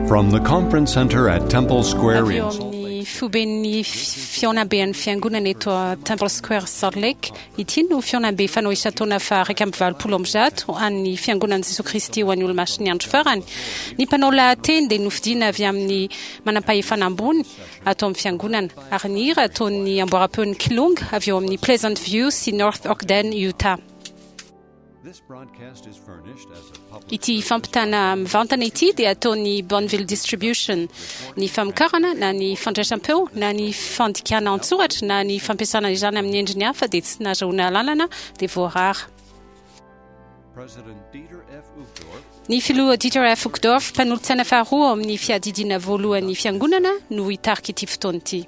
From the Conference Center at Temple Square Avy in eo Salt Lake amin'ny foiben'ny fihaonamben'ny fiangonana eto Temple Square Salt Lake, ity no fihaonambe fanao isan-taona faha 181 an'ny Fiangonan'i Jesoa Kristy ho an'ny Olomasin'ny Andro Farany. Ny mpanao lahateny dia nofidiana avy amin'ny manampahefana ambony ato amin'ny fiangonana, ary ny hira ataon'ny amboaram-peon'ny Kilonga avy eo amin'ny Pleasant View sy North Ogden, Utah. Ity fampitana mivantana ity dia ataon'ny Bonneville Distribution. Ny famokarana na ny fandraisam-peo na ny fandikana an-tsoratra na ny fampiasana izany amin'ny endriny hafa dia tsy nahazoana alalana dia voarara. Ny filoha Dieter F. Uchtdorf, mpanolotsaina faharoa ao amin'ny fiadidiana voalohan'ny Fiangonana no hitarika ity fotoana ity.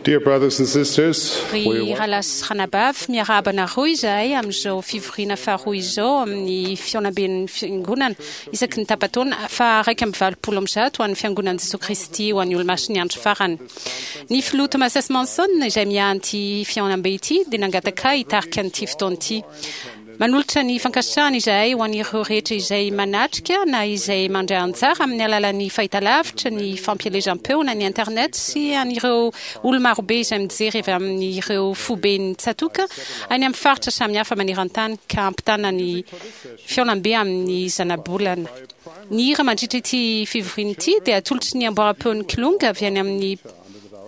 Dear brothers and sisters, Ry rahalahy sy ranabavy, miarahaba anareo izahay amin'izao fivoriana faharoa izao amin'ny fihaonamben'ny Fiangonana isaky ny tapa-taona faha 181 ho an'ny Fiangonan'i Jesoa Kristy ho an'ny Olomasin'ny Andro Farany. Ny Filoha Thomas S. Monson, izay miahy an'ity fihaonambe ity, dia nangataka ahy hitarika an'ity fotoana ity. Manolotra ny fankasitrahana izahay ho an'ireo rehetra izay manatrika na izay mandray anjara amin'ny alalan'ny fahitalavitra, ny fampielezam-peo na ny internet sy an'ireo olo-marobe izay mijery avy amin'ireo foiben'ny tsatòka any amin'ny faritra samihafa maneran-tany ka hampitana ny fihaonambe amin'ny zanabolana. Ny hira mandritra ity fivoriana ity dia atolotry ny amboaram-peon'ny Kilonga avy any amin'ny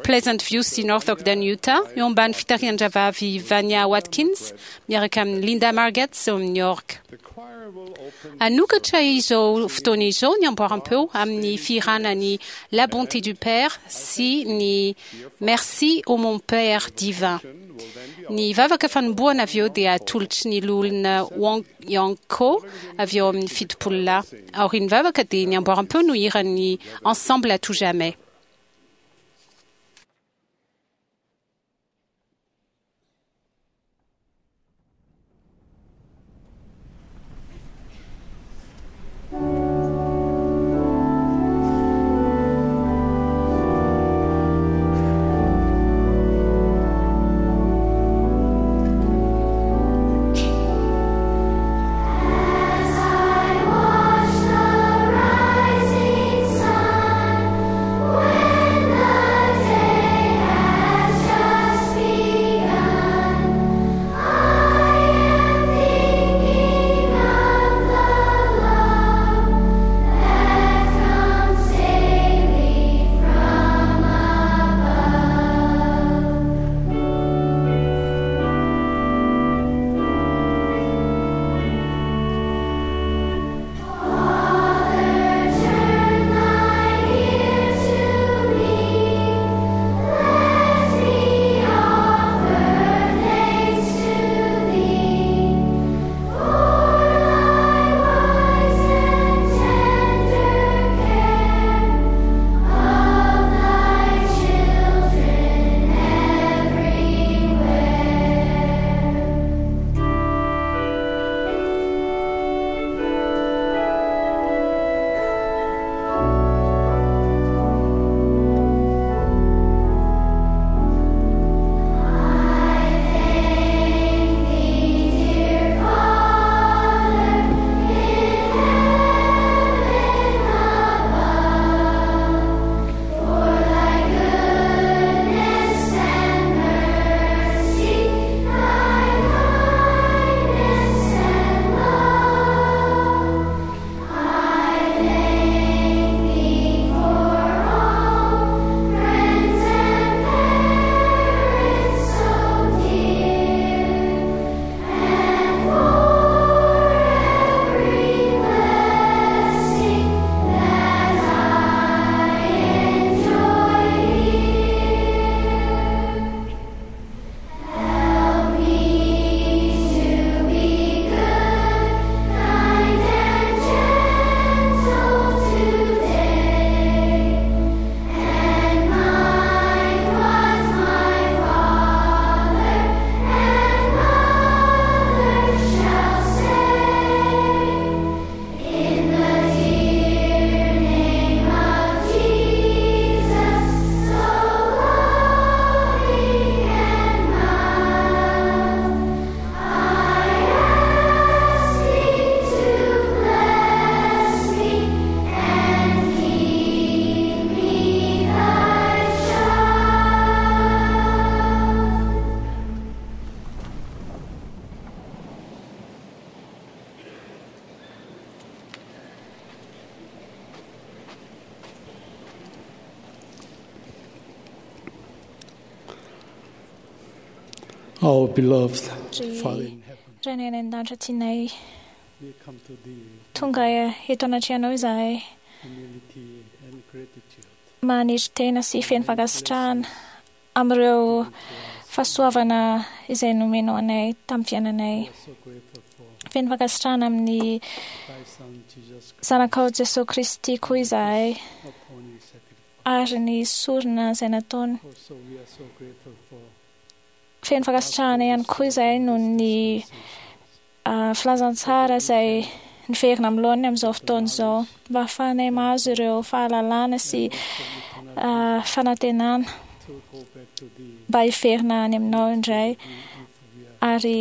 Pleasant View sy North Ogden, Utah, eo ambany fitarihan-dRahavavy Vania Watkins miaraka amin'i Linda Margetts eo amin'ny orgue. Hanokatra izao fotoana izao ny amboaram-peo amin'ny fihirana ny La Bonté du Père sy ny Merci ô mon Père divin. Ny vavaka fanombohana avy eo dia atolotry ny Loholona Wong Young Ko avy eo amin'ny Fitopololahy. Aorian'ny vavaka dia ny amboaram-peo no hiran'ny Ensemble à tout jamais. As I watch the rising sun. Our beloved Ry Father in heaven, Rainay any an-danitra tianay, we come to thee with tonga eto anatrehanao izahay humility and gratitude. manetry tena sy feno fankasitrahana amin'ireo fahasoavana izay nomenao anay tamin'ny fiainanay. We are so grateful for Feno fankasitrahana amin'ny thy Son Jesus Christ zanakao Jesoa Kristy koa izahay upon his sacrifice. ary ny sorona izay nataony. Also, we are so grateful for Feno fankasitrahana ihany koa izahay noho ny filazantsara izay niverina amin'ny laoniny amin'izao fotoana izao mba hahafahanay mahazo ireo fahalalana sy fanantenana to go back to thee mba hiverina any aminao indray if we are ary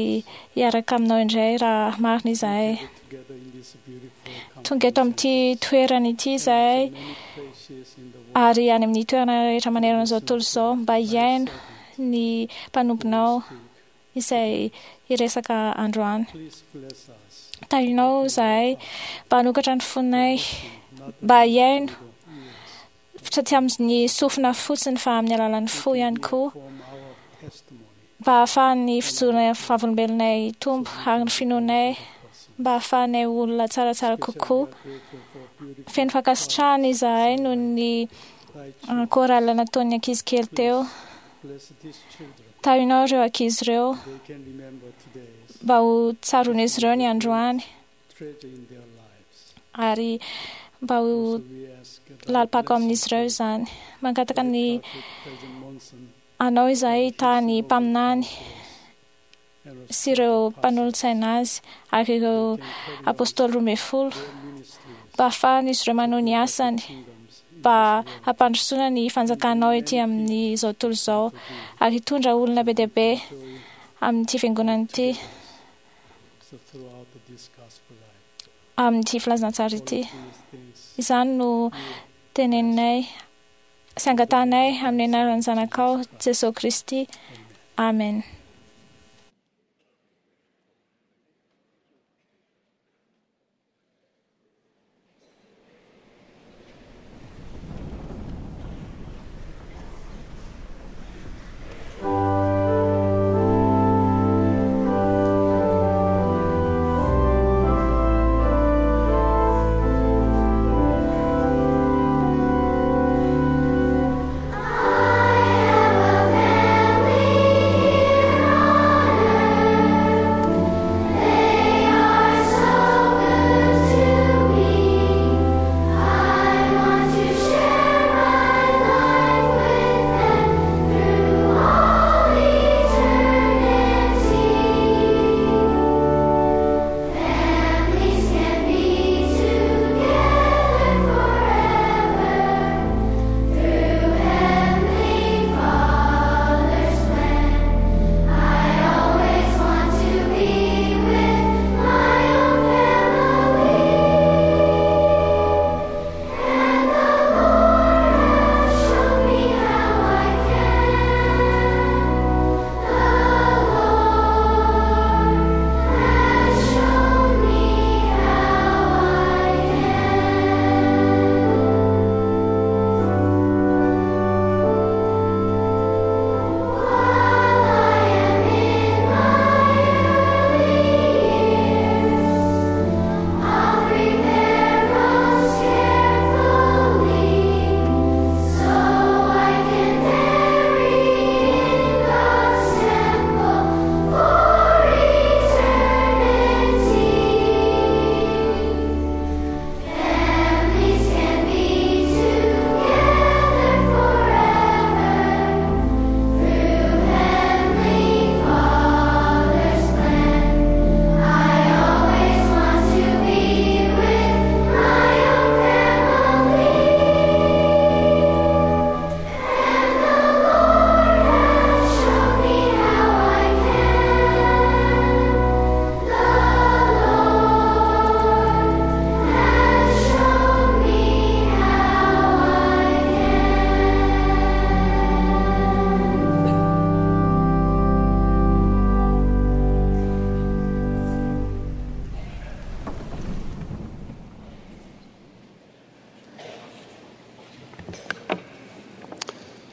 hiaraka aminao indray raha marina izahay. together in this beautiful Tonga eto amin'ity toerana ity izahay many places in the world. ary any amin'ny toerana rehetra manerana izao tontolo izao mba hihaino ny mpanomponao izay hiresaka androany. Please bless us. Tahinao izahay mba hanokatra ny fonay mba hihaino fa tsy amin'ny sofina fotsiny fa amin'ny alalan'ny fo ihany koa Form our testimony. mba hahafahan'ny fijoroanay amin'ny vavolombelonay hitombo ary ny finoanay mba hahafahanay olona tsaratsara kokoa. We are grateful for beautiful Feno fankasitrahana izahay noho ny thy chorale nataon'ny ankizy kely teo. Bless these children. Tahinao ireo ankizy ireo They can remember today's mba ho tsaroan'izy ireo ny androany treasure in their lives. ary mba ho Also, we ask thy lalim-pako amin'izy ireo blessing izany. Mangataka to ny Prophet President Monson anao izahay tany mpaminany and also sy ireo mpanolotsaina azy ary ireo they can carry on apôstôly 12 their ministries, mba hahafahan'izy ireo manohy ny asany kingdoms in mba this world. hampandrosoana ny fanjakanao ety amin'izao tontolo izao ary hitondra olona be dia be Joy amin'ity fiangonana ity so throughout this gospel life. amin'ity filazantsara All ity. of these things Izany no teneninay sy angatahanay amin'ny anaran'ny zanakao Jesoa Kristy. Amen. I have a family here.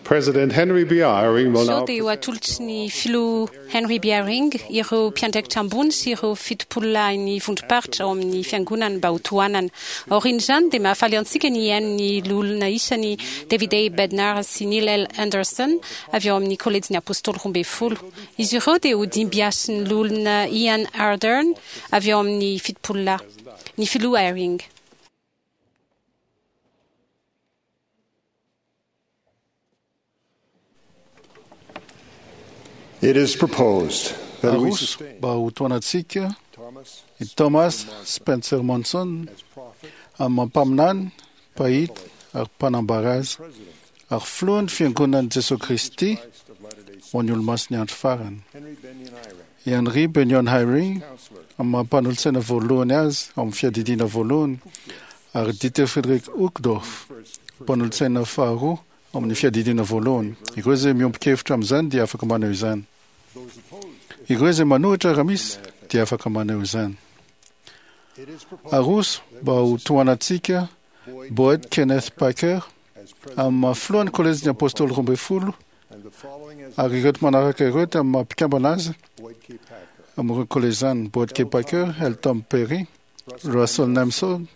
President Henry B. Eyring will Izao now dia ho atolotry ny filoha Henry B. Eyring ireo mpiandraikitra ambony sy ireo fitopololahin'ny vondrom-paritra ao amin'ny fiangonana mba ho tohanana. Aorian'izany dia mahafaly antsika ny hihaino ny loholona isany David A. Bednar sy Neil L. Anderson avy ao amin'ny kolejin'ny Apôstôly 12. Izy ireo dia ho dimbiasin'ny loholona Ian Ardern avy ao amin'ny fitopololahy. Ny filoha Eyring. It is proposed that we Aroso sustain mba ho tohanantsika Thomas i Thomas Spencer Monson as prophet, amin'ny mpaminany, mpahita ary mpanambara azy president ary filohan'ny fiangonan'i Jesosy Kristy Christ of Latter-day Saints, ho an'ny olomasin'ny andro farany. Henry Benyon Eyring, I Henry Benyon Eyring counselor, amin'ny maha mpanolotsaina voalohany azy ao amin'ny fiadidiana voalohany ary Dieter Frederick Uchtdorf mpanolotsaina faharoa ao amin'ny fiadidiana voalohany. Ireo izay miombon-kevitra amin'izany dia afaka maneho izany. those opposed, Ireo izay manohitra raha misy dia afaka maneho izany. it is proposed Aroso mba ho tohanantsika Boyd Boyd Kenneth Packer as president amin'ny maha filohan'ny kolejin'ny Apôstôly 12 and the following as ary ireto manaraka ireo dia amin'ny maha mpikambana azy Boyd K. Packer, amin'ireo kolejy izany: Boyd K. Packer, Elton Perry, Russell Nemson,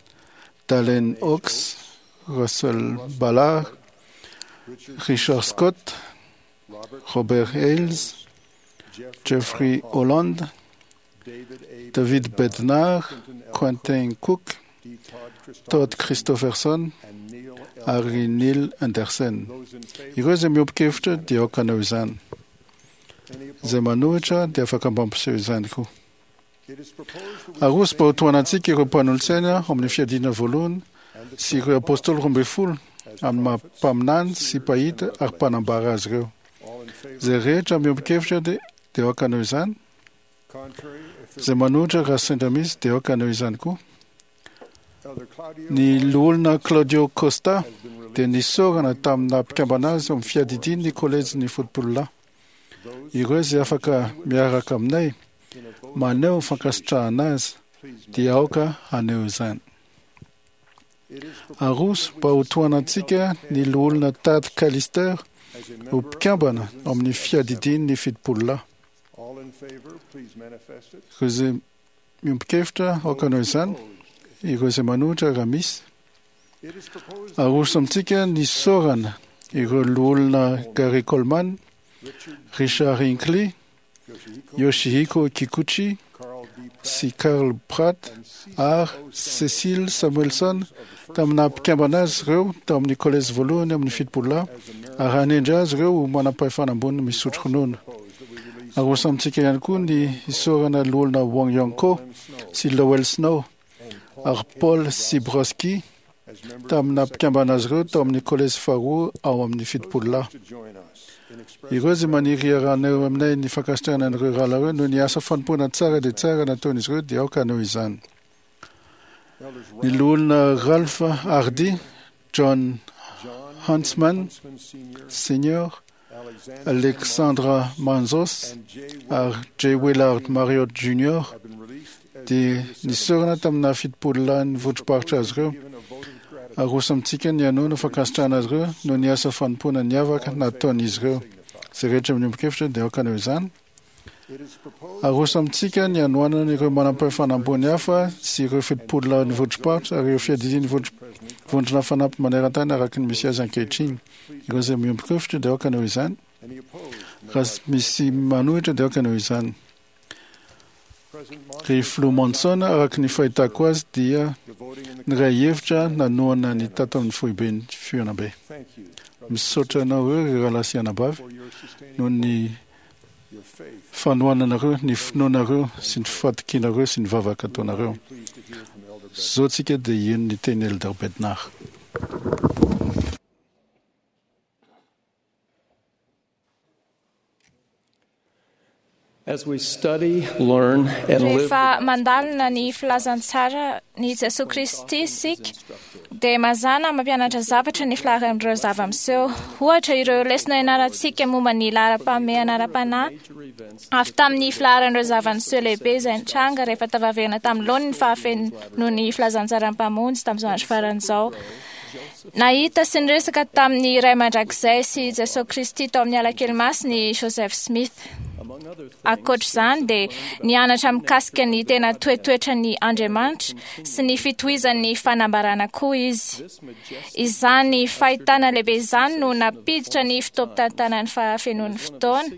Dallin Oaks, Russell Ballard, Richard Richard Scott, Robert Robert Hales, Jeffrey Jeffrey R. Holland, Holland, David A. David Bednar, Quentin L. Quentin Cook, D. Todd Todd Christofferson, Christopherson and Neil L. ary Neil Anderson. Those in favor, Ireo izay miombon-kevitra dia aoka hanao izany. any opposed? Izay manohitra dia afaka mba hampiseho izany koa. It is proposed that we Aroso mba ho tohanantsika ireo mpanolotsaina ao amin'ny fiadiana voalohany and the sy ireo apôstôly 12 as amin'ny maha prophets, mpaminany sy mpahita ary mpanambara azy ireo. all in favor, Izay rehetra miombon-kevitra dia dia aoka hanao izany. contrary, if there Izay manohitra raha sendra misy dia aoka hanao izany koa. Elder Claudio Ny loholona Claudio Costa has been released dia nisorana tamina mpikambana azy ao amin'ny fiadidian'ny kolejin'ny fotopololahy. those Ireo izay afaka miaraka aminay in a vote maneho ny fankasitrahana azy please dia aoka haneho izany. It is proposed Aroso mba ho tohanantsika ny loholona Tad Callister as a ho member of mpikambana the ao amin'ny fiadidian'ny fitopololahy. all in favor, please manifest it. Ireo izay miombon-kevitra aoka hanao izany. Opposed. Ireo izay manohitra raha misy. It is proposed Aroso amintsika ny sorana ireo loholona Gary Coleman, Richard Richard Hinckley, Yoshihiko, Yoshihiko Kikuchi Carl D. Pratt, sy Carl Pratt and Cecil ary O. Cecil Samuelson of the first tamina mpikambana azy ireo tao amin'ny kolejy voalohany amin'ny fitopololahy as a member ary hanendry azy ireo ho manam-pahefana ambony misotro ronono. proposed that we release Aroso amintsika ihany koa ny isorana loholona Wong Yong Ko Glenn Snow sy Lowell Snow and Paul ary K. Paul Sibroski as members tamina of the second mpikambana azy ireo tao amin'ny kolejy faharoa ao amin'ny fitopololahy. to join us in expressing Ireo izay maniry hiarahanay aminay ny fankasitrahana an'ireo rahalahy ireo noho ny asa fanompoana tsara dia tsara nataon'izy ireo dia aoka hanao izany. Elders Ny Ralph loholona Ralph Hardy, John John Huntsman Huntsman Sr., Senior, Alexander Alexandra Manzos and J. ary J. Willard Marriott Jr. have been released as dia nisorana tamina fitopololahy ny vondrom-paritra azy ireo. given a vote of gratitude Aroso amintsika ny hanoana fankasitrahana azy ireo noho ny asa fanompoana niavaka nataon'izy ireo. Izay rehetra miombon-kevitra dia aoka hanao izany. It is proposed Aroso amintsika ny hanoanana ireo manam-pahefana ambony hafa sy ireo fitopololahy ny vondrom-paritra ary ireo fiadidian'ny vondrona fanampy maneran-tany araka ny misy azy ankehitriny. Ireo izay miombon-kevitra dia aoka hanao izany. any opposed may Raha misy manohitra dia aoka hanao izany. President Monson Ry filoha Monson araka ny fahitako azy dia the voting in the niray hevitra nanohana ny tato amin'ny foiben'ny fihaonambe. thank you brothers Misaotra anao ireo ry rahalahy sy anabavy for your sustaining noho ny your faith. fanohananareo, ny finoanareo sy ny fatokianareo sy ny vavaka ataonareo. Be pleased to hear from Elder Beck. Zao tsika dia hihaino ny teny Elder Bednar. As we study, learn, and live Rehefa mandalina ny filazantsara ny Jesoa Kristy isika dia mazàna mampianatra zavatra ny filaharan'ireo zava-miseho. Ohatra ireo lesona ianarantsika momba ny laharam-pahamehana ara-panahy avy tamin'ny filaharan'ireo zava-niseho lehibe izay nitranga rehefa tafaverina tamin'ny laoniny ny fahafenoan'ny filazantsaran'ny Mpamonjy tamin'izao andro farany izao. Nahita sy niresaka tamin'ny Ray Mandrakizay sy Jesosy Kristy tao amin'ny alakely masina i Joseph Smith. Ankoatra izany dia nianatra mikasika ny tena toetoetran'ny Andriamanitra sy ny fitohizan'ny fanambarana koa izy. Izany fahitana lehibe izany no nampiditra ny fotoam-pitantanan'ny fahafenoan'ny fotoana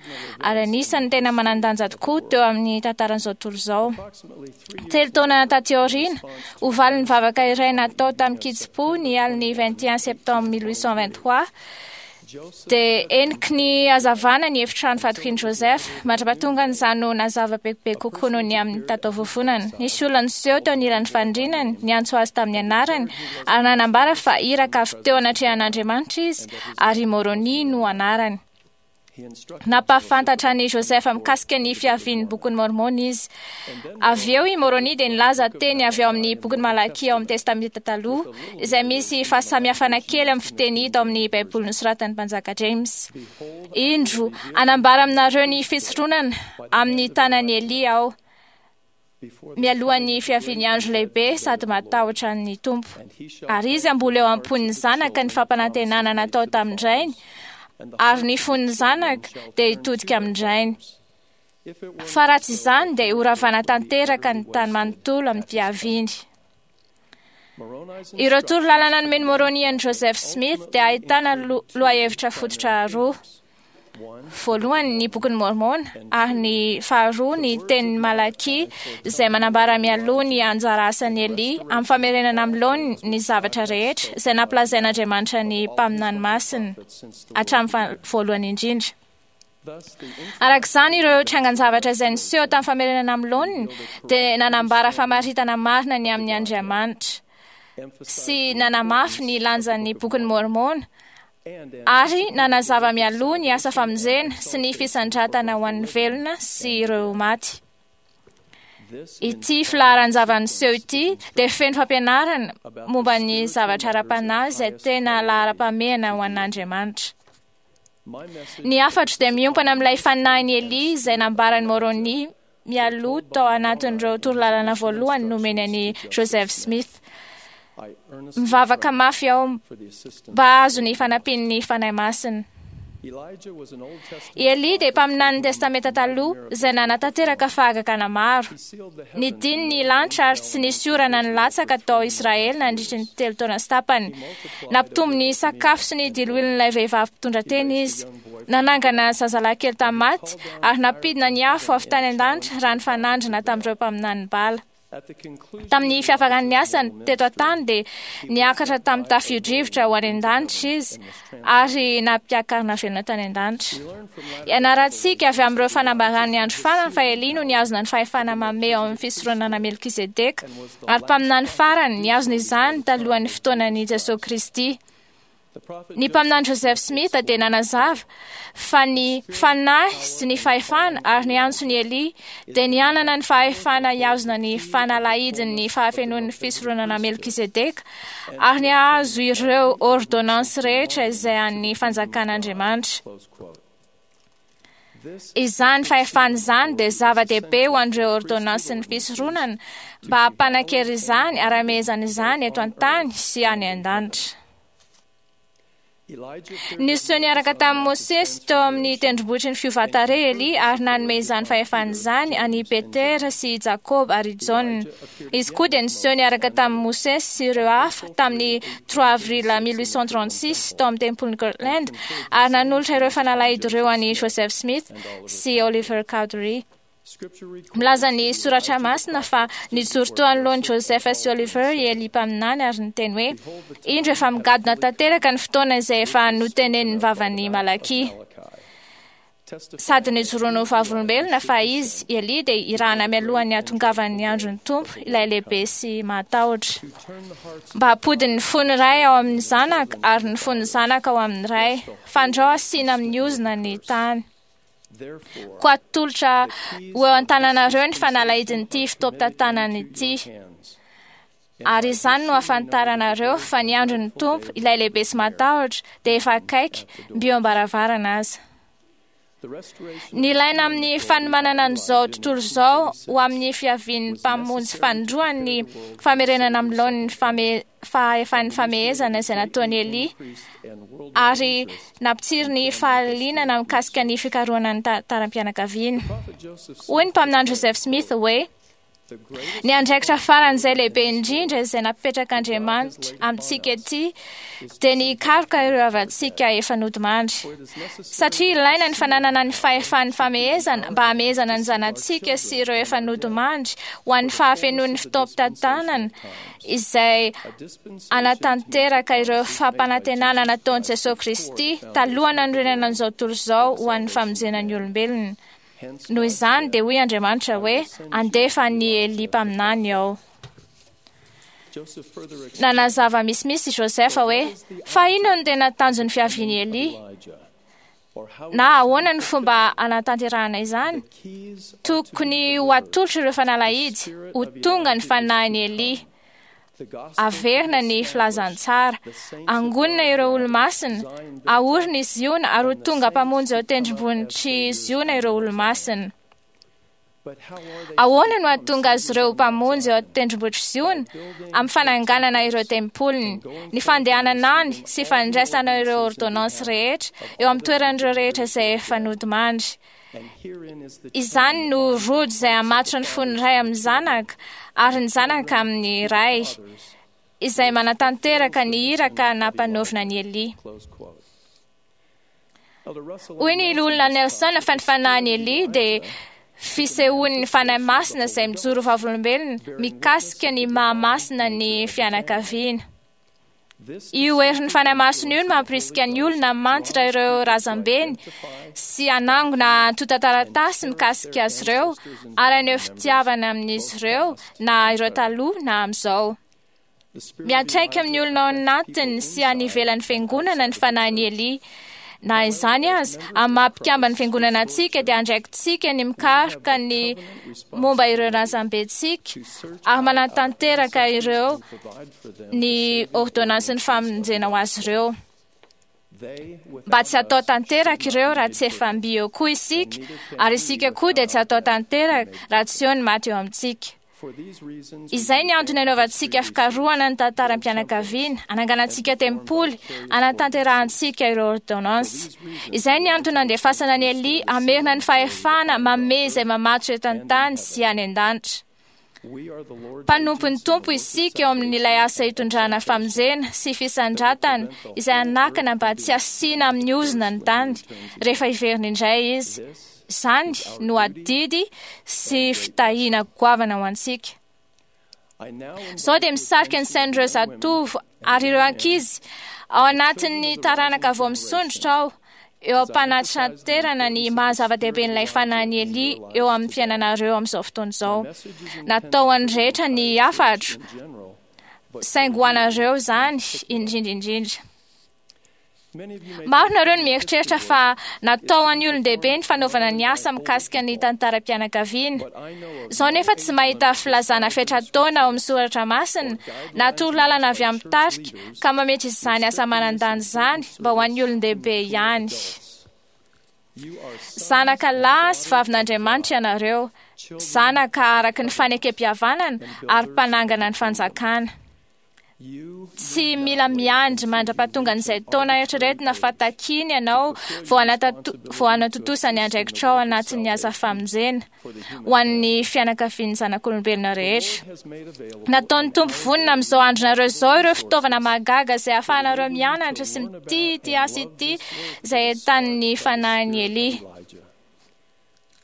ary anisan'ny tena manan-danja tokoa teo amin'ny tantaran'izao tontolo izao. 3 taona taty aoriana, ho valin'ny vavaka iray natao tamin-kitsim-po ny alin'ny 21 septembre 1823, dia heniky ny hazavana ny efitrano fatokian'i Joseph. Mandra-pahatongan'izany no nazava bebe kokoa noho ny amin'ny tataovovonana. Nisy olona niseho teo anilan'ny fandrinany, niantso azy tamin'ny anarany, ary nanambara fa iraka avy teo anatrehan'Andriamanitra izy, ary Moroni no anarany. Nampahafantatra an'i Joseph mikasika ny fiavian'ny bokin'i Mormon izy. Avy eo i Moroni dia nilaza teny avy ao amin'ny bokin'i Malakia ao amin'ny Testamenta Taloha, izay misy fahasamihafana kely amin'ny fiteny hita ao amin'ny Baiboly nosoratan'ny mpanjaka James. Indro, hanambara aminareo ny fisoronana amin'ny tanan'i Elia aho, mialohan'ny fiavian'ny andro lehibe sady matahotra ny Tompo. Ary izy hamboly eo am-pon'ny zanaka ny fampanantenana natao tamin-drainy, ary ny fon'ny zanaka dia hitodika amin-drainy. Fa raha tsy izany dia horavana tanteraka ny tany manontolo amin'ny fiaviany. Ireo toro lalana nomen'i Moroni an'i Joseph Smith dia ahitana lohahevitra fototra roa. Voalohany ny bokin'i Mormon ary ny faharoa ny tenin'i Malakia izay manambara mialoha ny anjara asan'i Elia amin'ny famerenana amin'ny laoniny ny zavatra rehetra izay nampilazain'Andriamanitra ny mpaminany masina hatramin'ny voalohany indrindra. Araka izany, ireo trangan-javatra izay niseho tamin'ny famerenana amin'ny laoniny dia nanambara famaritana marina ny amin'ny Andriamanitra sy nanamafy ny lanjan'ny bokin'i Mormon ary nanazava mialoha ny asa famonjena sy ny fisandratana ho an'ny velona sy ireo maty. Ity filaharan-java-niseho ity dia feno fampianarana momba ny zavatra ara-panahy izay tena laharam-pahamehana ho an'Andriamanitra. Ny hafatro dia miompana amin'ilay fanahin'i Elia izay nambaran'i Moroni mialoha tao anatin'ireo torolalana voalohany nomeny an'i Joseph Smith. Mivavaka mafy aho mba hahazo ny fanampian'ny Fanahy Masina. I Elia dia mpaminanin'ny Testamenta Taloha izay nanatanteraka fahagagana maro. Nidiny ny lanitra ary tsy nisy orana nilatsaka tao Israely nandritry ny 3 taona sy tapany. Nampitombo ny sakafo sy ny diloilon'ilay vehivavy mpitondra tena izy. Nanangana zazalahy kely tamin'ny maty ary nampidina ny afo avy tany an-danitra raha nifanandrina tamin'ireo mpaminanin'i Bala. Tamin'ny fiafaran'ny asany teto an-tany dia niakatra tamin'ny tafio-drivotra ho any an-danitra izy ary nampiakarina velona tany an-danitra. Ianarantsika avy amin'ireo fanambaran'ny andro farany fa Elia no nihazona ny fahefana mamehy ao amin'ny fisoronana Melkizedeka ary mpaminany farany nihazona izany talohan'ny fotoanan'i Jesosy Kristy. Ny mpaminany Joseph Smith dia nanazava fa ny fanahy sy ny fahefana ary ny antson'i Elia dia nianana ny fahefana hihazona ny fanalahidin'ny fahafenoan'ny fisoronana Melkizedeka ary nihazo ireo ordonnance rehetra izay an'ny fanjakan'Andriamanitra. Izany fahefana izany dia zava-dehibe ho an'ireo ordonnansin'ny fisoronana mba hampanan-kery izany ary hamehezana izany eto an-tany sy any an-danitra. Niseho niaraka tamin'i Mosesy teo amin'ny tendrombohitry ny fiovan-tarehy Elia ary nanome izany fahefana izany an'i Petera sy i Jakoba ary i Jaona. Izy koa dia niseho niaraka tamin'i Mosesy sy ireo hafa tamin'ny 3 avril 1836 tao amin'ny tempolin'i Kirtland ary nanolotra ireo fanalahidy ireo an'i Joseph Smith sy Oliver Cowdery. Milaza ny soratra masina fa nijoro teo anoloan'i Joseph sy Oliver i Elia mpaminany ary niteny hoe indro efa migadona tanteraka ny fotoana izay efa notenenin'ny vavan'i Malakia. Sady nijoroany ho vavolombelona fa izy Elia dia irahana mialohan'ny hahatongavan'ny andron'ny Tompo ilay lehibe sy mahatahotra. Mba hampody ny fon'ny ray ao amin'ny zanaka ary ny fon'ny zanaka ao amin'ny ray, fandrao asiana amin'ny ozona ny tany. Koa atolotra ho eo an-tananareo ny fanalahidin'ity fotoam-pitantanana ity. Ary izany no ahafantaranareo fa ny andron'ny Tompo, ilay lehibe sy matahotra, dia efa akaiky, mby eo am-baravarana aza. Nilaina amin'ny fanomanana an'izao tontolo izao ho amin'ny fiavian'ny Mpamonjy fanindroany ny famerenana amin'ny laoniny fahefan'ny famehezana izay nataon'i Elia, ary nampitsiry ny fahalianana mikasika ny fikarohana ny tantaram-pianakaviana. Hoy ny mpaminany Joseph Smith hoe: Ny andraikitra faran'izay lehibe indrindra izay napetrak'Andriamanitra amintsika ety dia ny hikaroka ireo havantsika efa nodimandry. Satria ilaina ny fananana ny fahefan'ny famehezana mba hamehezana ny zanatsika sy ireo efa nodimandry ho an'ny fahafenoan'ny fotoampitantanana izay hanatanteraka ireo fampanantenana nataon'i Jesoa Kristy taloha nanorenana an'izao tontolo izao ho an'ny famonjena ny olombelona. Noho izany dia hoy Andriamanitra hoe, Andefa an'i Elia mpaminany aho. Nanazava misimisy i Joseph hoe, fa inona no tena tanjon'ny fiavian'i Elia? Na ahoana ny fomba hanatanterahana izany? Tokony ho atolotra ireo fanalahidy, ho tonga ny fanahin'i Elia. Averina ny filazantsara, angonina ireo olomasina, aorina i Ziona ary ho tonga mpamonjy eo tendrombohitr'i Ziona ireo olomasina. Ahoana no hahatonga azy ireo mpamonjy eo tendrombohitr'i Ziona? Amin'ny fananganana ireo tempoliny, ny fandehanana any sy fandraisana ireo ordonnances rehetra eo amin'ny toeran'ireo rehetra izay efa nodimandry. Izany no rojo izay hamatotra ny fon'ny ray amin'ny zanaka ary ny zanaka amin'ny ray, izay manatanteraka ny iraka nampanaovina an'i Elia. Hoy ny loholona Nelson fa ny fanahin'i Elia dia fisehoan'ny Fanahy Masina izay mijoro vavolombelona mikasika ny maha-masina ny fianakaviana. Io herin'ny Fanahy Masina io no mampirisika ny olona hamantitra ireo razambeny sy hanangona antontan-taratasy mikasika azy ireo ary haneho fitiavana amin'izy ireo na ireo taloha na amin'izao. Miantraika amin'ny olona ao anatiny sy any ivelan'ny fiangonana ny fanahin'i Elia. Na izany aza, amin'ny maha mpikamban'ny fiangonana antsika dia andraikitsika ny mikaroka ny momba ireo razambentsika ary manatanteraka ireo ny ordonnansin'ny famonjena ho azy ireo. Mba tsy hatao tanteraka ireo raha tsy efa mby eo koa isika, ary isika koa dia tsy hatao tanteraka raha tsy eo ny maty eo amintsika. Izay ny antony anaovantsika fikarohana ny tantaram-pianakaviana, ananganantsika tempoly, anatanterahantsika ireo ordonnances. Izay ny antony andefasana an'i Elia hamerina ny fahefana mamehy izay mamatotra eto an-tany sy any an-danitra. Mpanompon'ny Tompo isika eo amin'ilay asa hitondrana famonjena sy fisandratana izay hanakana mba tsy hasiana amin'ny ozona ny tany rehefa hiverina indray izy. Izany no adidy sy fitahiana goavana ho antsika. Izao dia misarika ny sain'ireo zatovo ary ireo ankizy ao anatin'ny taranaka vao misondrotra aho eo am-panatraterana ny maha zava-dehibe an'ilay fanahin'i Elia eo amin'ny fiainanareo amin'izao fotoana izao. Natao ho an'ny rehetra ny hafatro, saingy ho anareo izany indrindra indrindra. Maro nareo no mieritreritra fa natao ho an'ny olon-dehibe ny fanaovana ny asa mikasika ny tantaram-pianakaviana. Izao nefa tsy mahita filazana fetra-taona ao amin'ny soratra masina na torolalana avy amin'ny tarika ka mametra izany asa manan-danja izany mba ho an'ny olon-dehibe ihany. Zanaka lahy sy vavin'Andriamanitra ianareo, zanaka araka ny fanekem-pihavanana ary mpanangana ny fanjakana. Tsy mila miandry mandra-pahatongan'izay taona eritreretina fa takiany ianao vao hanatontosa ny andraikitrao anatin'ny asa famonjena ho an'ny fianakavian'ny zanak'olombelona rehetra. Nataon'ny Tompo vonona amin'izao andronareo izao ireo fitaovana mahagaga izay ahafahanareo mianatra sy mitia ity asa ity izay entanin'ny fanahin'i Elia.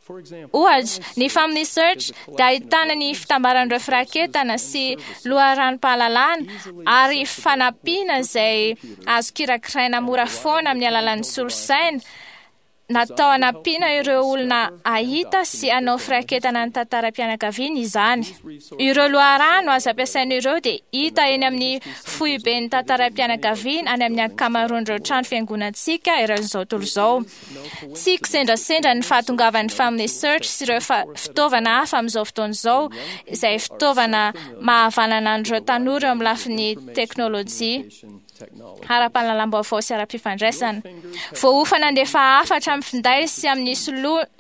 Ohatra, ny Family Search dia ahitana ny fitambaran'ireo firaketana sy loharanom-pahalalana ary fanampiana izay azo kirakiraina mora foana amin'ny alalan'ny solosaina natao hanampiana ireo olona hahita sy hanao firaketana ny tantaram-pianakaviana izany. Ireo loharano azo ampiasaina ireo dia hita eny amin'ny foiben'ny tantaram-pianakaviana any amin'ny ankamaroan'ireo trano fiangonantsika eran'izao tontolo izao. Tsy kisendrasendra ny fahatongavan'ny Family Search sy ireo fitaovana hafa amin'izao fotoana izao, izay fitaovana mahavanana an'ireo tanora eo amin'ny lafiny teknolojia. ara-pahalalam-baovao sy ara-pifandraisana. Voaofana handefa hafatra amin'ny finday sy amin'ny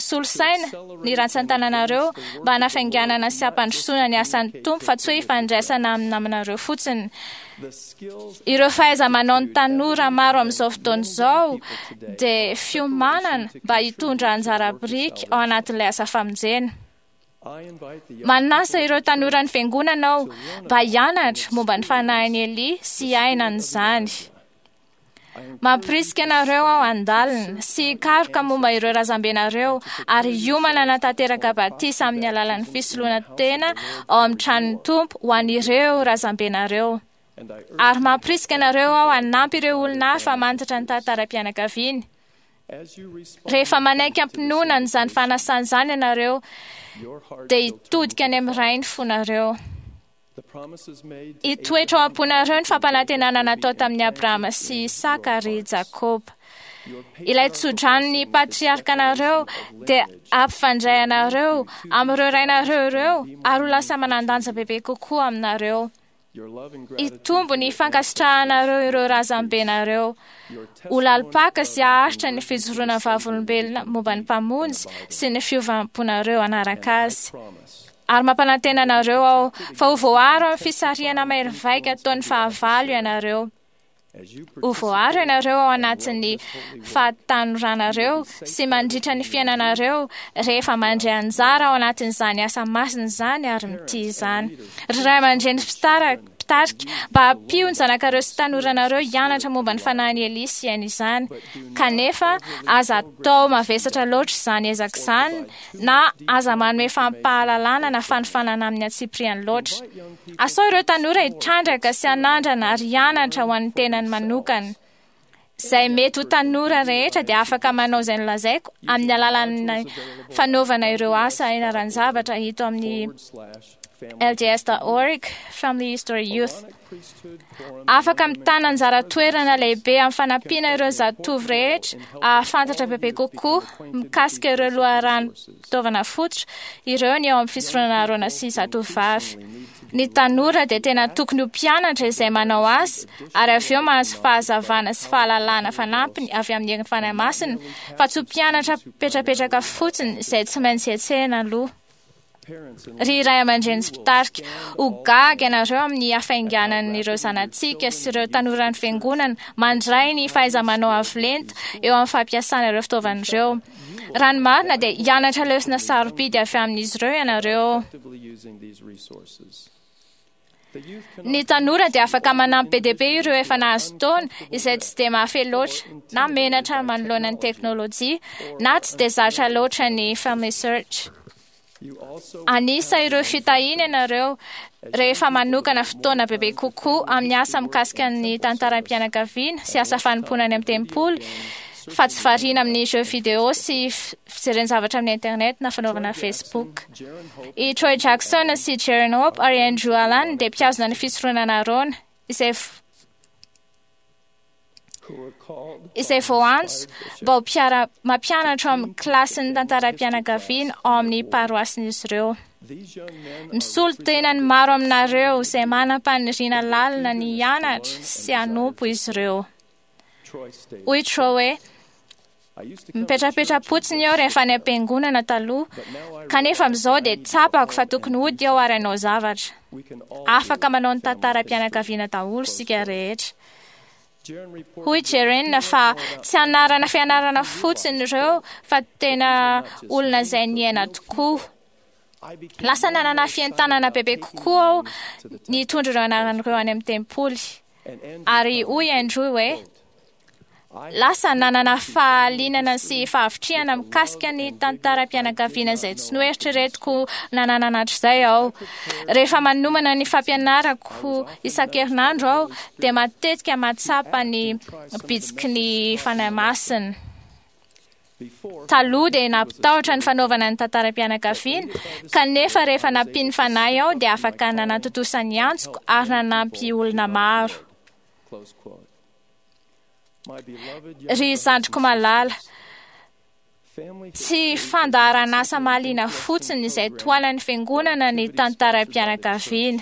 solosaina ny rantsan-tananareo mba hanafainganana sy hampandrosoana ny asan'ny Tompo fa tsy hoe hifandraisana amin'ny namanareo fotsiny. Ireo fahaiza-manao ny tanora maro amin'izao fotoana izao dia fiomanana mba hitondra anjara biriky ao anatin'ilay asa famonjena. Manasa ireo tanoran'ny fiangonana aho mba hianatra momba ny fanahin'i Elia sy hiaina an'izany. Mampirisika anareo aho handalina sy hikaroka momba ireo razambenareo ary hiomana hanatanteraka batisa amin'ny alalan'ny fisoloana tena ao amin'ny tranon'ny Tompo ho an'ireo razambenareo. Ary mampirisika anareo aho hanampy ireo olona hafa hamantatra ny tantaram-pianakaviany. Rehefa manaiky am-pinoana an'izany fanasana izany ianareo, dia hitodika any amin'ny Ray ny fonareo. Hitoetra ao am-ponareo ny fampanantenana natao tamin'i Abrahama sy Isaka ary Jakoba. Ilay tsodranon'ny patriarkanareo dia hampifandray anareo amin'ireo rainareo ireo ary ho lasa manan-danja bebe kokoa aminareo. Hitombo ny fankasitrahanareo ireo razambenareo. Ho lalim-paka sy haharitra ny fijoroana vavolombelona momba ny Mpamonjy sy ny fiovam-ponareo hanaraka azy. Ary mampanantena anareo aho fa ho voaaro amin'ny fisarihana mahery vaika ataon'ny fahavalo ianareo. Ho voaaro ianareo ao anatin'ny fahatanoranareo sy mandritra ny fiainanareo rehefa mandray anjara ao anatin'izany asa masina izany ary mitia izany. Ry ray aman-dreny mpitarika, mba ampio ny zanakareo sy tanoranareo hianatra momba ny fanahin'i Elia sy hiaina izany. Kanefa, aza atao mavesatra loatra izany ezaka izany na aza manome fampahalalana na fanofanana amin'ny antsipiriany loatra. Asao ireo tanora hitrandraka sy hanandrana ary hianatra ho an'ny tenany manokana. Izay mety ho tanora rehetra dia afaka manao izay nolazaiko amin'ny alalan'ny fanaovana ireo asa ianaran-javatra hita amin'ny lds.org Family History Youth. Afaka mitana anjara toerana lehibe amin'ny fanampiana ireo zatovo rehetra ahafantatra bebe kokoa mikasika ireo loharanom-pitaovana fototra ireo ny ao amin'ny fisoronana Arona sy zatovovavy. Ny tanora dia tena tokony ho mpianatra izay manao asa ary avy eo mahazo fahazavana sy fahalalana fanampiny avy amin'ny herin'ny Fanahy Masina fa tsy ho mpianatra mipetrapetraka fotsiny izay tsy maintsy hetsehina aloha. Ry ray aman-dreny sy mpitarika, ho gaga ianareo amin'ny hafainganan'ireo zanatsika sy ireo tanoran'ny fiangonana mandray ny fahaiza-manao avo lenta eo amin'ny fampiasana ireo fitaovana ireo. Raha ny marina dia hianatra lesona sarobidy avy amin'izy ireo ianareo. Ny tanora dia afaka manampy be dia be ireo efa nahazo taona izay tsy dia mahafehy loatra na menatra manoloana ny teknolojia na tsy dia zatra loatra ny Family Search. Anisa ireo fitahiana ianareo rehefa manokana fotoana bebe kokoa amin'ny asa mikasika ny tantaram-pianakaviana sy asa fanompoana any amin'ny tempoly fa tsy variana amin'ny jeux vidéo sy fijerena zavatra amin'ny internet na fanaovana Facebook. I Troy Jackson sy Jaren Hope ary Andrew Allan dia mpihazona ny fisoronana Arona izay voaantso mba ho mampianatra ao amin'ny kilasin'ny tantaram-pianakaviana ao amin'ny paroasin'izy ireo. Misolo tena ny maro aminareo izay manam-paniriana lalina ny hianatra sy hanompo izy ireo. Hoy Troy hoe, mipetrapetra-potsiny aho rehefa any am-piangonana taloha, kanefa amin'izao dia tsapako fa tokony hody aho ary hanao zavatra. Afaka manao ny tantaram-pianakaviana daholo isika rehetra. Hoy Jeren fa tsy anarana fianarana fotsiny ireo fa tena olona izay niaina tokoa. Lasa nanana fientanana bebe kokoa aho nitondra ireo anarana ireo any amin'ny tempoly. Ary hoy Andrew hoe, lasa nanana fahalinana sy fahavitrihana mikasika ny tantaram-pianakaviana izay tsy noeritreretiko nananana hatrizay aho. Rehefa manomana ny fampianarako isan-kerinandro aho dia matetika mahatsapa ny bitsiky ny Fanahy Masina. Taloha dia nampitahotra ny fanaovana ny tantaram-pianakaviana, kanefa rehefa nampian'ny Fanahy aho dia afaka nanatontosa ny antsoko ary nanampy olona maro. Ry zandriko malala, tsy fandaharan'asa mahaliana fotsiny izay tohanan'ny fiangonana ny tantaram-pianakaviana.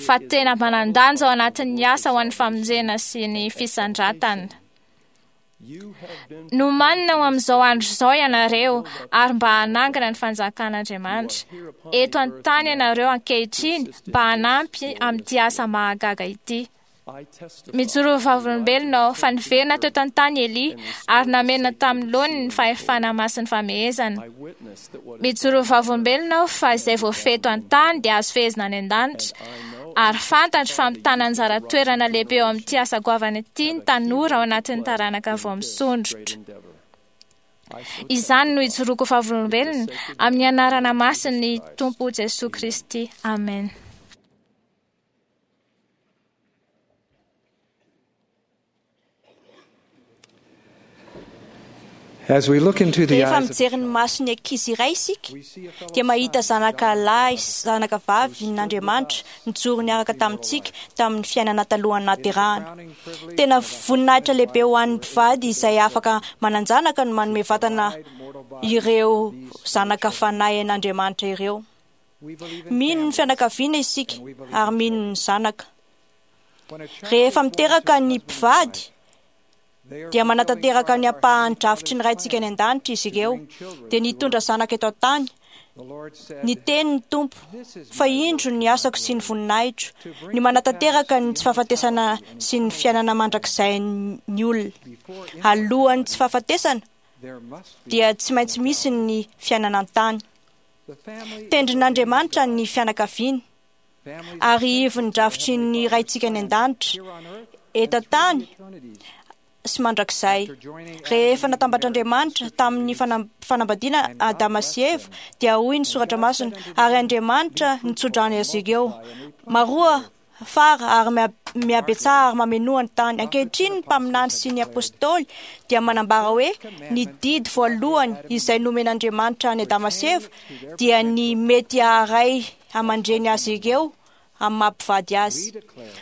fa tena manan-danja ao anatin'ny asa ho an'ny famonjena sy ny fisandratana. Nomanina ho amin'izao andro izao ianareo ary mba hanangana ny fanjakan'Andriamanitra. Eto an-tany ianareo ankehitriny mba hanampy amin'ity asa mahagaga ity. Mijoro ho vavolombelona aho fa niverina teto an-tany Elia ary namerina tamin'ny laoniny ny fahefana masin'ny famehezana. Mijoro ho vavolombelona aho fa izay voafehy eto an-tany dia azo fehezina any an-danitra. Ary fantatro fa mitana anjara toerana lehibe eo amin'ity asa goavana ity ny tanora ao anatin'ny taranaka vao misondrotra. Izany no ijoroako ho vavolombelona amin'ny anarana masin'ny Tompo Jesoa Kristy. Amen. As we look into the Rehefa eyes of mijery ny mason'ny ankizy iray isika dia mahita zanaka lahy sy zanaka vavy n'Andriamanitra nijoro niaraka tamintsika tamin'ny fiainana talohan'ny nahaterahana. Tena voninahitra lehibe ho an'ny mpivady izay afaka manan-janaka no manome vatana ireo zanaka fanahy an'Andriamanitra ireo. Mino ny fianakaviana isika ary mino ny zanaka. Rehefa miteraka ny mpivady dia manatanteraka ny ampahan'ny drafitry ny Raintsika any an-danitra izy ireo, dia nitondra zanaka eto an-tany. Niteny ny Tompo fa indro ny asako sy ny voninahitro, ny manatanteraka ny tsy fahafatesana sy ny fiainana mandrakizay ny olona. Alohan'ny tsy fahafatesana dia tsy maintsy misy ny fiainana an-tany. Tendrin'Andriamanitra ny fianakaviana ary ivon'ny drafitry ny Raintsika any an-danitra eto an-tany sy mandrakizay. Rehefa natambatr'Andriamanitra tamin'ny fanambadiana Adama sy Eva dia hoy ny soratra masina, ary Andriamanitra nitsodrano azy ireo. Maroa fara ary mihabetsaha ary mamenoa ny tany. Ankehitriny ny mpaminany sy ny apôstôly dia manambara hoe ny didy voalohany izay nomen'Andriamanitra an'i Adama sy Eva dia ny mety haharay aman-dreny azy ireo amin'ny maha-mpivady azy.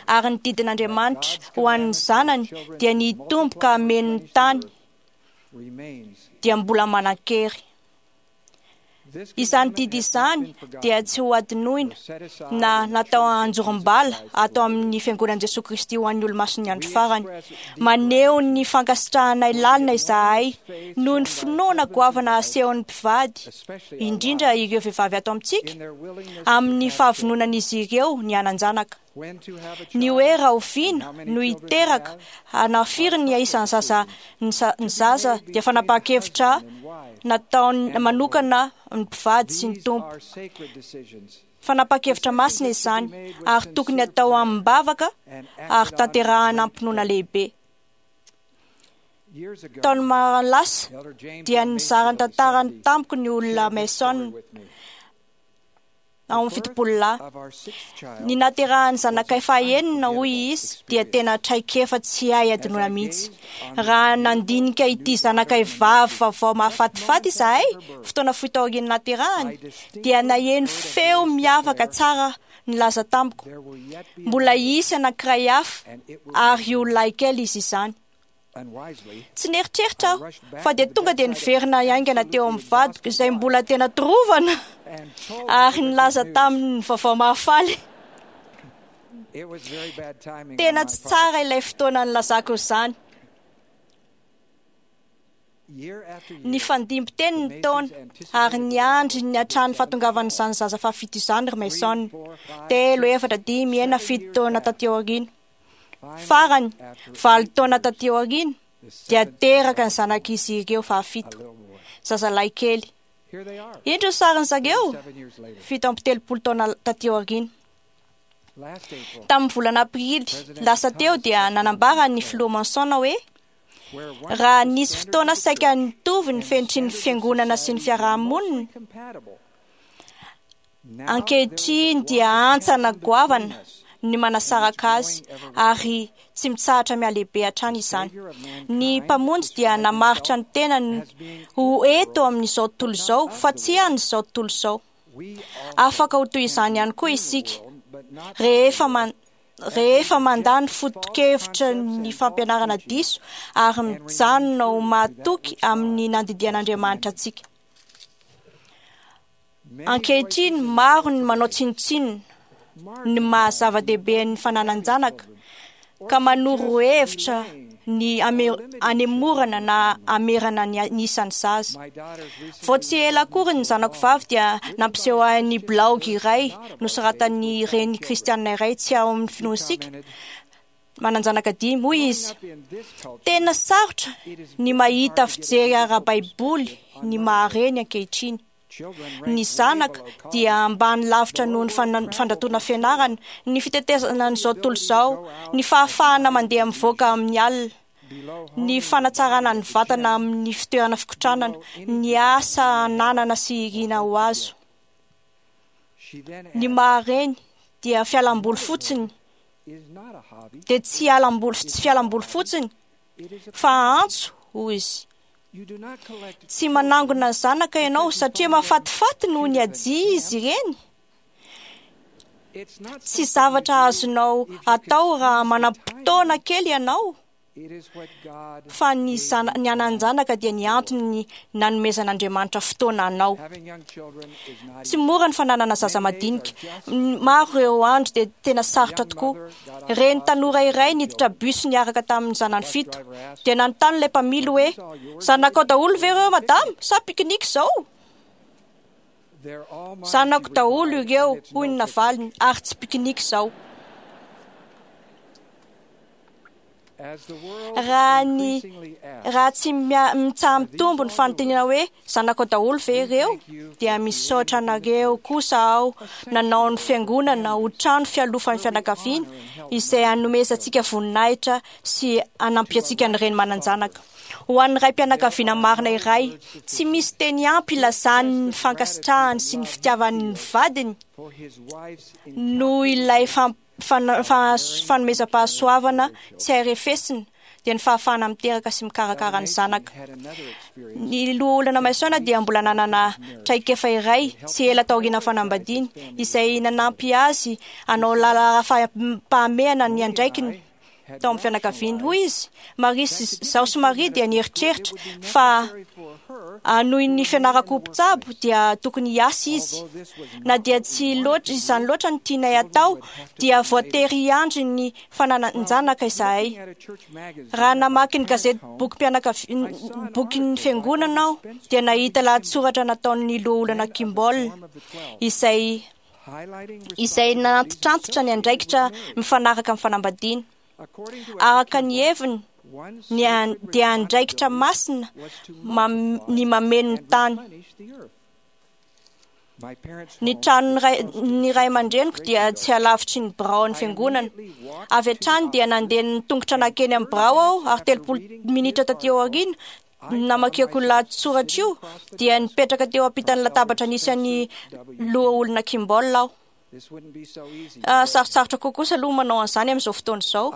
Ary ny didin'Andriamanitra ho an'ny zanany dia ny hitombo ka hameno ny tany dia mbola manan-kery. Izany didy izany dia tsy ho adinoina na natao anjorom-bala ato amin'ny Fiangonan'i Jesoa Kristy ho an'ny olomasin'ny andro farany. Maneho ny fankasitrahanay lalina izahay noho ny finoana goavana asehon'ny mpivady, indrindra ireo vehivavy ato amintsika, amin'ny fahavononan'izy ireo ny hanan-janaka. Ny hoe rahoviana no hiteraka na firy ny isan'ny zaza ny zaza dia fanapahan-kevitra nataony manokana ny mpivady sy ny Tompo. Fanapahan-kevitra masina izany ary tokony atao amim-bavaka ary tanterahana am-pinoana lehibe. Taona maro lasa dia nizara ny tantarany tamiko ny olona Mason ao amin'ny 70 lahy. Ny nahaterahan'ny zanakay fahaenina, hoy izy, dia tena traikefa tsy hay adinoina mihitsy. Raha nandinika ity zanakay vavy vaovao mahafatifaty izahay, fotoana fohy taorian'ny nahaterahany, dia naheno feo miavaka tsara nilaza tamiko, mbola hisy anankiray hafa ary io lahikely izy izany. Tsy nieritreritra aho fa dia tonga dia niverina haingana teo amin'ny vadiko izay mbola tena torovana ary nilaza taminy ny vaovao mahafaly. Tena tsy tsara ilay fotoana nilazako izany. Nifandimby teny ny taona ary niandry ny hatrany fahatongavan'izany zaza fahafito izany ry Mason. 3, 4, 5, 6, 7 taona taty aoriana. Farany, 8 taona taty aoriana, dia teraka ny zanak'izy ireo fahafito, zazalahy kely. Indro ny sarin'ny zareo, 37 taona taty aoriana. Tamin'ny volana aprily lasa teo dia nanambara ny filoha Monson hoe raha nisy fotoana saika nitovy ny fenitry ny fiangonana sy ny fiarahamonina, ankehitriny dia hantsana goavana ny manasaraka azy ary tsy mitsahatra mihalehibe hatrany izany. Ny Mpamonjy dia namaritra ny tenany ho eto amin'izao tontolo izao fa tsy an'izao tontolo izao. Afaka ho toy izany ihany koa isika rehefa mandà ny foto-kevitra ny fampianarana diso ary mijanona ho mahatoky amin'ny nandidian'Andriamanitra antsika. Ankehitriny maro ny manao tsinontsinona. ny maha zava-dehibe ny fananan-janaka ka manoro hevitra ny anemorana na amerana ny isan'ny zaza. Vao tsy ela akory ny zanako vavy dia nampiseho ahy ny blaogy iray nosoratan'ny reny kristianina iray tsy ao amin'ny finoantsika manan-janaka 5. Hoy izy: tena sarotra ny mahita fijery ara-baiboly ny maha-reny ankehitriny. Ny zanaka dia ambany lavitra noho ny fandratoana fianarana, ny fitetezana an'izao tontolo izao, ny fahafahana mandeha mivoaka amin'ny alina, ny fanatsarana ny vatana amin'ny fitoerana fikotranana, ny asa ananana sy irina ho azo. Ny maha-reny dia fialamboly fotsiny, dia tsy fialamboly fotsiny fa antso, hoy izy. Tsy manangona ny zanaka ianao satria mahafatifaty noho ny hajia izy ireny. Tsy zavatra azonao atao raha manam-potoana kely ianao, fa ny anan-janaka dia ny antony nanomezan'Andriamanitra fotoana anao. Tsy mora ny fananana zaza madinika. Maro ireo andro dia tena sarotra tokoa. Reny tanora iray niditra bus niaraka tamin'ny zanany 7. Dia nanontany ilay mpamily hoe: zanakao daholo ve ireo madama sa pique-nique izao? Zanako daholo ireo, hoy ny navaliny, ary tsy pique-nique izao. Raha tsy mitsaha-mitombo ny fanontaniana hoe zanako daholo ve ireo, dia misaotra anareo kosa aho nanao ny fiangonana ho trano fialofan'ny fianakaviana izay hanomezantsika voninahitra sy hanampiantsika ny reny manan-janaka. Ho an'ny ray-pianakaviana marina iray, tsy misy teny ampy ilazany ny fankasitrahany sy ny fitiavany ny vadiny noho ilay fanomezam-pahasoavana tsy hay refesina, dia ny fahafahana miteraka sy mikarakara ny zanaka. Ny loholona Mason dia mbola nanana traikefa iray tsy ela taorian'ny fanambadiany, izay nanampy azy hanao laharam-pahamehana ny andraikiny tao amin'ny fianakaviany. Hoy izy: Maria sy izaho sy Maria dia nieritreritra fa hanohy ny fianarako mpitsabo dia tokony hiasa izy. Na dia tsy loatra izany loatra no tianay atao, dia voatery hiandry ny fananan-janaka izahay. Raha namaky ny gazety bokin'ny fiangonana aho, dia nahita lahatsoratra nataon'ny loholona Kimball izay nanantitrantitra ny andraikitra mifanaraka amin'ny fanambadiana. Araka ny heviny, dia andraikitra masina ny mameno ny tany. Ny tranon'ny ray aman-dreniko dia tsy halavitry ny biraon'ny fiangonana. Avy hatrany dia nandeha ny tongotra nankeny amin'ny birao aho, ary 30 minitra taty aoriana namakiako lahatsoratra io, dia nipetraka teo ampitan'ny latabatra nisy an'ny loholona Kimball aho. Sarotsarotra kokoa aloha manao an'izany amin'izao fotoana izao.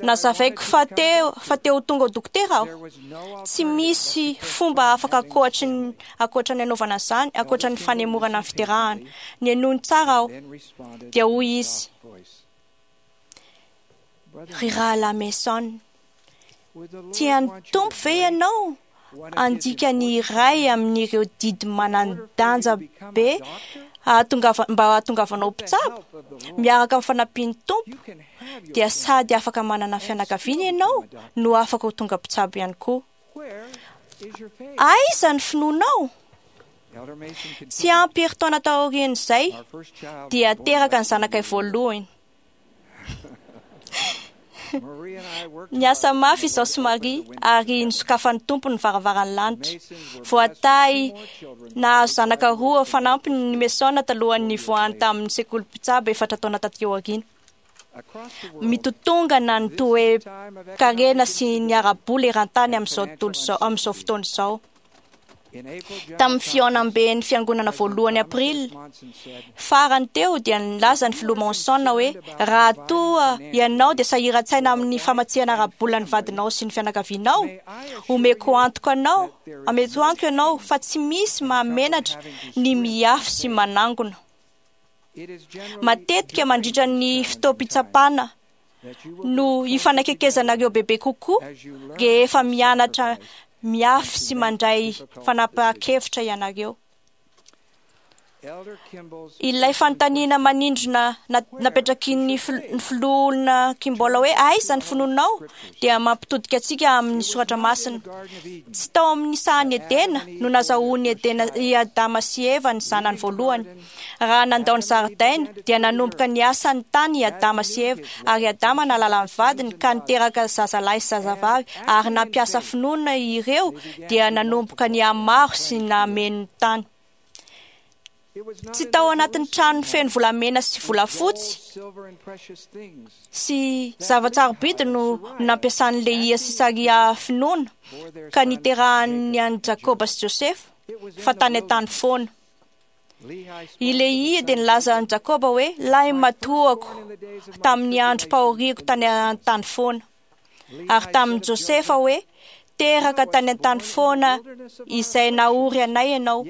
Nazavaiko fa te ho tonga ho dokotera aho. Tsy misy fomba afaka ankoatra ny anaovana an'izany, ankoatra ny fanemorana ny fiterahana. Nihainoany tsara aho. Dia hoy izy: Ry rahalahy Mason, tian'ny Tompo ve ianao handika ny iray amin'ireo didy manan-danja be mba hahatongavanao mpitsabo? Miaraka amin'ny fanampian'ny Tompo, dia sady afaka manana fianakaviana ianao no afaka ho tonga mpitsabo ihany koa. Aiza ny finoanao? Tsy ampy herintaona taorian'izay dia teraka ny zanakay voalohany. Niasa mafy izaho sy Maria ary nisokafan'ny Tompo ny varavaran'ny lanitra. Voatahy nahazo zanaka 2 fanampiny ny Mason talohan'ny nivoahany tamin'ny sekoly mpitsabo 4 taona taty aoriana. Mitotongana ny toe-karena sy ny ara-bola eran-tany amin'izao fotoana izao. Tamin'ny fihaonamben'ny fiangonana voalohany Aprily farany teo dia nilaza ny filoha Monson hoe: raha toa ianao dia sahiran-tsaina amin'ny famatsiana ara-bola ny vadinao sy ny fianakavianao, omeko antoka anao, ameko antoka ianao fa tsy misy mahamenatra ny miafy sy manangona. Matetika mandritra ny fotoam-pitsapana no hifanakekezanareo bebe kokoa rehefa mianatra miafy sy mandray fanapahan-kevitra ianareo. Ilay fanontaniana manindrona napetraky ny filoha Kimball hoe aiza ny finoanao dia mampitodika antsika amin'ny soratra masina. Tsy tao amin'ny sahan'i Edena no nazahoan'i Edena i Adama sy Eva ny zanany voalohany. Raha nandao ny zaridaina dia nanomboka niasa ny tany i Adama sy Eva, ary Adama nahalala ny vadiny ka niteraka zazalahy sy zazavavy, ary nampiasa finoana ireo dia nanomboka nihamaro sy nameno ny tany. Tsy tao anatin'ny trano feno volamena sy volafotsy sy zava-tsarobidy no nampiasan'i Lehia sy Saria finoana ka niterahany an'i Jakoba sy Josefa, fa tany an-tany foana. I Lehia dia nilaza an'i Jakoba hoe lahimatoako tamin'ny androm-pahoriako tany an-tany foana, ary tamin'i Josefa hoe teraka tany an-tany foana izay nahory anay ianao.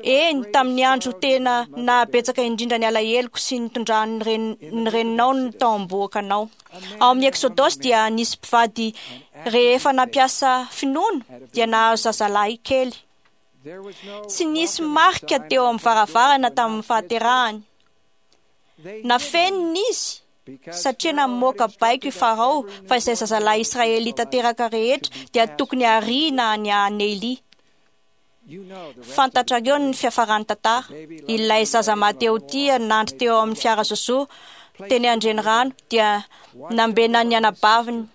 Eny, tamin'ny andro tena nahabetsaka indrindra ny alaheloko sy nitondran'ny ny reninao ny tao am-bohoka anao. Ao amin'ny Eksodosy dia nisy mpivady rehefa nampiasa finoana dia nahazo zazalahy kely. Tsy nisy marika teo amin'ny varavarana tamin'ny fahaterahany. Nafenina izy satria namoaka baiko i Farao fa izay zazalahy israelita teraka rehetra dia tokony hariana any Neily. Fantatrareo ny fiafaran'ny tantara. Ilay zaza mahatehotia nandry teo amin'ny fiara zozo teny an-drenirano dia nambenan'ny anabaviny,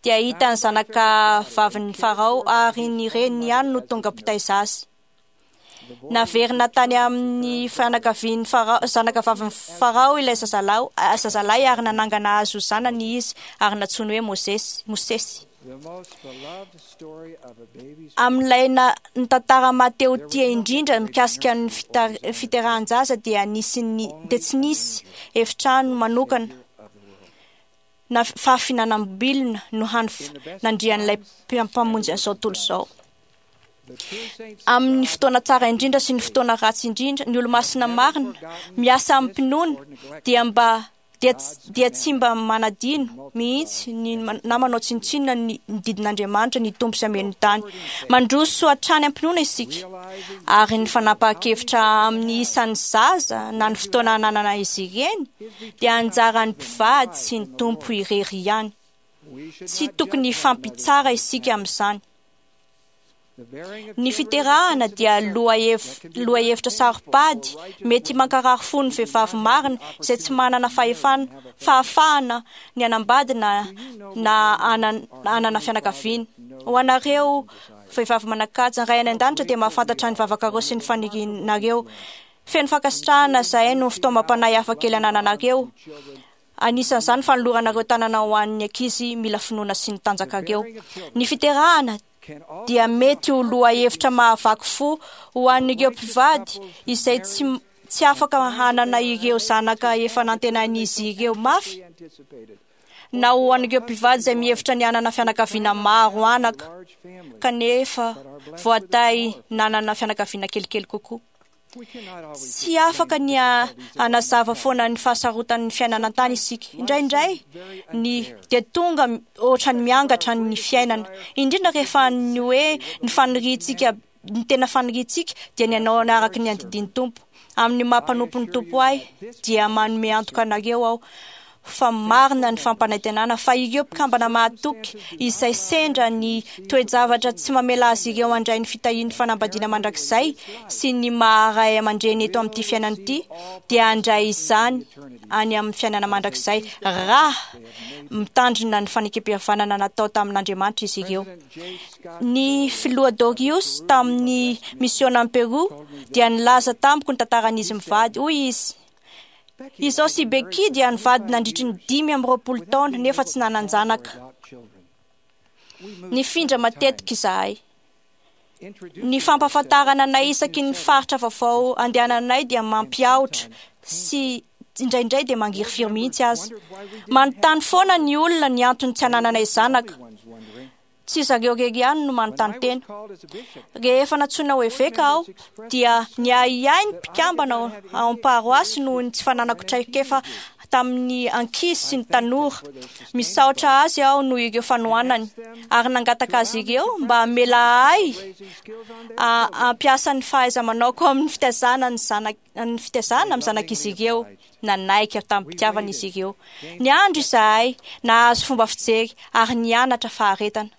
dia hitan'ny zanaka vavin'ny Farao ary ny reniny ihany no tonga mpitaiza azy. Naverina tany amin'ny fianakavian'ny Farao, zanaka vavin'ny Farao ilay zazalahy ary nanangana azy ho zanany izy ary nantsoiny hoe Mosesy. Mosesy. Amin'ilay ny tantara mahatehotia indrindra mikasika ny fiterahan-jaza dia nisy ny dia tsy nisy efitrano manokana na fahafinanam-bilona no hany nandrian'ilay mpamonjy an'izao tontolo izao. Amin'ny fotoana tsara indrindra sy ny fotoana ratsy indrindra, ny olomasina marina miasa amim-pinoana dia mba dia tsy mba manadino mihitsy ny na manao tsinontsinona ny didin'Andriamanitra ny Tompo sy hameno ny tany. Mandroso hatrany am-pinoana isika, ary ny fanapahan-kevitra amin'ny isan'ny zaza na ny fotoana ananana izy ireny dia anjaran'ny mpivady sy ny Tompo irery ihany. Tsy tokony hifampitsara isika amin'izany. Ny fiterahana dia lohahevitra saro-pady mety mankarary fo ny vehivavy marina izay tsy manana fahefana, fahafahana ny hanambady na hanana fianakaviana. Ho anareo vehivavy manan-kaja, ny Ray any An-danitra dia mahafantatra ny vavakareo sy ny fanirianareo. Feno fankasitrahana izahay noho ny fitaomam-panahy hafa kely anananareo. Anisan'izany ny fanoloranareo tanana ho an'ny ankizy mila finoana sy ny tanjakareo. Ny fiterahana dia mety ho lohahevitra mahavaky fo ho an'ireo mpivady izay tsy tsy afaka hanana ireo zanaka efa nantenain'izy ireo mafy, na ho an'ireo mpivady izay mihevitra ny hanana fianakaviana maro anaka kanefa voatahy nanana fianakaviana kelikely kokoa. Tsy afaka ny hanazava foana ny fahasarotan'ny fiainana an-tany isika. Indraindray ny dia tonga ohatran'ny miangatra ny fiainana, indrindra rehefa ny hoe ny faniriantsika, ny tena faniriantsika dia ny hanao araka ny andidian'ny Tompo. Amin'ny maha mpanompon'ny Tompo ahy dia manome antoka anareo aho fa marina ny fampanantenana fa ireo mpikambana mahatoky izay sendra ny toe-javatra tsy mamela azy ireo handray ny fitahian'ny fanambadiana mandrakizay sy ny maha ray aman-dreny eto amin'ity fiainana ity dia handray izany any amin'ny fiainana mandrakizay raha mitandrina ny fanekempihavanana natao tamin'Andriamanitra izy ireo. Ny filoha Dorius tamin'ny misiônan'i Peru dia nilaza tamiko ny tantaran'izy mivady. Hoy izy, Izaho sy Becky dia nivady nandritry ny 25 taona nefa tsy nanan-janaka. Nifindra matetika izahay. Ny fampahafantarana anay isaky ny faritra vaovao andehananay dia mampiahotra sy indraindray dia mangirifiry mihitsy aza. Manontany foana ny olona ny antony tsy anananay zanaka. Tsy zareo irery ihany no manontany tena. Rehefa nantsoina ho eveka aho dia niahiahy ny mpikambana ao amin'ny paroasy noho ny tsy fananako traikefa tamin'ny ankizy sy ny tanora. Misaotra azy aho noho ireo fanohanany ary nangataka azy ireo mba hamela ahy hampiasa ny fahaiza-manaoko amin'ny fitaizana ny zanak ny fitaizana amin'ny zanak'izy ireo. Nanaiky tamim-pitiavana izy ireo. Niandry izahay, nahazo fomba fijery ary nianatra faharetana.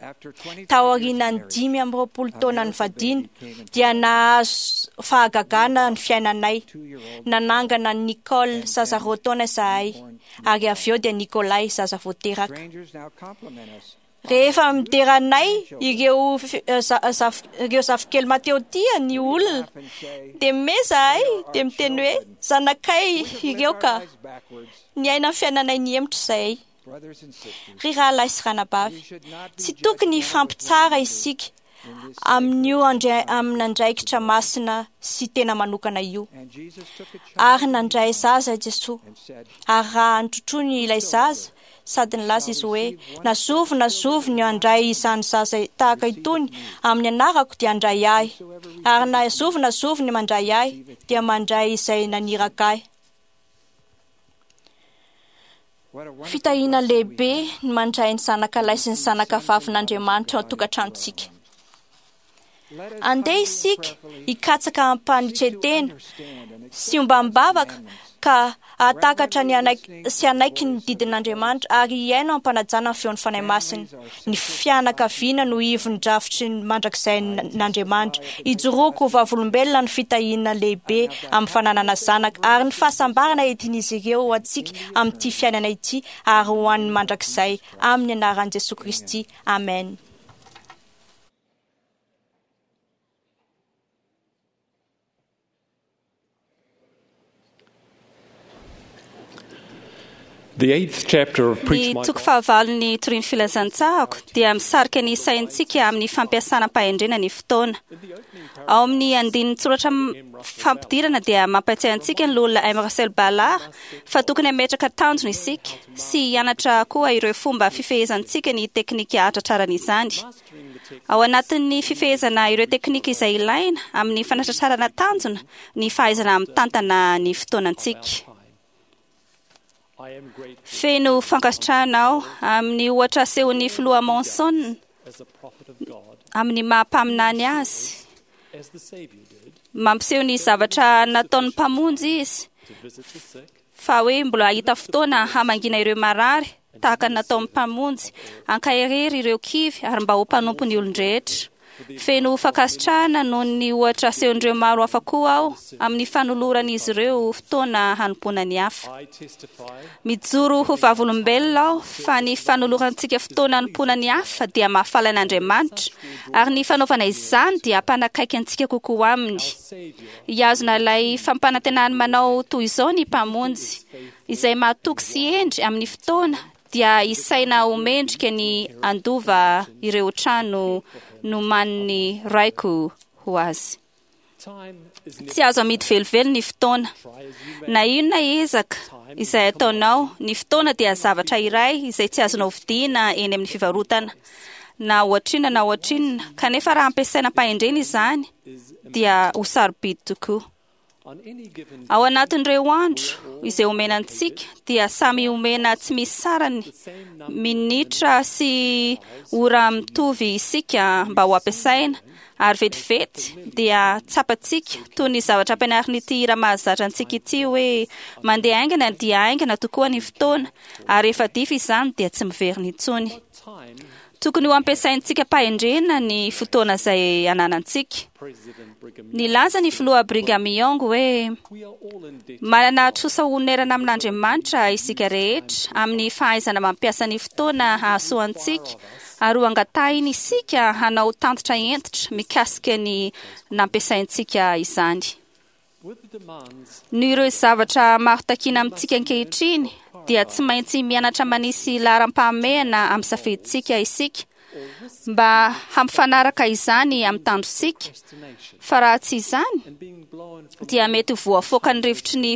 Taorian'ny 25 taona nivadiana dia nahazo fahagagana ny fiainanay. Nanangana an'i Nicole zaza 2 taona izahay ary avy eo dia Nikolay zaza vao teraka. Rehefa midera anay ireo zafikely Mateo tia ny olona dia mimehy izahay dia miteny hoe zanakay ireo ka. Niaina ny fiainanay nihemotra izahay. Ry rahalahy sy ranabavy, tsy tokony hifampitsara isika amin'io amin'andraikitra masina sy tena manokana io. Ary nandray zaza i Jesoa. Ary raha notrotroiny ilay zaza, sady nilaza izy hoe, na zovy na zovy ny handray izany zaza tahaka itony amin'ny anarako dia handray ahy. Ary na zovy na zovy ny mandray ahy dia mandray izay naniraka ahy. Fitahiana lehibe ny mandray ny zanaka lahy sy ny zanaka vavin'Andriamanitra ao an-tokantranontsika. Andeha isika hikatsaka ampanetren-tena sy ombam-bavaka ka hahatakatra ny hanaiky sy hanaiky ny didin'Andriamanitra ary hihaino ampanajana ny feon'ny Fanahy Masina. Ny fianakaviana no ivon'ny drafitry ny mandrakizain'Andriamanitra. Ijoroako ho vavolombelona ny fitahiana lehibe amin'ny fananana zanaka ary ny fahasambarana entin'izy ireo ho antsika amin'ity fiainana ity ary ho an'ny mandrakizay. Amin'ny anaran'i Jesoa Kristy. Amen. The eighth chapter of Ny Preach My toko fahavalon'ny torian'ny filazantsarako dia misarika ny saintsika amin'ny fampiasana am-pahendrena ny fotoana. Ao amin'ny andininy tsoratra fampidirana dia mampatsiahy antsika ny loholona M. Russell Ballard fa tokony hametraka tanjona isika sy hianatra koa ireo fomba fifehezantsika ny teknika hahatratrarana izany. Ao anatin'ny fifehezana ireo teknika izay ilaina amin'ny fanatratrarana tanjona ny fahaizana mitantana ny fotoanantsika. Feno fankasitrahana aho amin'ny ohatra asehon'ny filoha Monson amin'ny maha mpaminany azy. Mampiseho ny zavatra nataon'ny mpamonjy izy fa hoe mbola hahita fotoana hamangiana ireo marary tahaka ny nataon'ny mpamonjy, ankaherery ireo kivy ary mba ho mpanompo ny olon-drehetra. Feno fankasitrahana noho ny ohatra asehon'ireo maro hafa koa aho amin'ny fanoloran'izy ireo fotoana hanompoana ny hafa. Mijoro ho vavolombelona aho fa ny fanolorantsika fotoana hanompoana ny hafa dia mahafaly an'Andriamanitra ary ny fanaovana izany dia hampanakaiky antsika kokoa aminy. Hihazona ilay fampanantenany manao toy izao ny mpamonjy, izay mahatoky sy hendry amin'ny fotoana dia isaina ho mendrika ny handova ireo trano nomanin'ny raiko ho azy. Tsy azo amidy velively ny fotoana. Na inona ezaka izay ataonao, ny fotoana dia zavatra iray izay tsy azonao vidiana eny amin'ny fivarotana. Na ohatrinona na ohatrinona, kanefa raha ampiasaina am-pahendrena izany dia ho sarobidy tokoa. Ao anatin'ireo andro izay omena antsika dia samy omena tsy misy sarany minitra sy ora mitovy isika mba ho ampiasaina ary vetivety dia tsapantsika toy ny zavatra ampianarin'ity hira mahazatra antsika ity hoe mandeha haingana dia haingana tokoa ny fotoana ary rehefa dify izany dia tsy miverina intsony. Tokony ho ampiasaintsika am-pahendrena ny fotoana izay ananantsika. Nilaza ny filoha Brigham Young hoe manana trosa honerana amin'Andriamanitra isika rehetra amin'ny fahaizana mampiasa ny fotoana hahasoa antsika ary ho angatahiny isika hanao tantitra hentitra mikasika ny nampiasaintsika izany. Noho ireo zavatra maro takiana amintsika ankehitriny dia tsy maintsy mianatra manisy laharam-pahamehana amin'ny safidintsika isika mba hampifanaraka izany amin'ny tanjontsika, fa raha tsy izany dia mety ho voafoakan'ny rivotry ny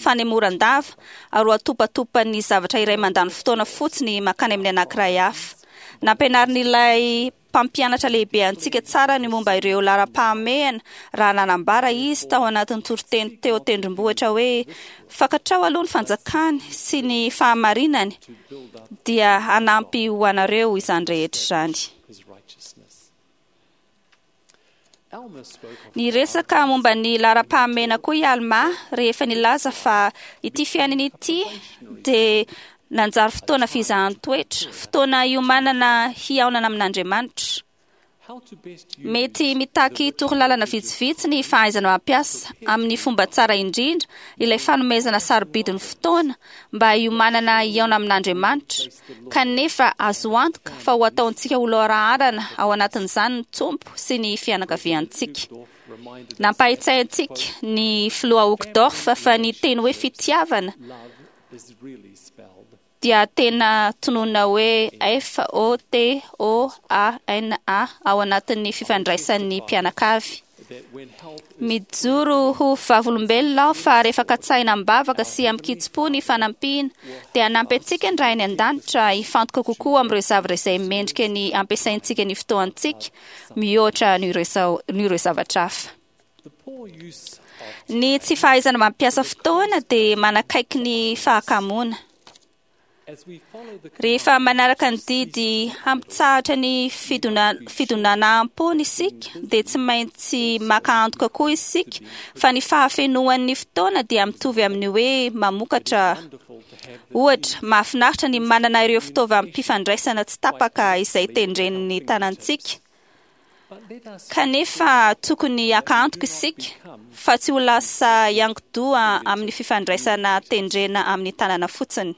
fanemoran-dava ary ho atopatopan'ny zavatra iray mandany fotoana fotsiny mankany amin'ny anankiray hafa. Nampianarin'ilay mpampianatra lehibe antsika tsara ny momba ireo laharam-pahamehana raha nanambara izy tao anatin'ny toriteny teo tendrombohitra hoe fantatrao aloha ny fanjakany sy ny fahamarinany dia hanampy ho anareo izany rehetra izany. Niresaka momba ny laharam-pahamehana koa i Alma rehefa nilaza fa ity fiainana ity dia nanjary fotoana fizahan-toetra, fotoana hiomanana hihaonana amin'Andriamanitra. Mety mitaky torolalana vitsivitsy ny fahaizana mampiasa amin'ny fomba tsara indrindra ilay fanomezana sarobidin'ny fotoana mba hiomanana hihaona amin'Andriamanitra, kanefa azo antoka fa ho ataontsika ho loharaharana ao anatin'izany ny Tompo sy ny fianakaviantsika. Nampahatsiahy antsika ny filoha Uchtdorf fa ny teny hoe fitiavana dia tena tononina hoe F O T O A N A ao anatin'ny fifandraisan'ny mpianakavy. Mijoro ho vavolombelona aho fa rehefa katsahina am-bavaka sy amin-kitsim-po ny fanampiana dia hanampy antsika ny Ray any an-danitra hifantoka kokoa amin'ireo zavatra izay mendrika ny ampiasaintsika ny fotoantsika mihoatra noho ireo zavatra hafa. Ny tsy fahaizana mampiasa fotoana dia manakaiky ny fahakamoana. Rehefa manaraka ny didy hampitsahatra ny fidonanaham-pony isika dia tsy maintsy maka antoka koa isika fa ny fahafenoan'ny fotoana dia mitovy amin'ny hoe mamokatra. Ohatra, mahafinaritra ny manana ireo fitaovam-pifandraisana tsy tapaka izay tendren'ny tanantsika. Kanefa tokony haka antoka isika fa tsy ho lasa hiankin-doha amin'ny fifandraisana tendrena amin'ny tanana fotsiny.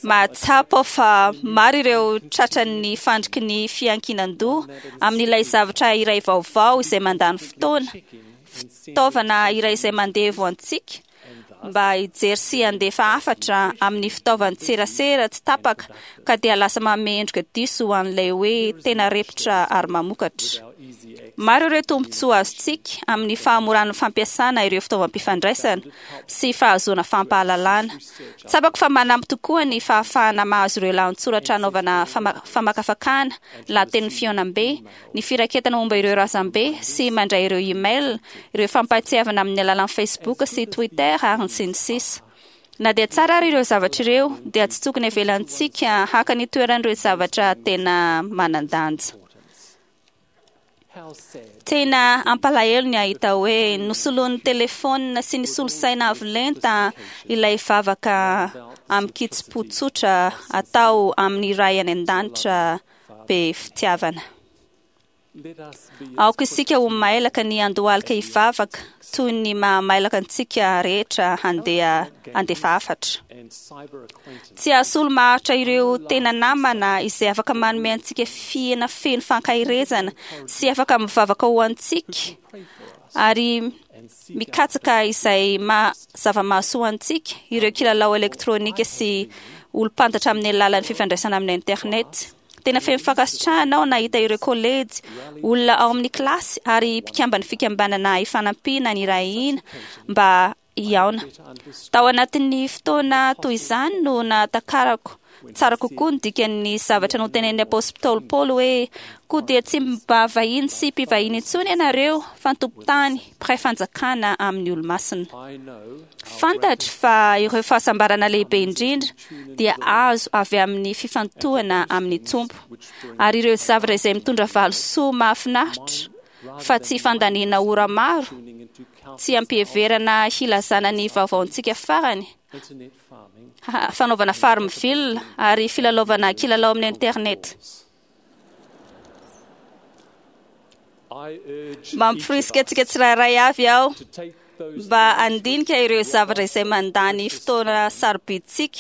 Mahatsapa aho fa maro ireo tratran'ny fandriky ny fiankinan-doha amin'ilay zavatra iray vaovao izay mandany fotoana, fitaovana iray izay mandevo antsika mba hijery sy handefa hafatra amin'ny fitaovan-tserasera tsy tapaka ka dia lasa manome endrika diso ho an'ilay hoe tena repotra ary mamokatra. Maro ireo tombontsoa azontsika amin'ny fahamoran'ny fampiasana ireo fitaovam-pifandraisana sy fahazoana fampahalalana. Tsapako fa manampy tokoa ny fahafahana mahazo ireo lahatsoratra anaovana famakafakana, lahatenin'ny fihaonambe, ny firaketana momba ireo razambe sy mandray ireo email, ireo fampahatsiahivana amin'ny alalan'ny Facebook sy Twitter ary ny sy ny sisa. Na dia tsara ary ireo zavatra ireo dia tsy tokony avelantsika haka ny toeran'ireo zavatra tena manan-danja. Tena ampalahelo ny ahita hoe nosoloan'ny telefaonina sy ny solosaina avo lenta ilay vavaka amin-kitsim-po tsotra atao amin'ny Ray any an-danitra be fitiavana. Aoka isika ho mailaka ny handohalika hivavaka toy ny mahamailaka antsika rehetra handeha handefa hafatra. Tsy hahasolo maharitra ireo tena namana izay afaka manome antsika fiaina feno fankaherezana sy afaka mivavaka ho antsika ary mikatsaka izay zava-mahasoa antsika ireo kilalao elektronika sy olom-pantatra amin'ny alalan'ny fifandraisana amin'ny internet. Tena feno fankasitrahana aho nahita ireo kolejy, olona ao amin'ny kilasy ary mpikamban'ny fikambanana ifanampiana nirahina mba hihaona. Tao anatin'ny fotoana toy izany no nahatakarako tsara kokoa ny dikan'ny zavatra notenenin'ny apostoly Paoly hoe koa dia tsy mba vahiny sy mpivahiny intsony ianareo fa ny tompon-tany mpiray fanjakana amin'ny olo-masina. Fantatro fa ireo fahasambarana lehibe indrindra dia azo avy amin'ny fifantohana amin'ny Tompo ary ireo zavatra izay mitondra valisoa mahafinaritra fa tsy fandaniana ora maro, tsy ampiheverana hilazana ny vaovaontsika farany, fanaovana farmville ary filalaovana kilalao amin'ny internet. Mamporisika antsika tsirairay avy aho mba handinika ireo zavatra izay mandany fotoana sarobidintsika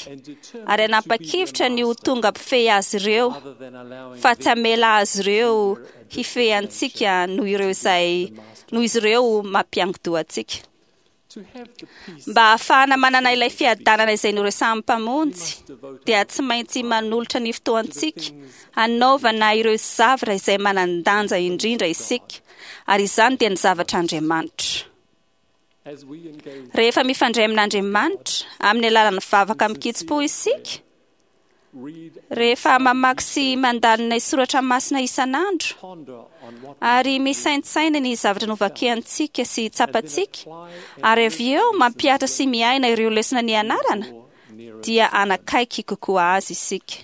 ary hanapa-kevitra ny ho tonga mpifehy azy ireo fa tsy hamela azy ireo hifehy antsika noho ireo izay noho izy ireo mampiangodoha antsika. Mba hahafahana manana ilay fiadanana izay noresahan'ny Mpamonjy dia tsy maintsy manolotra ny fotoantsika hanaovana ireo zavatra izay manan-danja indrindra isika ary izany dia ny zavatr'Andriamanitra. Rehefa mifandray amin'Andriamanitra amin'ny alalan'ny vavaka amin-kitsim-po isika, Rehefa mamaky sy mandalina ny soratra masina isan'andro ary misaintsaina ny zavatra novakiantsika sy tsapantsika, ary avy eo mampihatra sy miaina ireo lesona nianarana, dia hanakaiky kokoa azy isika.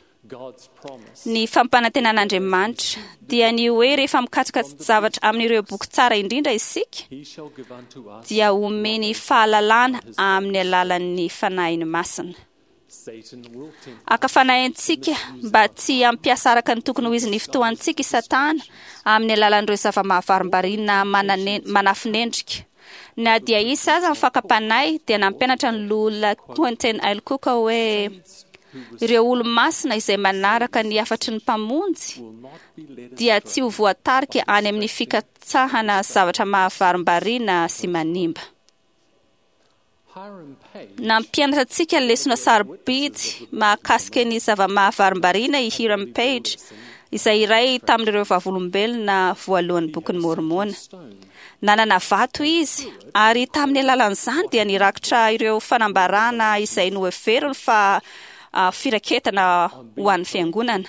Ny fampanantenan'Andriamanitra dia ny hoe rehefa mikatsaka zavatra amin'ireo boky tsara indrindra isika, dia homeny fahalalana amin'ny alalan'ny Fanahiny Masina. Haka fanahy antsika mba tsy hampiasa araka ny tokony ho izy ny fotoantsika i Satana amin'ny alalan'ireo zava-mahavarimbarina manafinendrika. Na dia hisy aza ny fakam-panahy, dia nampianatra ny Loholona Quentin L. Cook hoe ireo olo-masina izay manaraka ny hafatry ny Mpamonjy dia tsy ho voatarika any amin'ny fikatsahana zavatra mahavarimbarina sy manimba. Nampianatra antsika lesona sarobidy mahakasika ny zava-mahavarimbarina i Hiram Page, izay iray tamin'ireo vavolombelona voalohan'ny Bokin'i Môrmôna. Nanana vato izy, ary tamin'ny alalan'izany dia nirakitra ireo fanambarana izay noheveriny fa firaketana ho an'ny Fiangonana.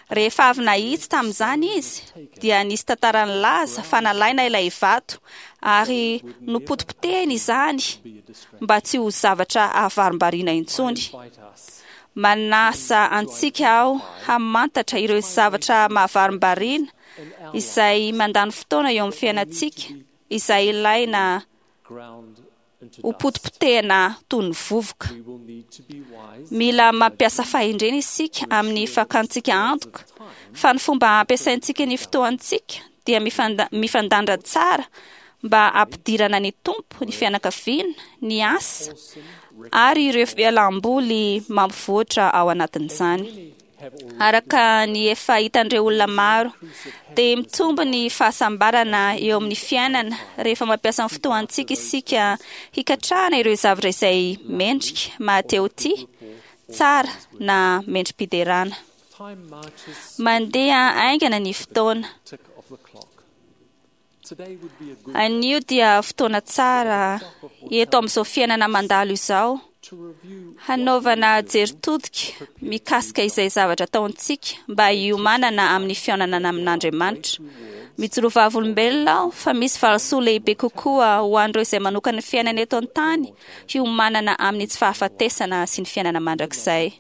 Rehefa avy nahitsy tamin'izany izy, dia nisy tantara nilaza fa nalaina ilay vato ary nopotipotehina izany mba tsy ho zavatra ahavarimbariana intsony. Manasa antsika aho hamantatra ireo zavatra mahavarimbariana izay mandany fotoana eo amin'ny fiainantsika, izay ilaina ho potipotehina toy ny vovoka. Mila mampiasa fahendrena isika amin'ny fakantsika antoka fa ny fomba ampiasaintsika ny fotoantsika dia mifandanja tsara mba hampidirana ny Tompo, ny fianakaviana, ny asa ary ireo fialam-boly mampivoatra ao anatin'izany. Araka ny efa hitan'ireo olona maro, dia mitombo ny fahasambarana eo amin'ny fiainana rehefa mampiasa ny fotoantsika isika hikatrahana ireo zavatra izay mendrika, mahatehotia, tsara na mendri-piderana. Mandeha haingana ny fotoana. Anio dia fotoana tsara eto amin'izao fiainana mandalo izao hanaovana jery todika mikasika izay zavatra ataontsika mba hiomanana amin'ny fihaonana amin'Andriamanitra. Mijoro vavolombelona aho fa misy valisoa lehibe kokoa ho an'ireo izay manokana ny fiainana eto an-tany hiomanana amin'ny tsy fahafatesana sy ny fiainana mandrakizay.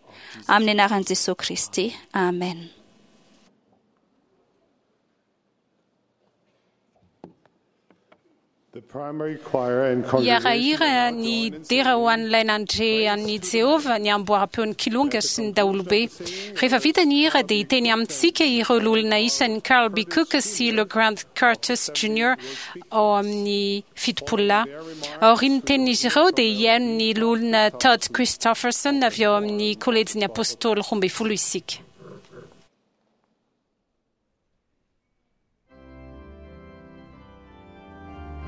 Amin'ny anaran'i Jesoa Kristy. Amen. Hiara-hira ny dera ho an'ilay nandre an'i Jehovah ny amboaram-peon'ny kilonga sy ny daholobe. Rehefa vita ny hira dia hiteny amintsika ireo loholona isany Carl B. Cook sy LeGrand Curtis Junior ao amin'ny 70 lahy. Aorian'ny tenin'izy ireo dia hihaino ny loholona Todd Christofferson avy ao amin'ny Kolejin'ny Apôstôly 12 isika.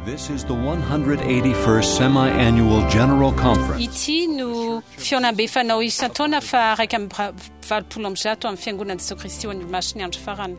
This is the 181st Semi-Annual General Conference. Ity no fihaonambe fanao isan-taona faha 181 amin'ny Fiangonan'i Jesoa Kristy ho an'ny Olomasin'ny Andro Farany.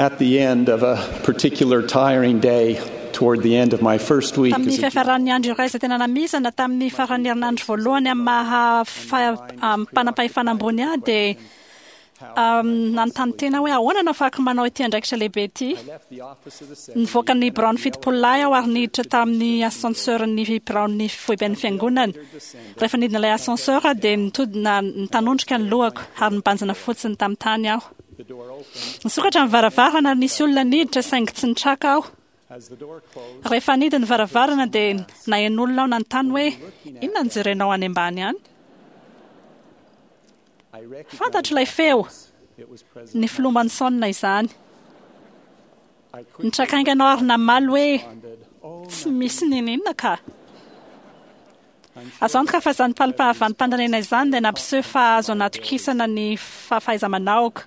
At the end of a particular tiring day, toward the end of my first week Tamin'ny as a fiafaran'ny andro iray izay tena namizana tamin'ny faran'ny herinandro voalohany amin'ny maha mpanam-pahefana ambony ahy dia nanontany tena hoe ahoana no afahako manao ity andraikitra lehibe ity. Nivoaka ny biraon'ny fitopololahy aho ary niditra tamin'ny ascenseur-n'ny biraon'ny foiben'ny fiangonana. Rehefa nidina ilay ascenseur dia nitodina nitanondrika ny lohako ary nibanjina fotsiny tamin'ny tany aho. Nisokatra ny varavarana ary nisy olona niditra saingy tsy nitraka aho. Rehefa nidy ny varavarana dia naheno olona aho nanontany hoe inona no jerenao any ambany any? Fantatro ilay feo, ny filoha Monson izany. Nitraka haingana aho ary namaly hoe tsy misy n'inon'inona ka. Azo antoka fa izany valim-panontaniana izany dia nampiseho fa azo anatokisana ny fahaiza-manaoko.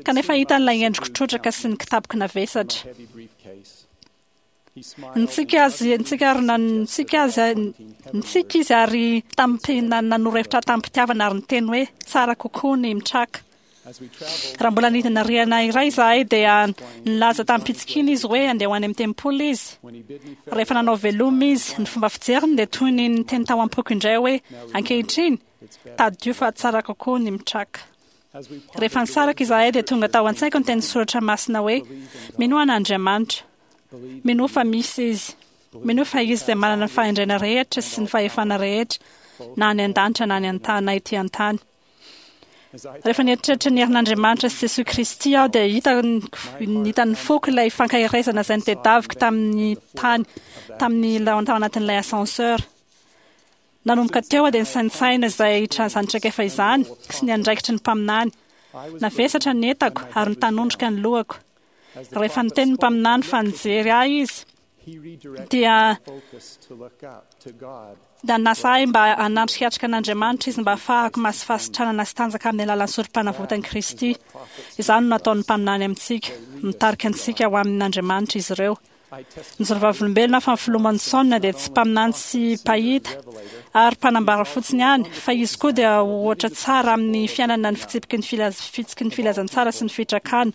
Kanefa hitan'ilay endriko trotraka sy ny kitapoko navesatra. Nitsiky azy, nitsiky ary nitsiky azy, nitsiky izy ary nanoro hevitra tamim-pitiavana ary niteny hoe tsara kokoa ny mitraka. Raha mbola nidina rihana iray izahay dia nilaza tamim-pitsikiana izy hoe andeha ho any amin'ny tempoly izy. Rehefa nanao veloma izy, ny fomba fijeriny dia toy ny niteny tao am-poko indray hoe ankehitriny, tadidio fa tsara kokoa ny mitraka. Rehefa nisaraka izahay dia tonga tao an-tsaiko ny tenin'ny soratra masina hoe minoa an'Andriamanitra. Minoa fa misy izy. Minoa fa izy izay manana ny fahendrena rehetra sy ny fahefana rehetra, na any an-danitra na any an-tany na ety an-tany. Rehefa nieritreritra ny herin'Andriamanitra sy Jesoa Kristy aho dia hitan'ny foko ilay fankaherezana izay notedaviko tamin'ny tany tamin'ny tao anatin'ilay ascenseur. Nanomboka teo aho dia nisaintsaina izay izany traikefa izany sy ny andraikitry ny mpaminany. Navesatra ny entako ary nitanondrika ny lohako. Rehefa niteny ny mpaminany fa nijery ahy izy dia nanasa ahy mba hanatrikatrika an'Andriamanitra izy mba hahafahako mahazo fahasitranana sy tanjaka amin'ny alalan'ny sorom-panavotan'i Kristy. Izany no nataon'ny mpaminany amintsika. Mitarika antsika ho amin'Andriamanitra izy ireo. Nijoro vavolombelona fa ny filoha Monson dia tsy mpaminany sy mpahita ary mpanambara fotsiny ihany, fa izy koa dia ohatra tsara amin'ny fiainana ny fitsipiky ny fitsiky ny filazantsara sy ny fitrakana.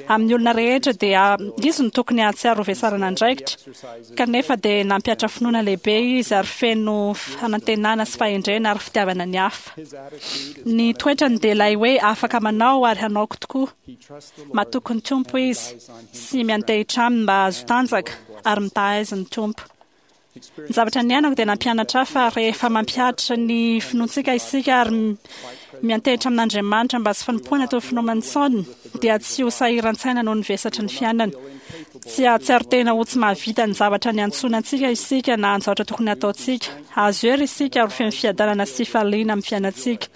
Amin'ny olona rehetra dia izy no tokony hahatsiaro ho vesarana andraikitra, kanefa dia nampihatra finoana lehibe izy ary feno fanantenana sy fahendrena ary fitiavana ny hafa. Ny toetrany dia ilay hoe afaka manao ary hanaoko tokoa. Matoky ny Tompo izy sy miantehitra aminy mba hahazo tanjaka ary mitaha azy ny Tompo. Ny zavatra niainako dia nampianatra ahy fa rehefa mampihatra ny finoantsika isika ary miantehitra amin'Andriamanitra mba tsy fanompoana toy ny finoana dia tsy ho sahiran-tsaina noho ny vesatry ny fiainana. Tsy hahatsiaro tena ho tsy mahavita ny zavatra niantsoana antsika isika na ny zavatra tokony hataontsika. Hahazo hery isika ary ho feno fiadanana sy fifaliana amin'ny fiainantsika.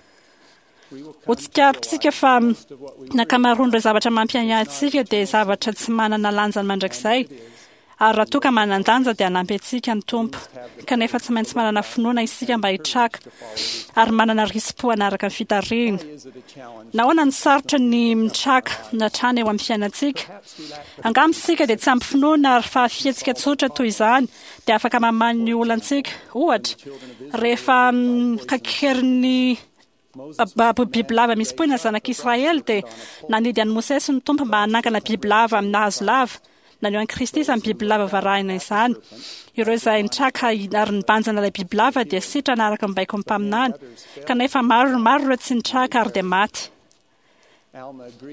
Ho tsikaritritsika fa ny ankamaroan'ireo zavatra mampiahiahy antsika dia zavatra tsy manana lanjany mandrakizay, ary raha toa ka manan-danja dia hanampy antsika ny Tompo. Kanefa tsy maintsy manana finoana isika mba hitraka, ary manana risi-po hanaraka ny fitarihina. Nahoana no sarotra ny mitraka hatrany eo amin'ny fiainantsika? Angamba isika dia tsy ampy finoana ary fa fihetsika tsotra toy izany dia afaka mamaha ny olantsika. Ohatra, rehefa kakerin'ny Bibilava misy poina zanak'Israely dia nanidy an'i Mosesy ny Tompo mba hanangana bibilava amina hazo lava. Naneho an'i Kristy izany bibilava varahina izany. Ireo izay nitraka ary nibanjina ilay bibilava dia sitrana araka ny baikon'ny mpaminany. Kanefa maro maro ireo tsy nitraka ary dia maty.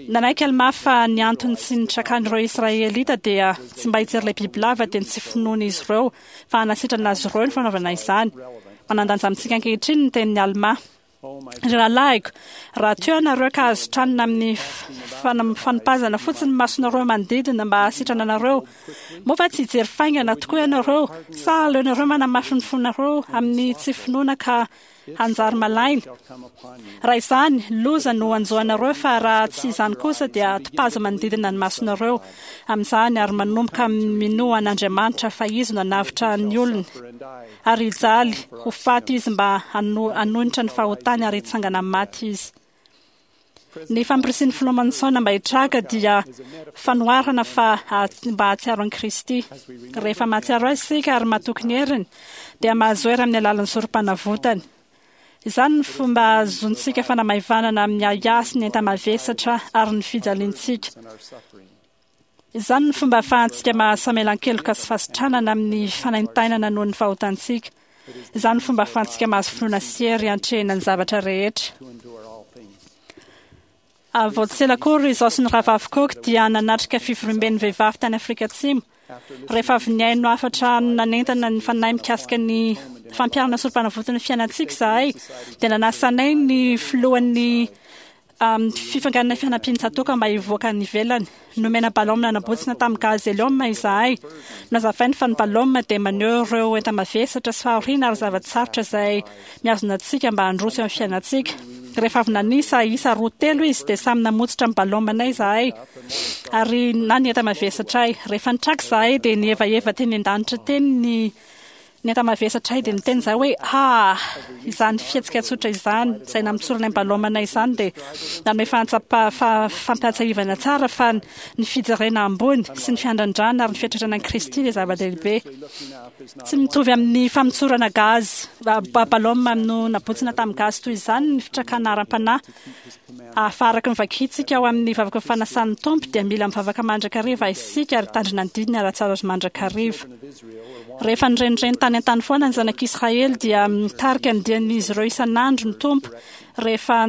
Nanaiky Almà fa ny antony tsy nitrakan'ireo Israelita dia tsy mba hijery ilay bibilava dia ny tsy finoan'izy ireo fa hanasitrana azy ireo ny fanaovana izany. Manan-danja amintsika ankehitriny ny tenin'i Almà. Ry rahalahiko, raha toa ianareo ka azo tranina amin'ny fanipazana fotsiny ny masonareo manodidina mba hahasitrana anareo, moa va tsy hijery faingana tokoa ianareo sa aleonareo manamafy ny fonareo amin'ny tsy finoana ka hanjary malaina. Raha izany, loza no hanjo anareo, fa raha tsy izany kosa dia topazo manodidina ny masonareo amin'izany ary manomboka minoa an'Andriamanitra fa Izy no hanavotra ny olony, ary hijaly ho faty Izy mba hanohitra ny fahotany ary hitsangana amin'ny maty Izy. Ny fampirisihin'ny filoha Monson mba hitraka dia fanoharana fa mba hahatsiaro an'i Kristy. Rehefa mahatsiaro Azy isika ary matoky ny heriny, dia mahazo hery amin'ny alalan'ny sorom-panavotany. Izany ny fomba ahazoantsika fanamaivanana amin'ny ahiahy sy ny enta-mavesatra ary ny fijaliantsika. Izany ny fomba ahafahantsika mahazo famelan-keloka sy fahasitranana amin'ny fanaintainana noho ny fahotantsika. Izany ny fomba ahafahantsika mahazo finoana sy hery hiantrehina ny zavatra rehetra. Vao tsy ela akory izaho sy ny rahavavy Cook dia nanatrika fivoriamben'ny vehivavy tany Afrika Atsimo. Rehefa avy nihaino hafatra nanentana ny fanahy mikasika ny fampiharana sorom-panavotan'ny fiainantsika izahay, dia nanasa anay ny filohan'ny fifanganana fianampian'ny tsatòka mba hivoaka any ivelany. Nomena ballon nanabotsina tamin'ny gaz hélium izahay. Nazavainy fa ny ballon dia maneho ireo enta-mavesatra sy fahoriana ary zava-tsarotra izay mihazona antsika mba handroso eo amin'ny fiainantsika. Rehefa avy nanisa isa 2 3 izy dia samy namotsitra ny ballon-nay izahay ary na ny enta-mavesatray. Rehefa nitraka izahay dia nihevaheva teny an-danitra teny ny ny enta-mavesatray dia niteny izahay hoe ah! Izany fihetsika tsotra izany izay namotsorana ny ballon-nay izany dia nanome fampahatsiahivana tsara fa ny fijerena ambony sy ny fiandrandrana ary ny fiatretrana an'i Kristy dia zava-dehibe. Tsy mitovy amin'ny famotsorana gaz, ballon no nabotsina tamin'ny gaz toy izany ny fitrakana ara-panahy. Fa araka ny vakintsika ao amin'ny vavaka fanasan'ny Tompo dia mila mivavaka mandrakariva isika ary hitandrina ny didiny ara-tsara azy mandrakariva. Rehefa nirenireny tany an-tany foana ny zanak'Israely dia mitarika ny dian'izy ireo isan'andro ny Tompo rehefa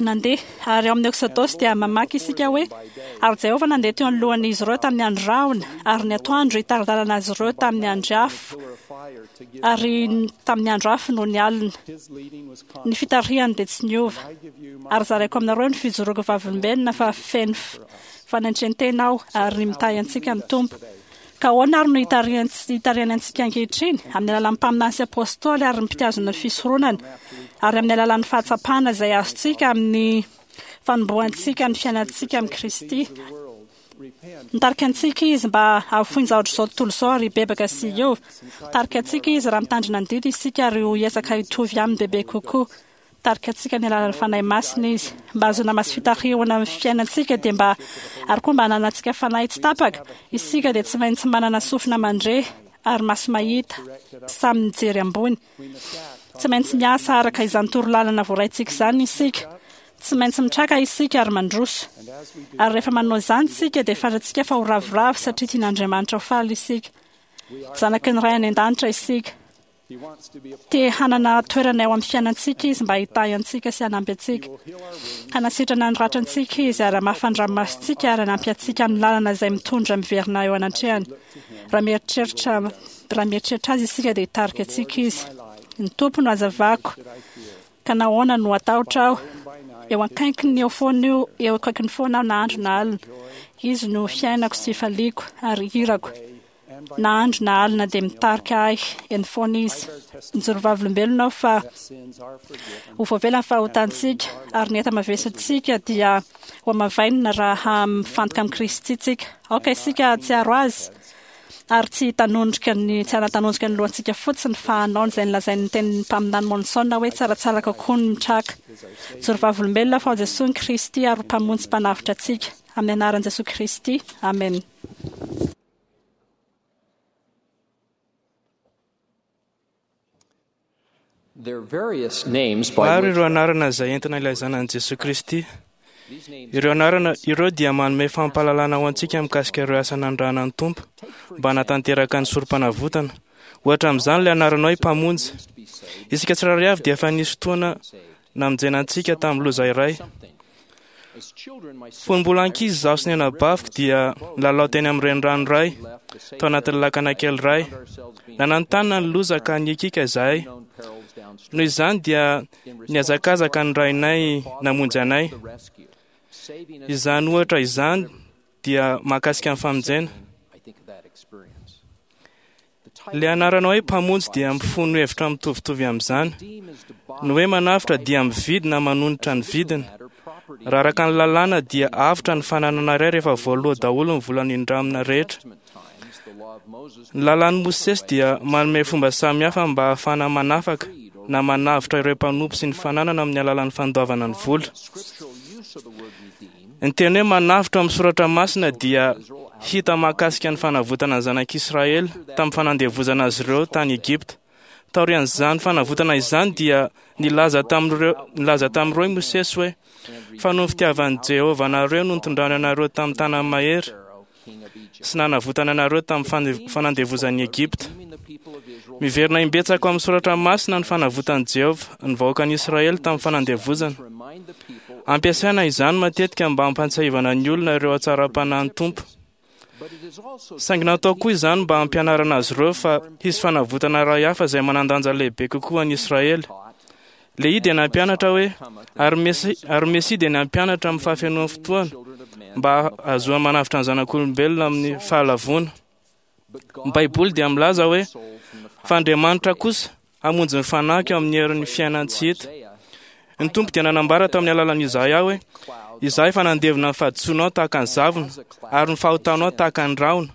nandeha. Ary ao amin'ny Eksodosy dia mamaky isika hoe, Ary Jehovah nandeha teo anoloan'izy ireo tamin'ny andro rahona, ary ny atoandro hitari-dalana azy ireo tamin'ny andry afo, ary tamin'ny andro afo nony alina. Ny fitarihany dia tsy niova. Ary zaraiko aminareo ny fijoroako vavolombelona fa feno fanentren-tena aho ary mitahy antsika ny Tompo. Ka ahoana ary no hitarihany antsika ankehitriny? Amin'ny alalan'ny mpaminany sy apostoly ary ny mpitazona ny fisoronana, ary amin'ny alalan'ny fahatsapana izay azontsika amin'ny fanombohantsika ny fiainantsika amin'i Kristy. Mitarika antsika Izy mba hahafoy ny zavatra izao tontolo izao ary hibebaka sy hiova. Mitarika antsika Izy raha mitandrina ny didy isika ary ho hiezaka hitovy Aminy bebe kokoa. Mitarika antsika amin'ny alalan'ny Fanahy Masina Izy. Mba hahazoana maso fitarihana amin'ny fiainantsika dia mba ary koa mba hananantsika fanahy tsy tapaka, isika dia tsy maintsy manana sofina mandre ary maso mahita, samy mijery ambony. Tsy maintsy miasa araka izany torolalana voaraintsika izany isika. Tsy maintsy mitraka isika ary mandroso. Ary rehefa manao izany isika dia fantatsika fa ho ravoravo satria tian'Andriamanitra ho faly isika. Zanaky ny Ray any an-danitra isika. Te hanana toerana eo amin'ny fiainantsika Izy mba hitahy antsika sy hanampy antsika. Hanasitrana ny ratrantsika Izy ary hamafa ny ranomasontsika ary hanampy antsika amin'ny lalana izay mitondra miverina eo anatrehany. Raha mieritreritra raha mieritreritra Azy isika dia hitarika antsika Izy. Ny Tompo no hazavako, ka nahoana no hatahotra aho? Eo akaikiny eo foana io, eo akaikiny foana aho na andro na alina. Izy no fiainako sy fifaliako ary hirako. Na andro na alina dia mitarika ahy eny foana Izy. Mijoro vavolombelona aho fa ho voavela ny fahotantsika ary ny enta-mavesatsika dia ho hamavainina raha mifantoka amin'i Kristy tsika. Aoka isika hahatsiaro Azy ary tsy hitanondrika ny tsy hanatanondrika ny lohantsika fotsiny fa hanao izay nolazain'ny tenin'ny mpaminany Monson hoe tsaratsara kokoa ny mitraka. Mijoro vavolombelona aho fa ao Jesoa ny Kristy ary ho Mpamonjy sy Mpanavotra antsika. Amin'ny anaran'i Jesoa Kristy. Amena. Maro ireo anarana izay entina ilazana an'i Jesoa Kristy. Ireo anarana ireo dia manome fampahalalana ho antsika mikasika ireo asa nanirahana ny Tompo mba hanatanteraka ny sorompanavotana. Ohatra amin'izany ilay anarana hoe Mpamonjy. Isika tsirairay avy dia efa nisy fotoana namonjena antsika tamin'ny loza iray. Fony mbola ankizy izaho sy ny anabaviko dia nilalao teny amin'ny renirano iray, tao anatin'ny lakana kely iray. Nananontanona ny loza ka nikiaka izahay. Noho izany dia nihazakazaka ny rainay namonjy anay. Izany ohatra izany dia mahakasika ny famonjena. Ilay anarana hoe Mpamonjy dia mifono hevitra mitovitovy amin'izany. Ny hoe manavotra dia mividy na manonitra ny vidiny. Raha araka ny lalàna dia avotra ny fananana iray rehefa voaloa daholo ny vola nindramina rehetra. Ny lalàn'i Mosesy dia manome fomba samihafa mba hahafahana manafaka na manavotra ireo mpanompo sy ny fananana amin'ny alalan'ny fandoavana ny vola. Ny teny hoe manavotra amin'ny soratra masina dia hita mahakasika ny fanavotana ny zanak'Israely tamin'ny fanandevozana azy ireo tany Egypta. Taorian'izany fanavotana izany dia nilaza tamin'ireo i Mosesy hoe, "Fa noho ny fitiavan'i Jehovah anareo no nitondrany anareo tamin'ny tanany mahery sy nanavotana anareo tamin'ny fanandevozan'i Egypta." Miverina imbetsaka ao amin'ny soratra masina ny fanavotan'i Jehovah ny vahoakan'Israely tamin'ny fanandevozana. Ampiasaina izany matetika mba hampahatsiahivana ny olona ireo hatsaram-panahin'ny Tompo. Saingy natao koa izany mba hampianarana azy ireo fa hisy fanavotana iray hafa izay manan-danja lehibe kokoa an'i Israely. Lehia dia nampianatra hoe, ary Mesia dia nampianatra amin'ny fahafenoan'ny fotoana mba hahazoany manavotra ny zanak'olombelona amin'ny fahalavoana. Ny Baiboly dia milaza hoe, fa Andriamanitra kosa hamonjy ny fanahiko amin'ny herin'ny fiainan-tsy hita. Ny Tompo dia nanambara tamin'ny alalan'i Izaia hoe, Izaho efa nandevona ny fahadisoanao tahaka ny zavona, ary ny fahotanao tahaka ny rahona.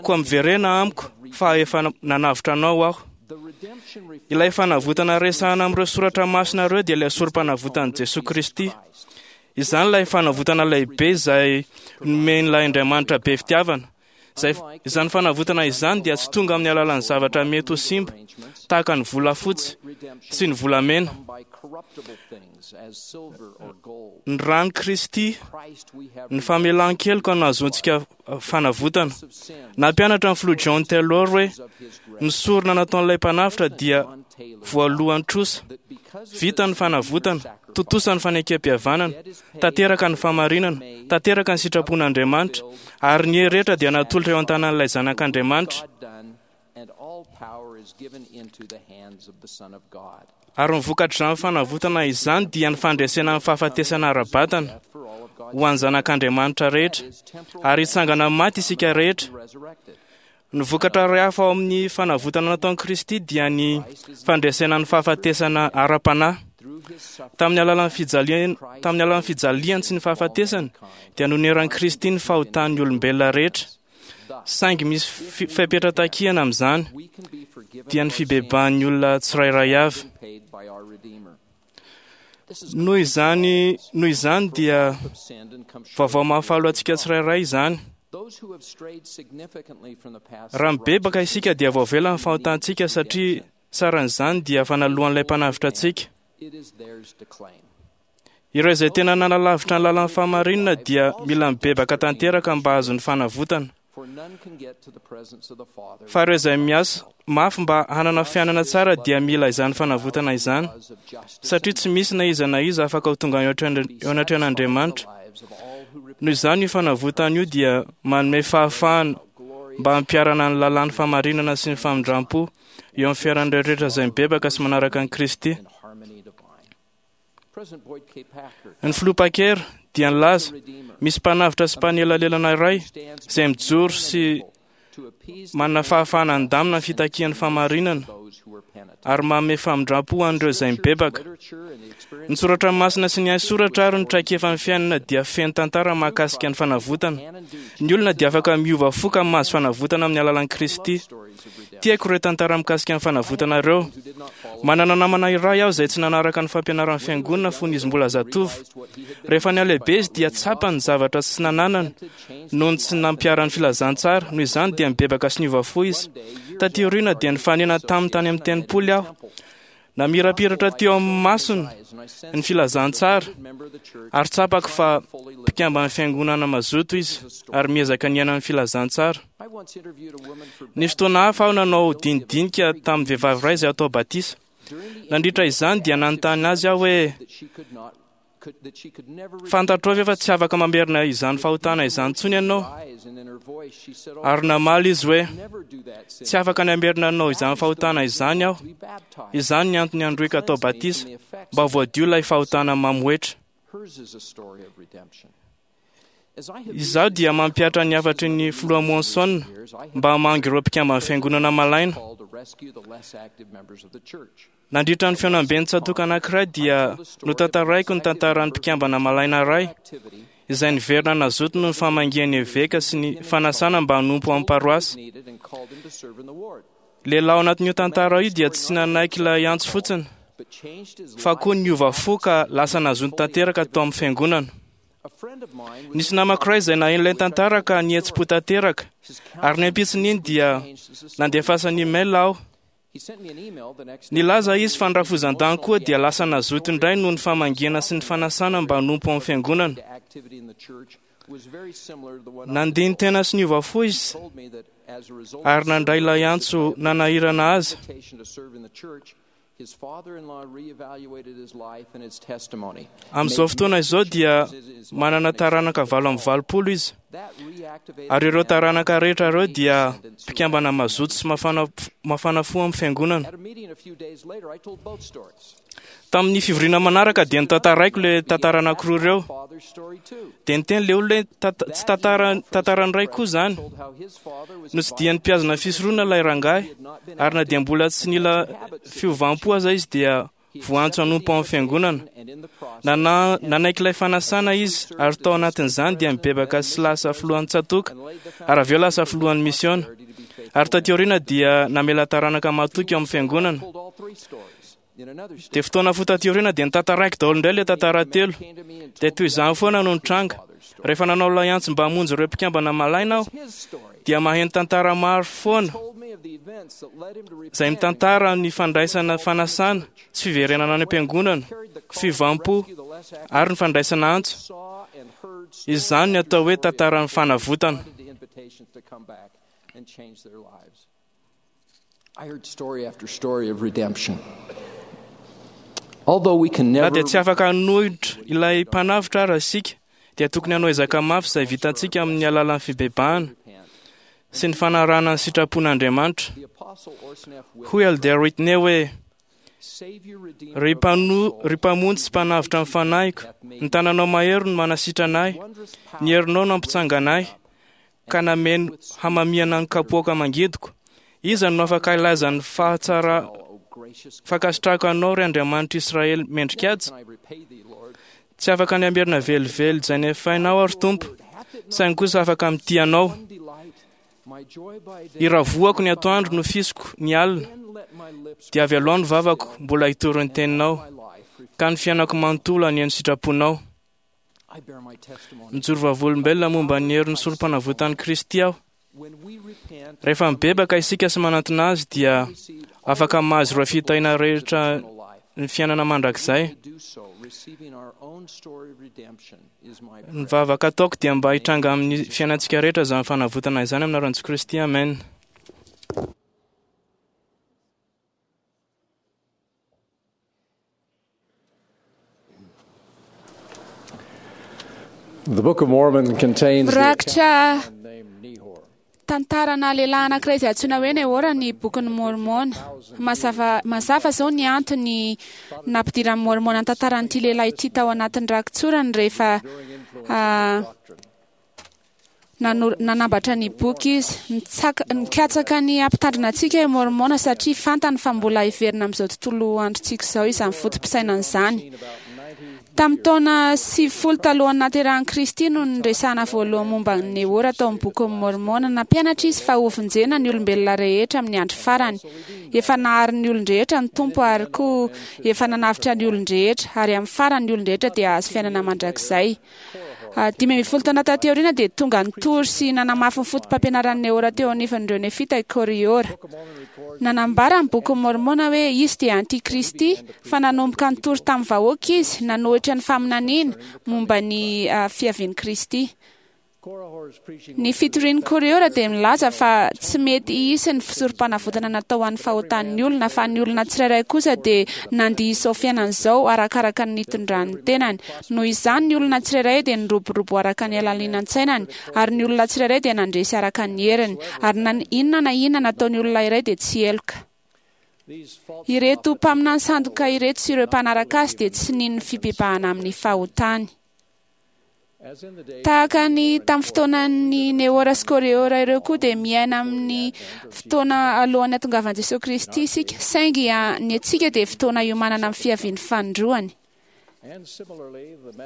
Koa miverena amiko, fa efa nanavotra anao aho. Ilay fanavotana resahana amin'ireo soratra masina ireo dia ilay sorom-panavotan'i Jesoa Kristy. Izany ilay fanavotana lehibe izay nomen'ilay Andriamanitra be fitiavana. Izay, izany fanavotana izany dia tsy tonga amin'ny alalan'ny zavatra mety ho simba, tahaka ny volafotsy sy ny volamena. Ny ran'i Kristy, ny famelan-keloka no ahazoantsika fanavotana. Nampianatra ny filoha John Taylor hoe ny sorona nataon'ilay mpanavotra dia voalohan-trosa. Vita ny fanavotana, tontosa ny fanekem-pihavanana, tanteraka ny fahamarinana, tanteraka ny sitrapon'Andriamanitra, ary ny hery rehetra dia natolotra eo an-tanan'ilay Zanak'Andriamanitra. Ary ny vokatr'izany fanavotana izany dia ny fandresena ny fahafatesana ara-batana ho an'ny zanak'Andriamanitra rehetra, ary hitsangana amin'ny maty isika rehetra. Ny vokatra iray hafa ao amin'ny fanavotana nataon'i Kristy dia ny fandresena ny fahafatesana ara-panahy. Tamin'ny alalan'ny fijaliany, tamin'ny alalan'ny fijaliany sy ny fahafatesany dia noneran'i Kristy ny fahotan'ny olombelona rehetra. Saingy misy fepetra takiana amin'izany, dia ny fibebahan'ny olona tsirairay avy. Noho izany, noho izany dia vaovao mahafaly ho antsika tsirairay izany. Raha mibebaka isika dia voavela ny fahotantsika satria saran'izany dia fanaloan'ilay mpanavotra antsika. Ireo izay tena nanalavitra ny lalan'ny fahamarinana dia mila mibebaka tanteraka mba hahazo ny fanavotana. Fa ireo izay miasa mafy mba hanana fiainana tsara dia mila izany fanavotana izany, satria tsy misy na iza na iza afaka ho tonga eo anatrehan'Andriamanitra. Noho izany io fanavotana io dia manome fahafahana mba hampiharana ny lalàn'ny fahamarinana sy ny famindram-po eo amin'ny fiainan'ireo rehetra izay mibebaka sy manaraka an'i Kristy. Ny filoha Packer dia nilaza, misy mpanavotra sy mpanelanelana iray izay mijoro sy manana fahafahana handamina ny fitakian'ny fahamarinana ary manome famindram-po ho an'ireo izay mibebaka. Ny soratra masina sy ny haisoratra ary ny traikefan'ny fiainana dia feno tantara mahakasika ny fanavotana. Ny olona dia afaka miova fo ka mahazo fanavotana amin'ny alalan'i Kristy. Tiako ireo tantara mikasika ny fanavotana ireo. Manana namana iray aho izay tsy nanaraka ny fampianaran'ny fiangonana fony izy mbola zatovo. Rehefa nihalehibe izy dia tsapany ny zavatra tsy nananany noho ny tsy nampiharany filazantsara. Noho izany dia nibebaka sy niova fo izy. Taty aoriana dia nifanena taminy tany amin'ny tempoly aho. Namirapiratra teo amin'ny masony ny filazantsara ary tsapako fa mpikamban'ny fiangonana mazoto izy ary miezaka niaina ny filazantsara. Nisy fotoana hafa aho nanao dinidinika tamin'ny vehivavy iray izay atao batisa. Nandritra izany dia nanontany azy aho hoe, Fantatrao ve fa tsy afaka mamerina izany fahotana izany intsony ianao? Ary namaly izy hoe, Tsy afaka ny hamerina anao izany fahotana izany aho. Izany ny antony androiko atao batisa, mba voadio ilay fahotana mamohetra. Izaho dia mampihatra ny hafatry ny filoha Monson mba hamangy ireo mpikamban'ny fiangonana malaina. Nandritra ny fihaonamben'ny tsatòka anankiray dia notantaraiko ny tantaran'ny mpikambana malaina iray izay niverina nazoto noho ny famangian'ny eveka sy ny fanasana mba hanompo ao amin'ny paroasy. Lehilahy ao anatin'io tantara io dia tsy nanaiky ilay antso fotsiny fa koa niova fo ka lasa nazoto tanteraka tao amin'ny fiangonana. Nisy namako iray izay naheno ilay tantara ka nihetsi-po tanteraka, ary ny ampitson'iny dia nandefasany email aho. Nilaza izy fa ny rafozan-dahiny koa dia lasa nazoto indray noho ny famangiana sy ny fanasana mba hanompo ao amin'ny fiangonana. Nandini-tena sy niova fo izy ary nandray ilay antso nanahirana azy. Amin'izao fotoana izao dia manana taranaka 88 izy, ary ireo taranaka rehetra ireo dia mpikambana mazoto sy mafana fo amin'ny fiangonana. Tamin'ny fivoriana manaraka dia notantaraiko ilay tantara anankiroa ireo. Dia niteny ilay olona hoe tsy tantaran'ny ray koa izany. Notsidihan'ny mpihazona fisoronana ilay rangahy, ary na dia mbola tsy nila fiovam-po aza izy dia voantso hanompo ao amin'ny fiangonana. Nanaiky ilay fanasana izy, ary tao anatin'izany dia nibebaka sy lasa filohan'ny tsatòka, ary avy eo lasa filohan'ny misiona. Ary taty aoriana dia namela taranaka mahatoky ao amin'ny fiangonana. Dia fotoana fohy taty aoriana dia notantaraiko daholo indray ilay tantara telo. Dia toy izany foana no nitranga. Rehefa nanao ilay antso mba hamonjy ireo mpikambana malaina aho, dia maheno tantara maro foana izay mitantara ny fandraisana fanasana sy fiverenana any am-piangonana, fiovam-po ary ny fandraisana antso. Izany ny atao hoe tantaran'ny fanavotana. Na dia tsy afaka hanohitra ilay mpanavotra ara isika, dia tokony hanao ezaka mafy izay vitantsika amin'ny alalan'ny fibebahana sy ny fanarahana ny sitrapon'Andriamanitra. Hoy Elder Whitney hoe, Ry Mpamonjy sy Mpanavotra ny fanahiko, ny tananao mahery no manasitrana ahy, ny herinao no hampitsangana ahy, ka nameno hamamiana ny kapoaka mangidiko. Iza no afaka hilaza ny fahatsara fankasitrahako anao, ry Andriamanitra Israely mendrikaja? Tsy afaka ny hamerina velively izay nefainao aho, ry Tompo, saingy kosa afaka mitia anao. Iravoako ny atoandro nofisiko ny alina, dia avy aloha ny vavako mbola hitory ny teninao, ka ny fiainako manontolo anie ny sitraponao. Mijoro vavolombelona momba ny herin'ny sorompanavotan'i Kristy aho. Rehefa mibebaka isika sy manantona Azy dia afaka mahazo ireo fitahiana rehetra ny fiainana mandrakizay. Ny vavaka ataoko dia mba hitranga amin'ny fiainantsika rehetra izany fanavotana izany amin'ny anaran'i Jesoa Kristy. Amen. The Book of Mormon contains the Mirakitra tantarana lehilahy anankiray izay antsoina hoe Nehora ny bokin'ny Môrmôna. Mazava mazava izao ny antony nampidiran'ny Môrmôna ny tantaran'ity lehilahy ity tao anatin'ny rakitsorany rehefa nanambatra ny boky izy. Nikatsaka ny hampitandrina antsika i Môrmôna satria fantany fa mbola hiverina amin'izao tontolo androntsika izao izany foto-pisainana izany. Tamin'ny taona 90 talohan'ny nahaterahan'i Kristy no niresahana voalohany momba an'i Nehora tao amin'ny Bokin'i Môrmôna. Nampianatra izy fa hovonjena ny olombelona rehetra amin'ny andro farany. Efa nahary ny olon-drehetra ny Tompo ary koa efa nanavotra ny olon-drehetra, ary amin'ny farany ny olon-drehetra dia hahazo fiainana mandrakizay. 15 taona taty aoriana dia tonga nitory sy nanamafy ny fotopampianaran'i Nehora teo anivon'ireo Nefita i Kôrihôra. Nanambara ny Bokin'i Môrmôna hoe izy dia Antikristy, fa nanomboka nitory tamin'ny vahoaka izy, nanohitra ny faminaniana momba ny fiavian'i Kristy. Ny fitorian'i Kôrihôra dia milaza fa tsy mety hisy ny fisorom-panavotana natao ho an'ny fahotan'ny olona, fa ny olona tsirairay kosa dia nandia izao fiainana izao arakaraka ny nitondrany ny tenany. Noho izany, ny olona tsirairay dia niroborobo araka ny halalinan-tsainany, ary ny olona tsirairay dia nandresy araka ny heriny, ary na inona na inona nataon'ny olona iray dia tsy heloka. Ireto mpaminany sandoka ireto sy ireo mpanaraka azy dia tsy nino ny fibebahana amin'ny fahotany. Tahaka ny tamin'ny fotoanan'ny Nehora sy Kôrehôra ireo koa dia miaina amin'ny fotoana alohan'ny hatongavan'i Jesoa Kristy isika, saingy ny antsika dia fotoana iomanana amin'ny fiavian'ny fanindroany.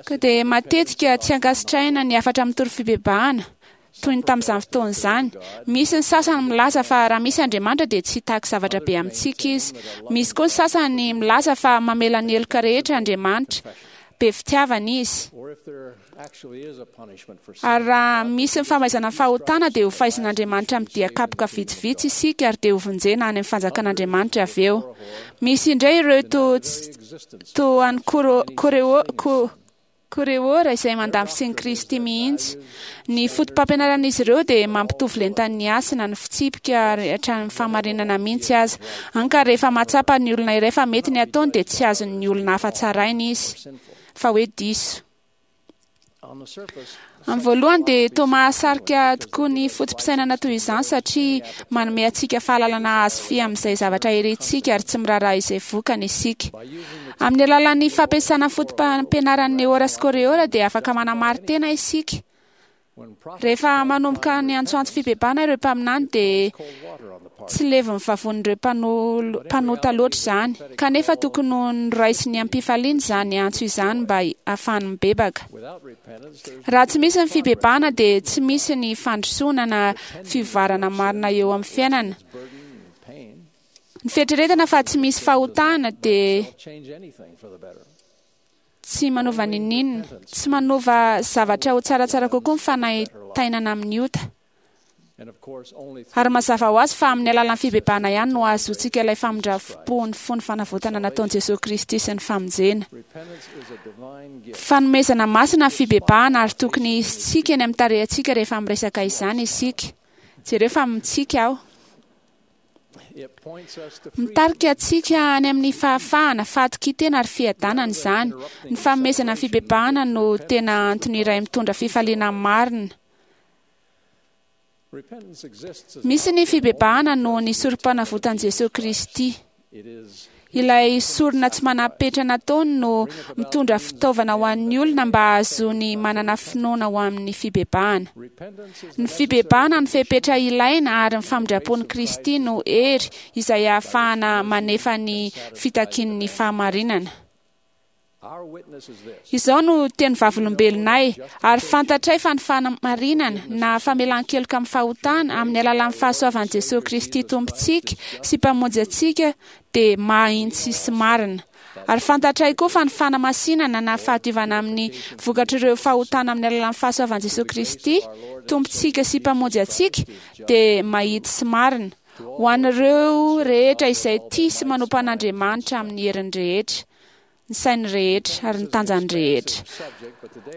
Ka dia matetika tsy ankasitrahina ny hafatra mitory fibebahana, toy ny tamin'izany fotoana izany. Misy ny sasany milaza fa raha misy Andriamanitra dia tsy hitaky zavatra be amintsika Izy. Misy koa ny sasany milaza fa mamela ny heloka rehetra Andriamanitra. Be fitiavana izy. Ary raha misy ny famaizana ny fahotana dia ho faizin'Andriamanitra amin'ny dia kapoka vitsivitsy isika ary dia hovonjena any amin'ny fanjakan'Andriamanitra avy eo. Misy indray ireo toa an'i Koreora izay mandà ny fisian'i Kristy mihitsy. Ny fotopampianaran'izy ireo dia mampitovy lenta ny hasina, ny fitsipika ary hatramin'ny fahamarinana mihitsy aza. Hany ka rehefa mahatsapa ny olona iray fa mety ny ataony dia tsy azon'ny olona hafa tsaraina izy fa hoe diso. Amin'ny voalohany dia toa mahasarika tokoa ny foto-pisainana toy izany satria manome antsika fahalalana azo fy amin'izay zavatra irintsika ary tsy miraharaha izay vokany isika. Amin'ny alalan'ny fampiasana foto-pampianaran'i Neora sy Koreora dia afaka manamari-tena isika. Rehefa manomboka ny antsoantso fibebahana ireo mpaminany dia tsy levon'ny vavonin'ireo mpanota loatra izany. Kanefa tokony ho noraisiny am-pifaliana izany antso izany mba hahafahany mibebaka. Raha tsy misy ny fibebahana dia tsy misy ny fandrosoana na fivoarana marina eo amin'ny fiainana. Ny fieritreretana fa tsy misy fahotana dia tsy manova n'inon'inona. Tsy manova zavatra ho tsaratsara kokoa ny fanaintainana amin'ny ota. Ary mazava ho azy fa amin'ny alalan'ny fibebahana ihany no ahazoantsika ilay famindram-po ny fo ny fanavotana nataon'i Jesoa Kristy sy ny famonjena. Fanomezana masina ny fibebahana ary tokony hisy tsiky eny amin'ny tarehintsika rehefa miresaka izany isika. Jereo fa mitsiky aho. Mitarika antsika any amin'ny fahafahana, fahatokian-tena ary fiadanana izany. Ny fanomezana ny fibebahana no tena antony iray mitondra fifaliana marina. Misy ny fibebahana noho ny sorompanavotan'i Jesoa Kristy. Ilay sorona tsy manam-petra nataony no mitondra fitaovana ho an'ny olona mba hahazoany manana finoana ho amin'ny fibebahana. Ny fibebahana no fepetra ilaina ary ny famindram-pon'i Kristy no hery izay ahafahana manefa ny fitakian'ny fahamarinana. Izao no teny vavolombelonay, ary fantatray fa ny fanamarinana, na famelan-keloka amin'ny fahotana, amin'ny alalan'ny fahasoavan'i Jesoa Kristy Tompontsika sy Mpamonjy antsika dia mahintsy sy marina. Ary fantatray koa fa ny fanamasinana na fahadiovana amin'ny vokatr'ireo fahotana amin'ny alalan'ny fahasoavan'i Jesoa Kristy Tompontsika sy Mpamonjy antsika dia mahitsy sy marina, ho an'ireo rehetra izay tia sy manompo an'Andriamanitra amin'ny heriny rehetra, ny sainy rehetra ary ny tanjany rehetra.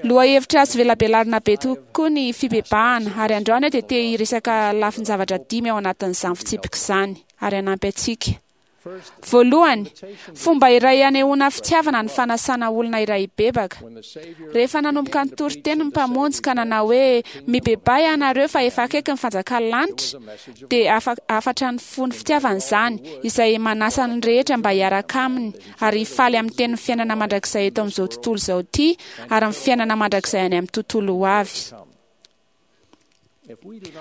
Lohahevitra azo velabelarina be tokoa ny fibebahana, ary androany aho dia te hiresaka lafin-javatra dimy ao anatin'izany fitsipika izany, ary hanampy antsika. Voalohany, fomba iray hanehoana fitiavana ny fanasana olona iray hibebaka. Rehefa nanomboka nitory teny ny Mpamonjy ka nanao hoe, Mibebaha ianareo fa efa akaiky ny fanjakan'ny lanitra, dia hafatra ny fo ny fitiavana izany, izay manasa ny rehetra mba hiaraka aminy ary hifaly amin'ny tenin'ny fiainana mandrakizay eto amin'izao tontolo izao ity ary ny fiainana mandrakizay any amin'ny tontolo ho avy.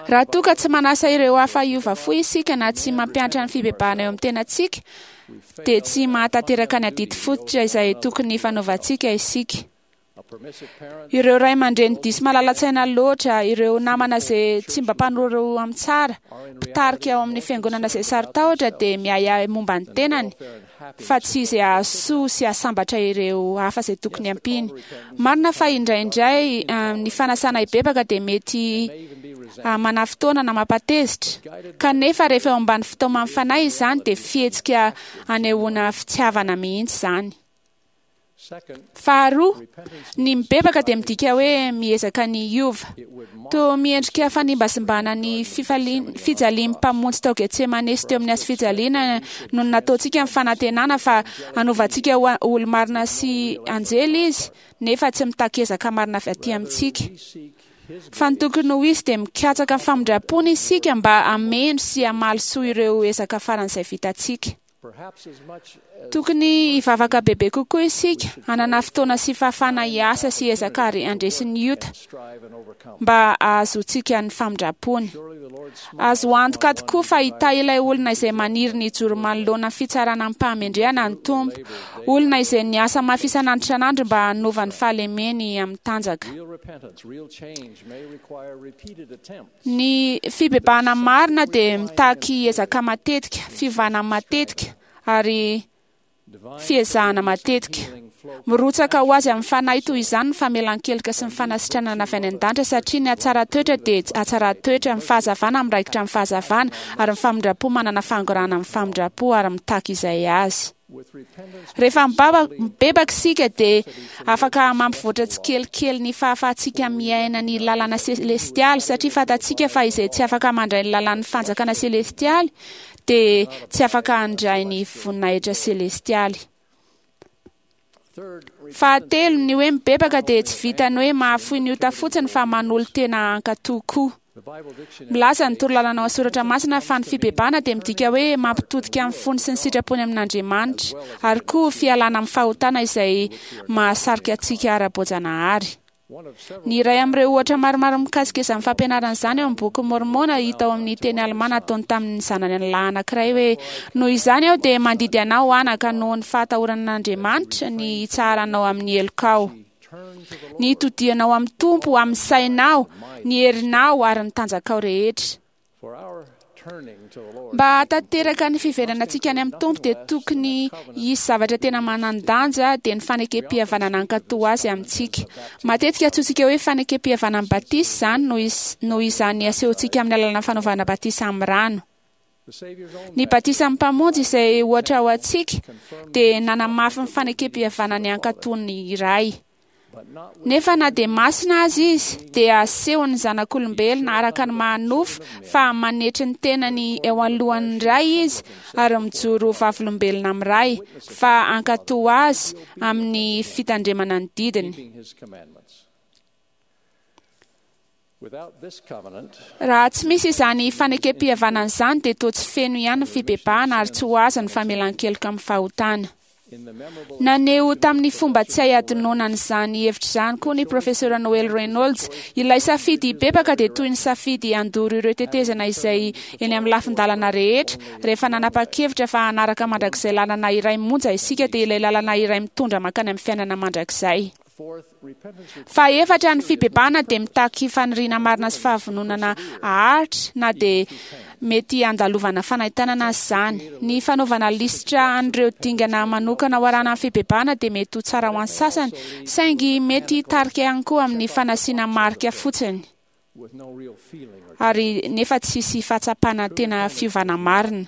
Raha toa ka tsy manasa ireo hafa hiova fo isika na tsy mampiantra ny fibebahana eo amin'ny tenantsika, dia tsy mahatanteraka ny adidy fototra izay tokony hifanaovantsika isika. Ireo ray aman-dreny diso malala-tsaina loatra, ireo namana izay tsy mba mpanoro amin'ny tsara, mpitarika ao amin'ny fiangonana izay saro-tahotra dia miahiahy momba ny tenany fa tsy izay hahasoa sy hahasambatra ireo hafa izay tokony hampiany. Marina fa indraindray ny fanasana hibebaka dia mety manafotoana na mampatezitra, kanefa rehefa eo ambany fitaoman'ny fanahy izany dia fihetsika anehoana fitiavana mihitsy izany. Faharoa, ny mibebaka dia midika hoe miezaka ny hiova. Toa miendrika fanimbazimbana ny fijalian'ny Mpamonjy tao Getsemane sy teo amin'ny hazofijaliana no nataontsika ny fanantenana fa hanova antsika ho olo-marina sy anjely Izy, nefa tsy mitaky ezaka marina avy aty amintsika. Fa ny tokony ho izy dia mikatsaka ny famindram-pony isika mba hameno sy hamaly soa ireo ezaka faran'izay vitantsika. Tokony hivavaka bebe kokoa isika, hanana fotoana sy fahafahana hiasa sy hiezaka ary handresy ny ota, mba hahazoantsika ny famindram-pony. Azo antoka tokoa fa hitahy ilay olona izay maniry ny hijoro manoloana ny fitsarana amim-pahamendrehana ny Tompo, olona izay niasa mafy isan'andro isan'andro mba hanova ny fahalemeny amin'ny tanjaka. Ny fibebahana marina dia mitaky ezaka matetika, fiovana matetika, ary fiezahana matetika. Mirotsaka ho azy amin'ny fanahy toy izany ny famelan-keloka sy ny fanasitranana avy any an-danitra, satria ny hatsaran-toetra dia hatsaran-toetra, ny fahazavana miraikitra amin'ny fahazavana, ary ny famindram-po manana fangorahana amin'ny famindram-po ary mitaky izay azy. Rehefa mibebaka isika dia afaka mampivoatra tsikelikely ny fahafahantsika miaina ny lalàna selestialy, satria fantatsika fa izay tsy afaka mandray ny lalàn'ny fanjakana selestialy dia tsy afaka handray ny voninahitra selestialy. Fahatelo, ny hoe mibebaka dia tsy vitan'ny hoe mahafoy ny ota fotsiny fa manolo-tena hankatò koa. Milaza ny torolalana ao amin'ny Soratra Masina fa ny fibebahana dia midika hoe mampitodika ny fony sy ny sitrapony amin'Andriamanitra, ary koa fialana amin'ny fahotana izay mahasarika antsika ara-boajanahary. Ny iray amin'ireo ohatra maromaro mikasika izany fampianarana izany ao amin'ny Bokin'i Môrmôna hita ao amin'ny teny alemà nataony tamin'ny zanany lahy anankiray hoe, Noho izany aho dia mandidy anao, anaka, noho ny fahatahorana an'Andriamanitra, ny hitsaharanao amin'ny helokao, ny hitodihanao amin'ny Tompo amin'ny sainao, ny herinao ary ny tanjakao rehetra. Mba hahatanteraka ny fiverenantsika any amin'ny Tompo dia tokony hisy zavatra tena manan-danja dia ny fanekem-pihavanana hankatò Azy amintsika. Matetika antsointsika hoe fanekem-pihavanan'ny batisa izany noho izany asehontsika amin'ny alalan'ny fanaovana batisa amin'ny rano. Ny batisan'ny Mpamonjy izay ohatra ho antsika dia nanamafy ny fanekem-pihavanany hankatò ny Ray. Nefa na dia masina aza izy, dia asehon'ny zanak'olombelona araka ny maha-nofo fa manetry ny tenany eo anoloan'ny Ray izy ary mijoro ho vavolombelona amin'ny Ray fa hankatò azy amin'ny fitandremana ny didiny. Raha tsy misy izany fanekem-pihavanana izany dia toa tsy feno ihany ny fibebahana ary tsy ho azo ny famelan-keloka amin'ny fahotana. Naneho tamin'ny fomba tsy hay hadinoana an'izany hevitra izany koa ny Profesora Noel Reynolds, Ilay safidy hibebaka dia toy ny safidy handoro ireo tetezana izay eny amin'ny lafin-dalana rehetra, rehefa nanapa-kevitra fa hanaraka mandrakizay lalana iray monja isika dia ilay lalana iray mitondra mankany amin'ny fiainana mandrakizay. Fahefatra, ny fibebahana dia mitaky faniriana marina sy fahavononana haharitra na dia mety handalovana fanaintainana aza izany. Ny fanaovana lisitra an'ireo dingana manokana ho arahana amin'ny fibebahana dia mety ho tsara ho an'ny sasany, saingy mety hitarika ihany koa amin'ny fanasiana marika fotsiny ary nefa tsy hisy fahatsapana tena fiovana marina.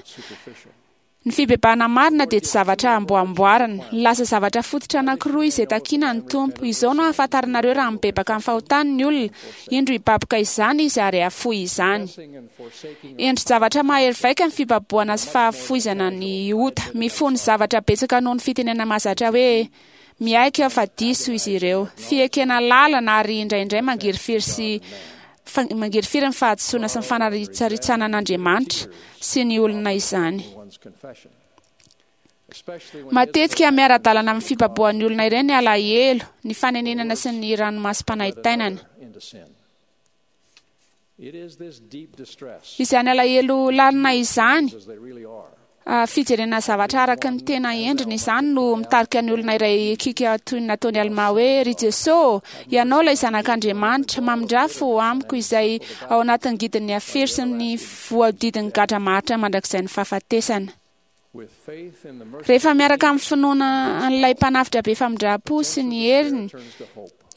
Ny fibebahana marina dia tsy zavatra amboamboarina. Nilaza zavatra fototra anankiroa izay takiana ny Tompo. Izao no ahafantaranareo raha mibebaka amin'ny fahotany ny olona, indro hibaboka izany izy ary hahafoy izany. Endri-javatra mahery vaika ny fibabohana sy fahafoizana ny ota. Mifono zavatra betsaka noho ny fitenenana mahazatra hoe, Miaiky aho fa diso izy ireo. Fiekena lalina ary indraindray mangirifiry sy mangirifiry ny fahadisoana sy ny fanaritsaritsana an'Andriamanitra sy ny olona izany. Matetika miara-dalana amin'ny fibabohan'ny olona ireny ny alahelo, ny fanenenana sy ny ranomasom-panaintainana. Izany alahelo lalina izany, fijerena zavatra araka ny tena endriny izany no mitarika ny olona iray hikiaka toy ny nataon'i Almà hoe, Ry Jesoa ô, Ianao ilay Zanak'Andriamanitra, mamindrà fo amiko izay ao anatin'ny ngidin'ny afero sy ny voahodidin'ny gadra maharitra mandrakizain'ny fahafatesana. Rehefa miaraka amin'ny finoana an'ilay Mpanavotra be famindram-po sy ny heriny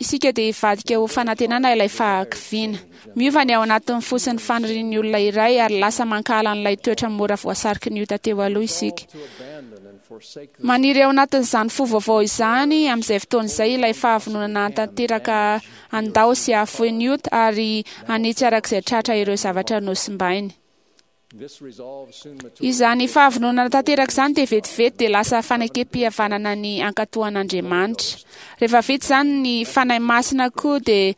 isika dia hivadika ho fanantenana ilay fahakiviana. Miova ny ao anatin'ny fo sy ny fanirian'ny olona iray ary lasa mankahala an'ilay toetra mora voasariky ny ota teo aloha isika. Maniry ao anatin'izany fo vaovao izany amin'izay fotoana izay ilay fahavononana hahatanteraka handao sy hahafoy ny ota ary hanitsy araka izay tratra ireo zavatra nosimbainy. Izany fahavononana tanteraka izany dia vetivety dia lasa fanekem-pihavanana ny hankatò an'Andriamanitra. Rehefa vita izany, ny Fanahy Masina koa dia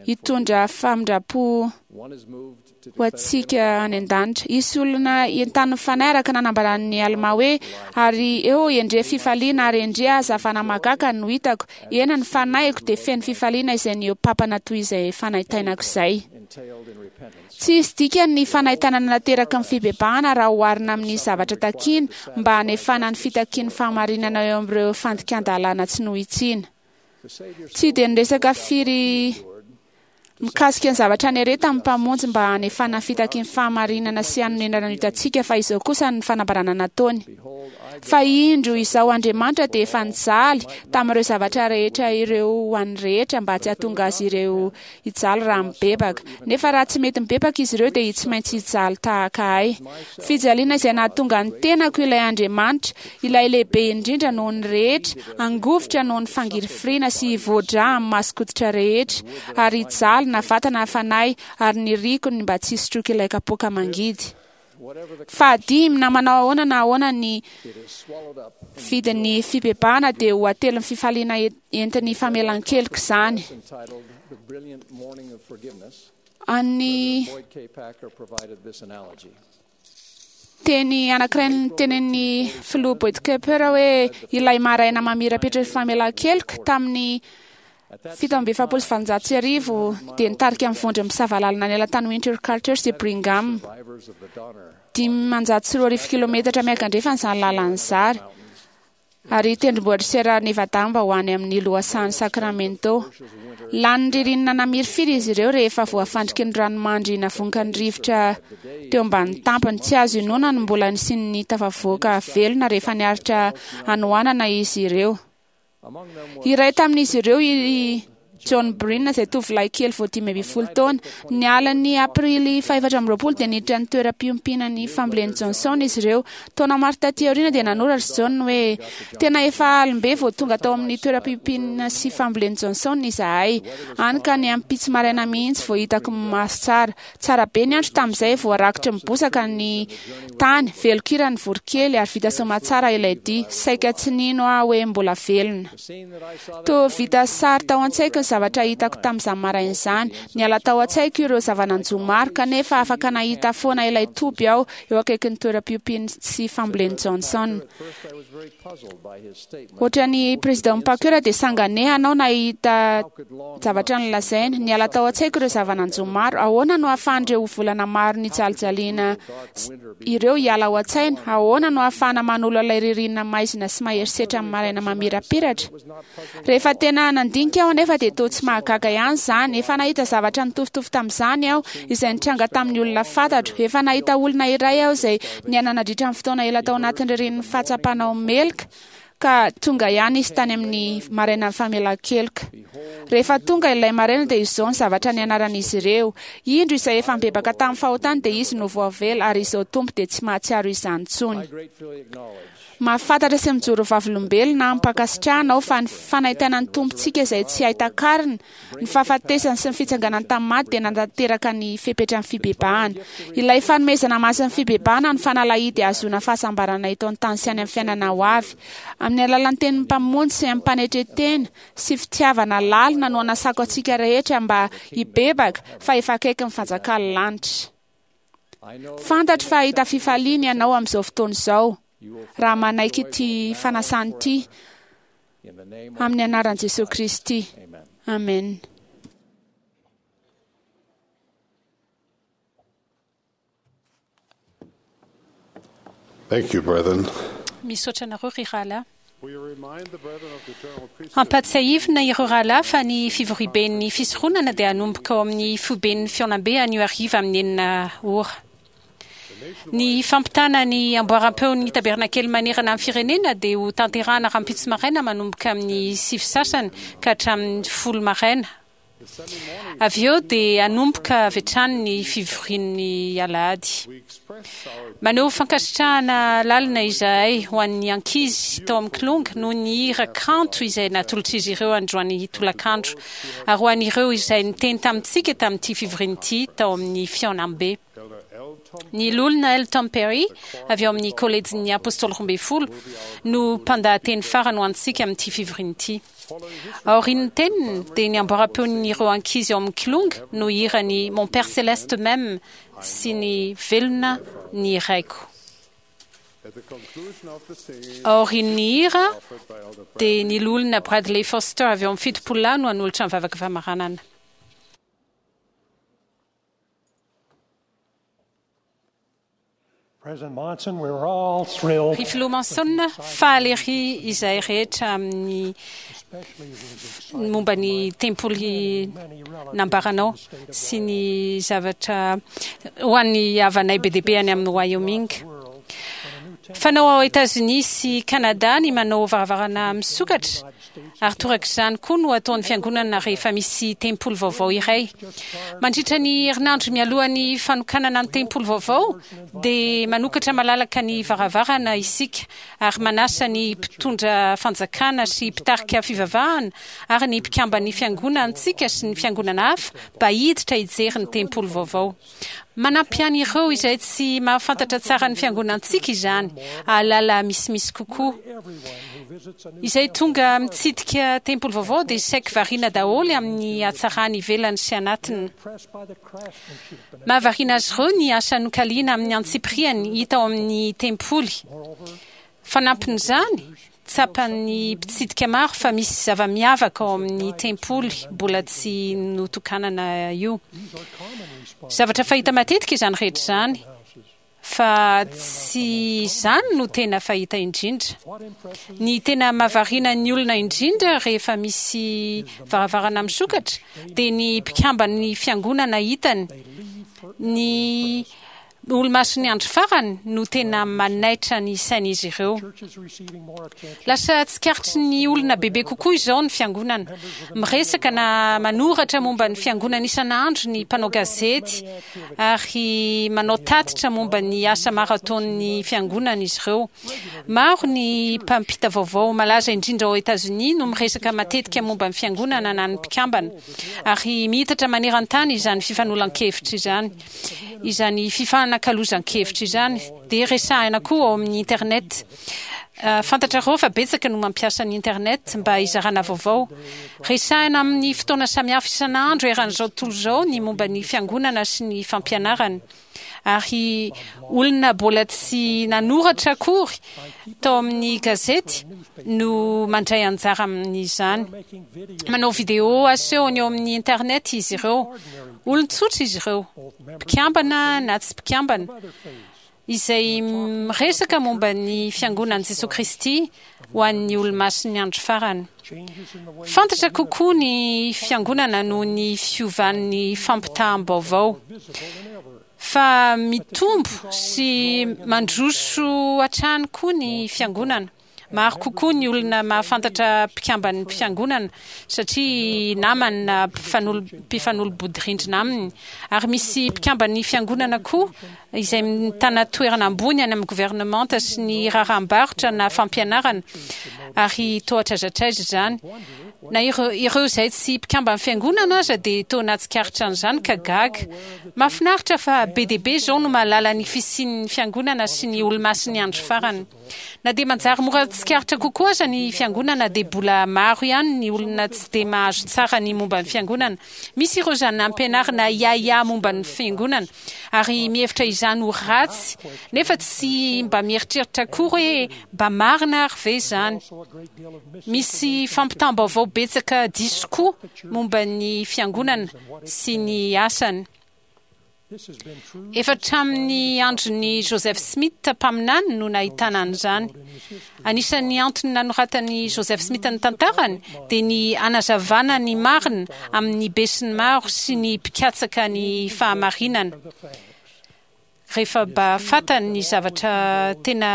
hitondra famindram-po ho antsika any an-danitra. Hisy olona entanin'ny Fanahy araka nanambaran'ny Almà hoe, Ary eo endrey fifaliana ary endrey hazavana mahagaga no hitako, eny, ny fanahiko dia feno fifaliana izay nihoa-papana toy izay fanaintainako izay. Tsy hisy dikany ny fanaintainana nateraky ny fibebahana raha oharina amin'ny zavatra takiana mba hanefana ny fitakian'ny fahamarinana eo amin'ireo fandikan-dalàna tsy nohitsiana. Tsy dia niresaka firy mikasika ny zavatra niaretan'ny Mpamonjy mba hanefana ny fitakian'ny fahamarinana sy hanonenana ny otantsika fa izao kosa ny fanambarana nataony. Fa indro, Izaho Andriamanitra dia efa nijaly tamin'ireo zavatra rehetra ireo ho an'ny rehetra mba tsy hahatonga azy ireo hijaly raha mibebaka. Nefa raha tsy mety mibebaka izy ireo dia tsy maintsy hijaly tahaka ahy. Fijaliana izay nahatonga ny tenako ilay Andriamanitra, ilay lehibe indrindra noho ny rehetra, hangovitra noho ny fangirifiriana sy hivoa-drà amin'ny mason-koditra rehetra, ary hijaly na vatana na fanahy, ary niriko ny mba tsy hisotroako ilay kapoaka mangidy. Fahadimy, na manao ahoana na ahoana ny vidin'ny fibebahana dia ho atelin'ny fifaliana entin'ny famelan-keloka izany. An'ny teny anankiray notenenin'ny filoha Boyd Kemper hoe ilay maraina mamirapiratra ny famelan-keloka tamin'ny 1847 dia nitarika ny vondron'ny mpisava lalana niala tany Winter Quarters i Brigham. 2500 kilometatra miankandrefana izany lalana izany, ary tendrombohitr'i Sierra Nevada mba ho any amin'ny lohasahan'i Sacramento. Lanin'ny ririnina namirifiry izy ireo rehefa voafandriky ny ranomandry navonkan'ny rivotra teo ambanin'ny tampony. Tsy azo inoana ny mbola nisian'ny tafavoaka velona rehefa niaritra hanoanana izy ireo. Iray tamin'izy ireo i John Breen izay tovolahy kely vao 15 taona. Ny alin'ny Aprily faha-24 dia niditra ny toeram-piompiana ny fambolen'i Johnson izy ireo. Taona maro taty aoriana dia nanoratra i John hoe, Tena efa alim-be vao tonga tao amin'ny toeram-piompiana sy fambolen'i Johnson izahay. Hany ka ny ampitso maraina mihitsy vao hitako maso tsara. Tsara be ny andro tamin'izay, voarakotry ny bozaka ny tany, velon-kira ny voronkely ary vita soamatsara ilay dia. Saika tsy nino aho hoe mbola velona. Toa vita sary tao an-tsaiko ny zavatra hitako tamin'izany maraina izany. Niala tao an-tsaiko ireo zava-nanjo maro, kanefa afaka nahita foana ilay toby aho eo akaikin'ny toeram-piompiany sy fambolen'i Johnson. Ohatran'i Président Packer dia sanganehana aho nahita zavatra nolazainy. Niala tao an-tsaiko ireo zava-nanjo maro. Ahoana no ahafahan'ireo volana maro nijalijaliana ireo hiala ao an-tsaina? Ahoana no ahafahana manolo ilay ririnina maizina sy mahery setra amin'ny maraina mamirapiratra? Rehefa tena nandinika aho anefa dia toa tsy mahagaga ihany izany. Efa nahita zavatra nitovitovy tamin'izany aho, izay nitranga tamin'ny olona fantatro. Efa nahita olona iray aho izay niaina nandritra ny fotoana ela tao anatin'ny ririnin'ny fahatsapana ho meloka, ka tonga ihany izy tany amin'ny marainan'ny famelan-keloka. Rehefa tonga ilay maraina dia izao ny zavatra nianaran'izy ireo, Indro izay efa nibebaka tamin'ny fahotany dia izy no voavela ary izao Tompo dia tsy mahatsiaro izany intsony. Mahafantatra sy mijoro vavolombelona amim-pankasitrahana aho fa ny fanaintainan'ny Tompontsika izay tsy hay takarina, ny fahafatesany sy ny fitsanganany tamin'ny maty dia nanatanteraka ny fepetran'ny fibebahana. Ilay fanomezana masin'ny fibebahana no fanalahidy hahazoana fahasambarana eto an-tany sy any amin'ny fiainana ho avy. Amin'ny alalan'ny tenin'ny Mpamonjy sy amim-panetren-tena sy fitiavana lalina no anasako antsika rehetra mba hibebaka fa efa akaiky ny fanjakan'ny lanitra. Fantatro fa hahita fifaliana ianao amin'izao fotoana izao raha manaiky ity fanasana ity amin'ny anaran'i Jesoa Kristy. Amen. Thank you, brethren. Misaotra anareo ry rahalahy. Ampahatsiahivina ireo rahalahy fa ny fivoriaben'ny fisoronana dia hanomboka ao amin'ny foiben'ny fihaonambe anio hariva amin'ny 6 ora. Ny fampitana ny amboaram-peon'ny tabernakely manerana ny firenena dia ho tanterahana rahampitso maraina manomboka amin'ny sivy sasany ka hatramin'ny folo maraina. Avy eo dia hanomboka avy hatrany ny fivorian'ny alahady. Maneho fankasitrahana lalina izahay ho an'ny ankizy tao amin'ny Kilonga noho ny hira kanto izay natolotr'izy ireo androany tolakandro ary ho an'ireo izay niteny tamintsika tamin'ity fivoriana ity tao amin'ny fihaonambe. Ny Loholona L. Tom Perry, avy ao amin'ny Kolejin'ny Apôstôly Roambinifolo, no mpandahateny farany ho antsika amin'ity fivoriana ity. Aorian'ny teniny, dia ny amboaram-peon'ireo ankizy ao amin'ny Kilonga no hihira ny Mon Père Céleste m'aime sy ny Velona ny Raiko. Aorian'ny hira, dia ny Loholona Bradley Foster avy ao amin'ny Fitopololahy no hanolotra ny vavaka famaranana. Ry Filoha Monson, faly ery izahay rehetra amin'ny momba ny tempoly nambaranao sy ny zavatra ho an'ny havanay be dia be any amin'ny Wyoming. Fanao ao Etazonia sy Kanada ny manao varavarana misokatra, ary torak'izany koa no ataon'ny fiangonana rehefa misy tempoly vaovao iray. Mandritra ny herinandro mialohan'ny fanokanana ny tempoly vaovao, dia manokatra malalaka ny varavarana isika ary manasa ny mpitondra fanjakana sy mpitarika fivavahana ary ny mpikamban'ny fiangonantsika sy ny fiangonana hafa mba hiditra hijery ny tempoly vaovao. Manampy an'ireo izay tsy mahafantatra tsara ny fiangonantsika izany hahalala misimisy kokoa. Izay tonga mitsidika tempoly vaovao dia saiky variana daholo amin'ny hatsarany ivelany sy anatiny. Mahavariana azy ireo ny asa nokaliana amin'ny antsipiriany hita ao amin'ny tempoly. Fanampin'izany, tsapan'ny mpitsidika maro fa misy zava-miavaka ao amin'ny tempoly mbola tsy notokanana io. Zavatra fahita matetika izany rehetra izany, fa tsy izany no tena fahita indrindra. Ny tena mahavariana ny olona indrindra rehefa misy varavarana misokatra dia ny mpikamban'ny fiangonana hitany. Ny Olomasin'ny andro farany no tena manaitra ny sain'izy ireo. Lasa tsikaritry ny olona bebe kokoa izao ny fiangonana. Miresaka na manoratra momba ny fiangonana isan'andro ny mpanao gazety ary manao tatitra momba ny asa maro ataon'ny fiangonana izy ireo. Maro ny mpampita vaovao malaza indrindra ao Etazonia no miresaka matetika momba ny fiangonana na ny mpikambana. Ary miitatra maneran-tany izany fifanolan-kevitra izany. Izany fifanakalozan-kevitra izany dia resahina koa ao amin'ny Internet. Fantatrareo fa betsaka no mampiasa ny Internet mba hizarana vaovao. Resahina amin'ny fotoana samihafa isan'andro eran'izao tontolo izao ny momba ny Fiangonana sy ny fampianarany. Ary olona mbola tsy nanoratra akory tao amin'ny gazety no mandray anjara amin'izany. Manao vidéo asehony eo amin'ny Internet izy ireo. Olon-tsotra izy ireo, mpikambana na tsy mpikambana, izay miresaka momba ny Fiangonan'i Jesoa Kristy ho an'ny Olomasin'ny Andro Farany. Fantatra kokoa ny Fiangonana noho ny fiovan'ny fampitaham-baovao. Fa mitombo sy mandroso hatrany koa ny Fiangonana. Maro kokoa ny olona mahafantatra mpikamban'ny fiangonana satria namany na mpifanolo-bodirindrina aminy. Ary misy mpikamban'ny fiangonana koa izay mitana toerana ambony any amin'ny governemanta sy ny raharaham-barotra na fampianarana, ary toa hatraiza hatraiza izany. Na ireo izay tsy mpikamban'ny fiangonana aza dia toa nahatsikaritra an'izany ka gaga. Mahafinaritra fa be dia be izao no mahalala ny fisian'ny fiangonana sy ny Olomasin'ny Andro Farany. Na dia manjary mora tsikaritra kokoa aza ny fiangonana dia bola maro ihany ny olona tsy dia mahazo tsara ny momba ny fiangonana. Misy ireo izany nampianarina hiahiahy momba ny fiangonana ary mihevitra izany ho ratsy nefa tsy mba mieritreritra akory hoe mba marina ary ve izany. Misy fampitam-baovao betsaka diso koa momba ny fiangonana sy ny asany. Efa hatramin'ny andron'i Joseph Smith mpaminany no nahitana an'izany. Anisan'ny antony nanoratan'i Joseph Smith ny tantarany dia ny hanazavana ny marina amin'ny besinimaro sy ny mpikatsaka ny fahamarinana. Rehefa mba fantany ny zavatra tena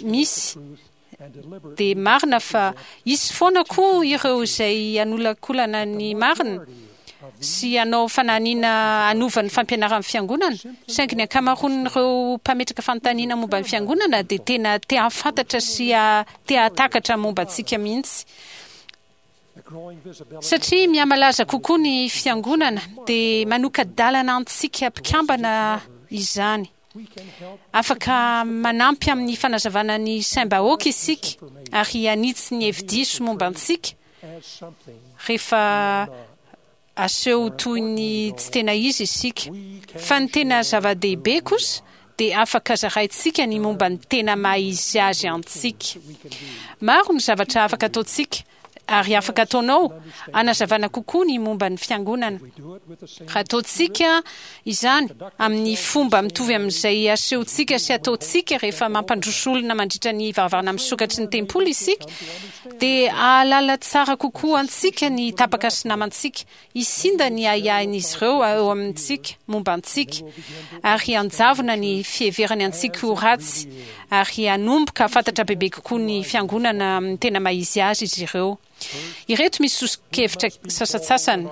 misy dia marina fa hisy foana koa ireo izay hanolakolana ny marina sy hanao fanahiniana hanova ny fampianaran'ny fiangonana, saingy ny ankamaroan'ireo mpametraka fanontaniana momba ny fiangonana dia tena te hahafantatra sy te hahatakatra momba antsika mihitsy. Satria mihamalaza kokoa ny fiangonana dia manoka-dalana antsika mpikambana izany. Afaka manampy amin'ny fanazavana ny saim-bahoaka isika ary hanitsy ny hevi-diso momba antsika rehefa aseho toy ny tsy tena izy isika. Fa ny tena zava-dehibe kosa dia afaka zaraintsika ny momba ny tena maha izy azy antsika. Maro ny zavatra afaka ataontsika. ary afaka ataonao hanazavana kokoa ny momba ny fiangonana. Raha ataontsika izany amin'ny fomba mitovy amin'izay asehontsika sy ataontsika rehefa mampandroso olona mandritra ny varavarana misokatry ny tempoly isika, dia hahalala tsara kokoa antsika ny tapaka sy namantsika. Hisinda ny ahiahin'izy ireo eo amintsika momba antsika, ary hanjavona ny fiheverany antsika ho ratsy, ary hanomboka hahafantatra bebe kokoa ny Fiangonana amin'ny tena maha-izy azy izy ireo. Ireto misy soso-kevitra sasantsasany.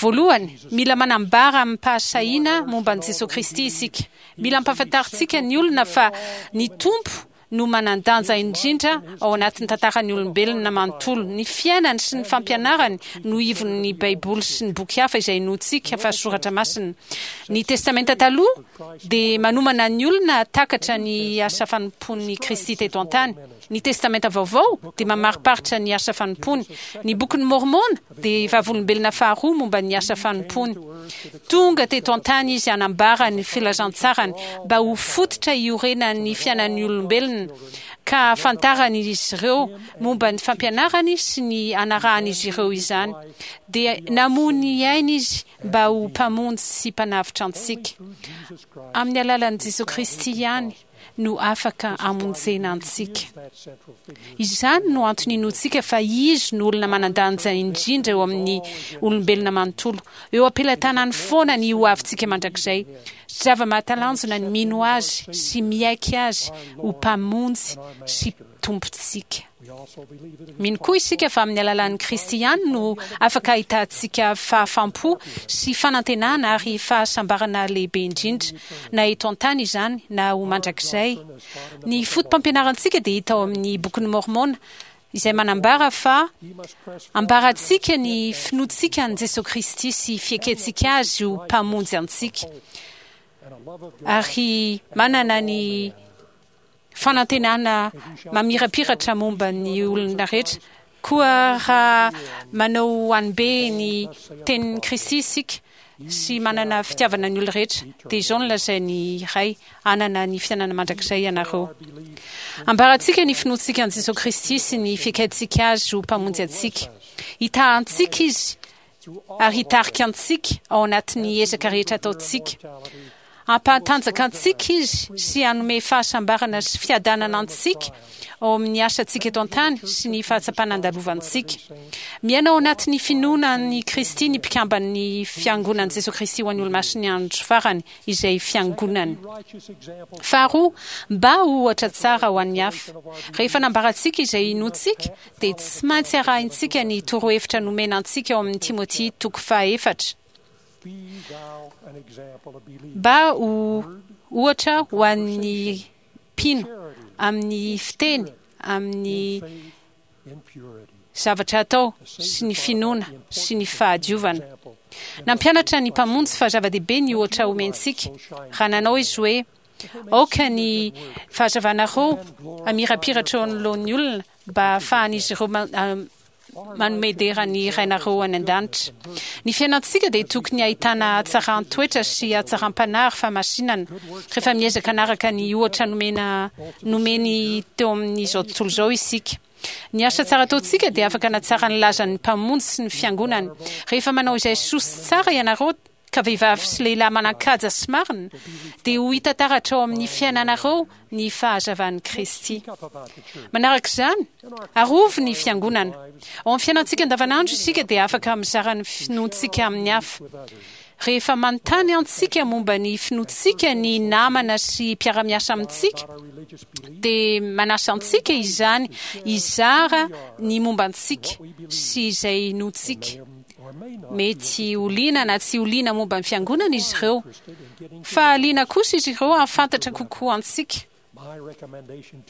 Voalohany, mila manambara amim-pahasahiana momba an'i Jesoa Kristy isika. Mila ampahafantarintsika ny olona fa ny Tompo no manan-danja indrindra ao anatin'ny tantaran'ny olombelona manontolo. Ny fiainany sy ny fampianarany no ivon'ny Baiboly sy ny boky hafa izay inoantsika fa soratra masina. Ny Testamenta Taloha dia manomana ny olona hahatakatra ny asa fanompoan'i Kristy teto an-tany. Ny Testamenta Vaovao dia mamariparitra ny asa fanompoany. Ny Bokin'i Môrmôna dia vavolombelona faharoa momba ny asa fanompoany. Tonga teto an-tany izy hanambara ny filazantsarany mba ho fototra iorenan'ny fiainan'ny olombelona, ka hahafantaran'izy ireo momba ny fampianarany sy ny hanarahan'izy ireo izany. Dia namoy ny ainy izy mba ho Mpamonjy sy Mpanavotra antsika. Amin'ny alalan'i Jesoa Kristy ihany no afaka hamonjena antsika. Izany no antony inoantsika fa Izy no olona manan-danja indrindra eo amin'ny olombelona manontolo. Eo am-pelatanany foana ny hoavintsika mandrakizay. Zava-mahatalanjona ny mino Azy sy miaiky Azy ho Mpamonjy sy Tompontsika. Mino koa isika fa amin'ny alalan'i Kristy ihany no afaka ahitantsika fahafaham-po sy fanantenana ary fahasambarana lehibe indrindra, na eto an-tany izany na ho mandrakizay. Ny fotopampianarantsika dia hita ao amin'ny Bokin'i Môrmôna, izay manambara fa ambarantsika ny finoantsika an'i Jesoa Kristy sy fiekentsika Azy ho Mpamonjy antsika, ary manana ny fanantenana mamirapiratra momba ny olona rehetra. Koa raha manao hanibe ny tenin'i Kristy isika sy manana fitiavana ny olona rehetra, dia izao no lazain'ny Ray, Hanana ny fiainana mandrakizay ianareo. Ambarantsika ny finoantsika an'i Jesoa Kristy sy ny fiekaintsika Azy ho Mpamonjy antsika. Hitaha antsika Izy ary hitarika antsika ao anatin'ny ezaka rehetra ataontsika. Hampahatanjaka antsika Izy sy hanome fahasambarana sy fiadanana antsika ao amin'ny asantsika eto an-tany sy ny fahatsapana andalovantsika. Miaina ao anatin'ny finoana an'i Kristy ny mpikamban'ny Fiangonan'i Jesoa Kristy ho an'ny Olomasin'ny Andro Farany, izay Fiangonany. Faharoa, mba ho ohatra tsara ho an'ny hafa. Rehefa nambarantsika izay inoantsika, dia tsy maintsy arahintsika ny torohevitra nomena antsika ao amin'ny Timoty toko fahaefatra, mba ho ohatra ho an'ny mpino amin'ny fiteny, amin'ny zavatra atao sy ny finoana sy ny fahadiovana. Nampianatra ny Mpamonjy fa zava-dehibe ny ohatra omentsika raha nanao izy hoe, Aoka ny fahazavanareo hamirapiratra eo anoloan'ny olona mba hahafahan'izy ireo manome dera ny Rainareo any an-danitra. Ny fiainantsika dia tokony hahitana hatsaran-toetra sy hatsaram-panahy ary fahamasinana, rehefa miezaka hanaraka ny ohatra nomena nomeny teo amin'izao tontolo izao isika. Ny asa tsara ataontsika dia afaka hanatsara ny lazan'ny Mpamonjy sy ny Fiangonany. Rehefa manao izay soa sy tsara ianareo, ka vehivavy sy lehilahy manan-kaja sy marina, dia ho hita taratra ao amin'ny fiainanareo ny fahazavan'i Kristy. Manaraka izany, arovy ny Fiangonana. Ao amin'ny fiainantsika andavanandro isika dia afaka mizara ny finoantsika amin'ny hafa. Rehefa manontany antsika momba ny finoantsika ny namana sy mpiara-miasa amintsika, dia manasa antsika izany hizara ny momba antsika sy izay inoantsika. Mety ho liana na tsy ho liana momba ny Fiangonana izy ireo, fa liana kosa izy ireo hahafantatra kokoa antsika.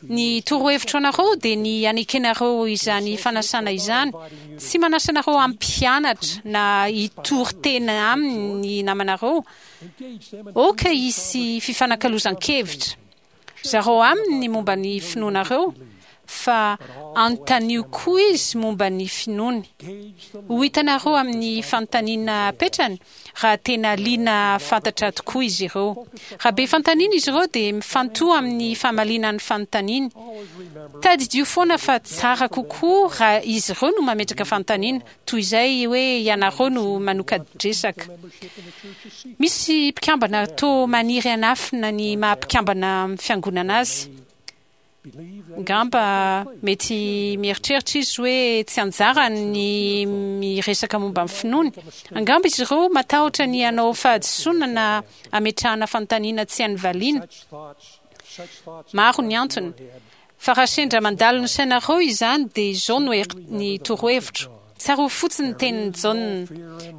Ny torohevitro anareo dia ny hanekenareo izany fanasana izany. Tsy manasa anareo hampianatra na hitory tena aminy ny namanareo. Aoka hisy fifanakalozan-kevitra. Zarao aminy ny momba ny finoanareo. fa anontanio koa izy momba ny finoany. Ho hitanareo amin'ny fanontaniana apetrany raha tena liana hahafantatra tokoa izy ireo. Raha be fanontaniana izy ireo dia mifantoha amin'ny famaliana ny fanontaniany. Tadidio foana fa tsara kokoa raha izy ireo no mametraka fanontaniana toy izay hoe ianareo no manoka-dresaka. Misy mpikambana toa maniry hanafina ny maha mpikambana amin'ny fiangonana azy. Angamba mety mieritreritra izy hoe tsy anjarany ny miresaka momba ny finoany. Angamba izy ireo matahotra ny hanao fahadisoana na hametrahana fanontaniana tsy hainy valiana. Maro ny antony. Fa raha sendra mandalo ny sainareo izany dia izao no ny torohevitro, Tsarovy fotsiny ny tenin'i Jaona,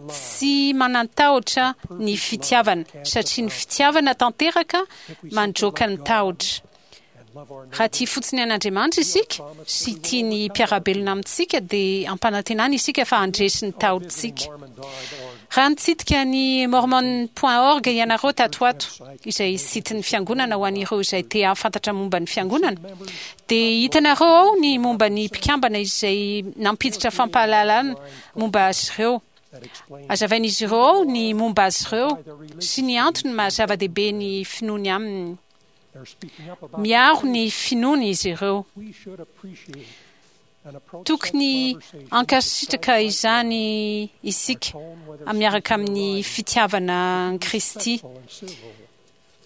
Tsy manan-tahotra ny fitiavana, satria ny fitiavana tanteraka mandroaka ny tahotra. Raha tia fotsiny an'Andriamanitra isika sy tia ny mpiara-belona amintsika dia ampanantenana isika fa handresy ny tahotsika. Raha nitsidika ny mormon point org ianareo tato ho ato, izay site-n'ny fiangonana ho an'ireo izay te hahafantatra momba ny fiangonana, dia hitanareo ao ny momba ny mpikambana izay nampiditra fampahalalana momba azy ireo. Hazavain'izy ireo ao ny momba azy ireo sy ny antony maha zava-dehibe ny finoany aminy. Miaro ny finoany izy ireo. Tokony hankasitraka izany isika miaraka amin'ny fitiavana an'i Kristy.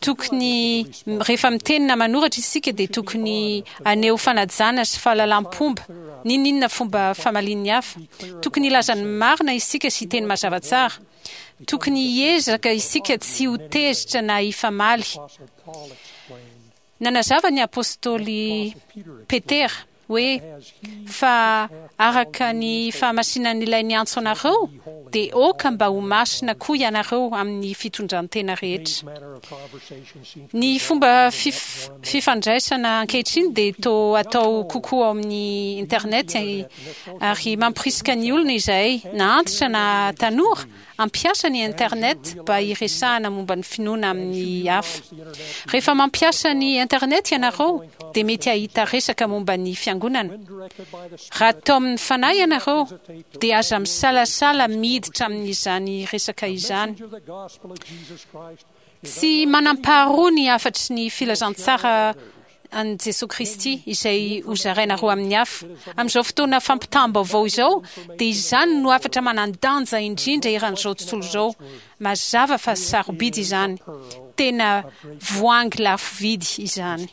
Tokony, rehefa miteny na manoratra isika dia tokony haneho fanajana sy fahalalam-pomba, n'inon'inona fomba famalian'ny hafa. Tokony hilaza ny marina isika sy hiteny mazava tsara. Tokony hiezaka isika tsy ho tezitra na hifamaly. Nanazava ny apostoly Petera hoe, Fa araka ny fahamasinan'Ilay niantso anareo, dia aoka mba ho masina koa ianareo amin'ny fitondran-tena rehetra. Ny fomba fifandraisana ankehitriny dia toa atao kokoa ao amin'ny Internet ary mamporisika ny olona izahay, na antitra na tanora, hampiasa ny Internet mba hiresahana momba ny finoana amin'ny hafa. Rehefa mampiasa ny Internet ianareo, dia mety hahita resaka momba ny Fiangonana. Raha taomin'ny Fanahy ianareo, dia aza misalasala miditra amin'izany resaka izany. Tsy manam-paharoa ny hafatry ny filazantsara an'i Jesoa Kristy izay hozarainareo amin'ny hafa. Amin'izao fotoana fampitam-baovao izao, dia izany no hafatra manan-danja indrindra eran'izao tontolo izao. Mazava fa sarobidy izany. Tena voahangy lafo vidy izany.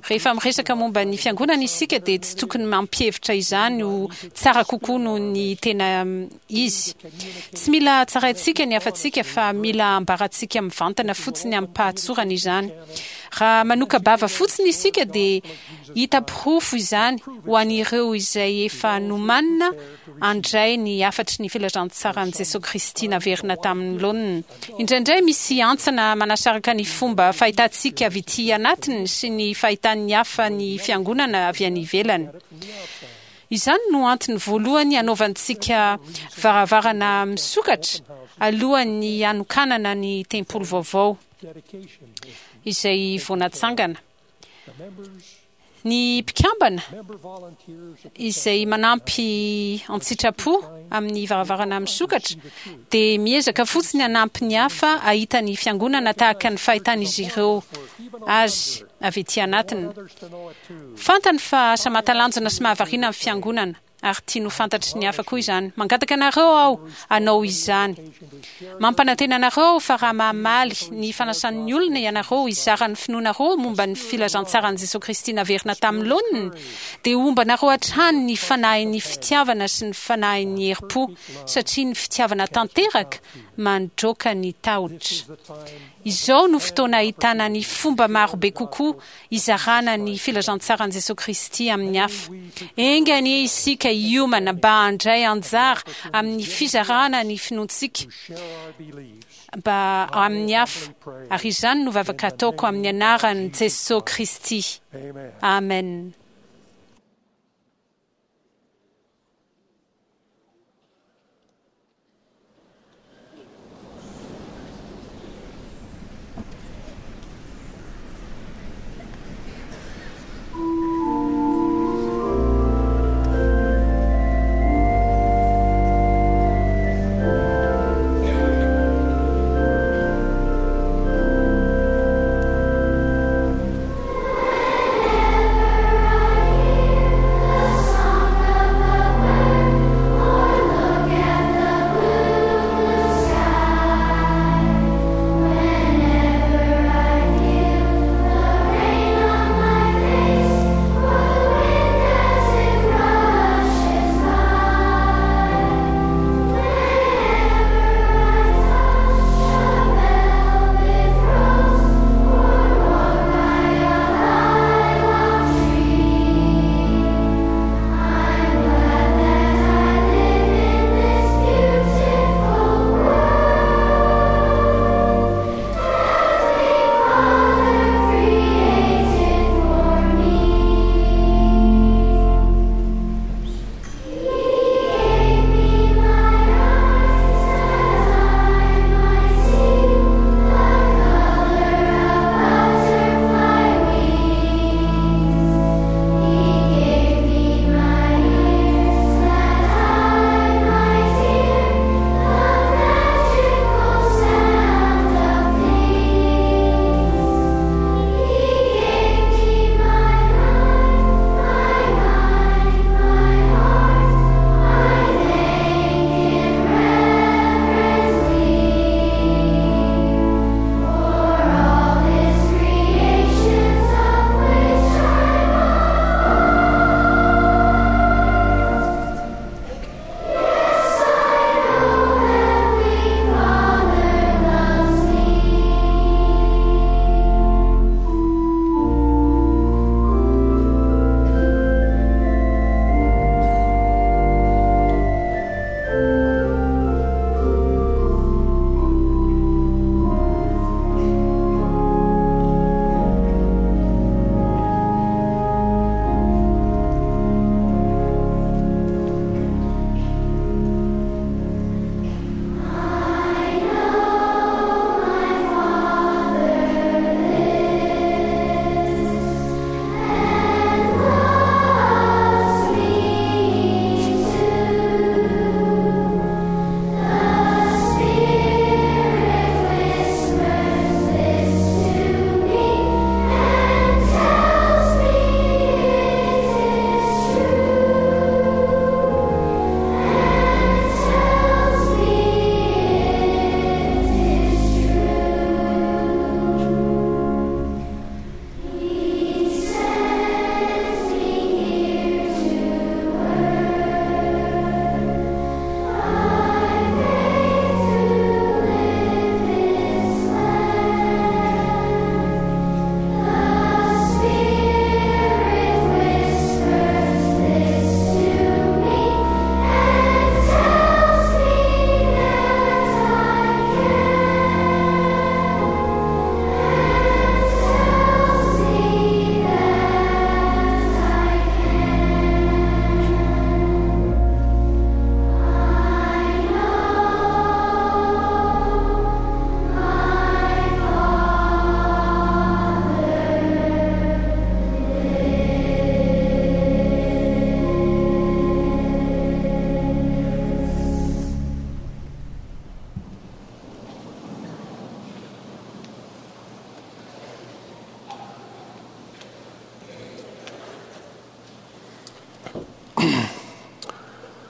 Rehefa miresaka momba ny Fiangonana isika dia tsy tokony mampihevitra izany ho tsara kokoa noho ny tena izy. Tsy mila tsaraintsika ny hafatsika fa mila ambarantsika mivantana fotsiny amim-pahatsorana izany. Raha manoka-bava fotsiny isika dia hita porofo izany ho an'ireo izay efa nomanina handray ny hafatry ny filazantsaran'i Jesoa Kristy naverina tamin'ny laoniny. Indraindray misy hantsana manasaraka ny fomba fahitantsika avy ety anatiny sy ny fahitan'ny hafa ny Fiangonana avy any ivelany. Izany no antony voalohany hanaovantsika varavarana misokatra alohan'ny hanokanana ny tempoly vaovao izay vao natsangana. Ny mpikambana izay manampy an-tsitrapo amin'ny varavarana misokatra dia miezaka fotsiny hanampy ny hafa hahita ny Fiangonana tahaka ny fahitan'izy ireo azy avy ety anatiny. Fantany fa asa mahatalanjona sy mahavariana ny Fiangonana, ary tiany ho fantatry ny hafa koa izany. Mangataka anareo aho hanao izany. Mampanantena anareo aho fa raha mamaly ny fanasan'ny olona ianareo hizara ny finoanareo momba ny filazantsaran'i Jesoa Kristy naverina tamin'ny laoniny, dia homba anareo hatrany ny fanahin'ny fitiavana sy ny fanahin'ny herim-po, satria ny fitiavana tanteraka mandroaka ny tahotra. Izao no fotoana ahitana ny fomba marobe kokoa hizarana ny filazantsaran'i Jesoa Kristy amin'ny hafa. Enga anie isika hiomana mba handray anjara amin'ny fizarana ny finoantsika mba amin'ny hafa, ary izany no vavaka ataoko amin'ny anaran'i Jesoa Kristy. Amen.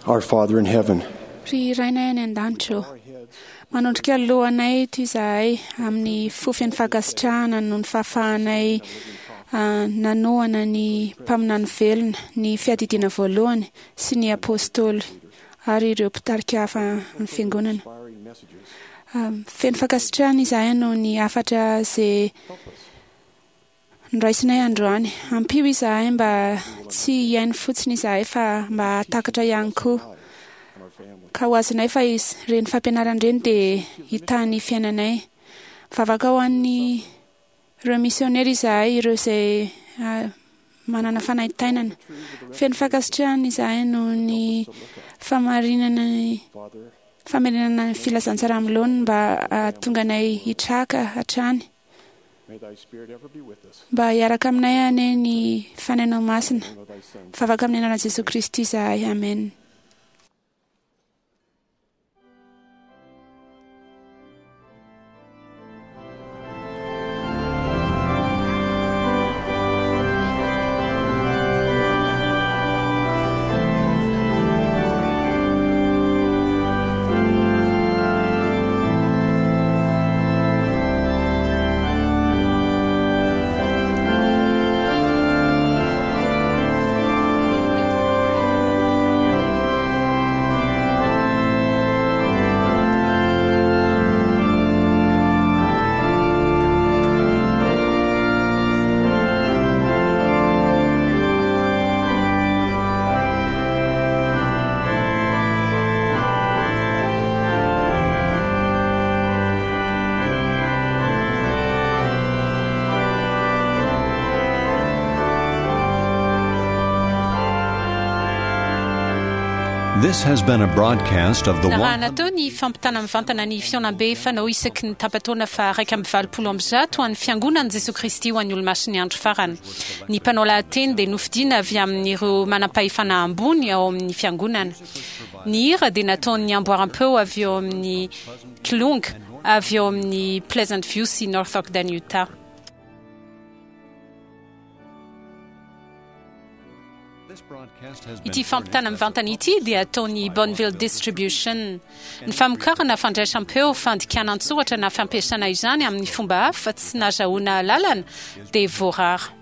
Our Father in heaven, Ry Rainay any an-danitra ô, manondrika lohanay eto izahay amin'ny fo feno fankasitrahana noho ny fahafahanay nanohana ny mpaminany velona, ny fiadidiana voalohany sy ny apôstôly ary ireo mpitarika hafa amin'ny fiangonana. Feno fankasitrahana izahay noho ny hafatra izay Noraisinay androany. Ampio izahay mba tsy hihaino fotsiny izahay fa mba hahatakatra ihany koa. Ka ho azonay fa ireny fampianarana ireny dia hitahy ny fiainanay. Mivavaka ho an'ny ireo misionera izahay, ireo izay manana fanaintainana. Feno fankasitrahana izahay noho ny famarinana ny famerenana ny filazantsara amin'ny laoniny mba hahatonga anay hitraka hatrany. Mba hiaraka aminay anie ny Fanahinao Masina. Mivavaka amin'ny anaran'i Jesoa Kristy izahay. Amen. This has been a broadcast of the Narahana teo ny fampitana mivantana ny fihaonambe fanao isaky ny tapa-taona faha 181 ho an'ny Fiangonan'i Jesoa Kristy ho an'ny Olomasin'ny Andro Farany. Ny mpanao lahateny dia nofidina avy amin'ireo manampahefana ambony ao amin'ny Fiangonana. Ny hira dia nataon'ny amboaram-peo avy eo amin'ny Kilonga avy eo amin'ny Pleasant View sy North Ogden, Utah. Ity fampitana mivantana ity dia ataon'ny Bonneville Distribution. Ny famokarana fandraisam-peo, fandikana an-tsoratra na fampiasana izany amin'ny fomba hafa tsy nazahoana alalana dia voarara.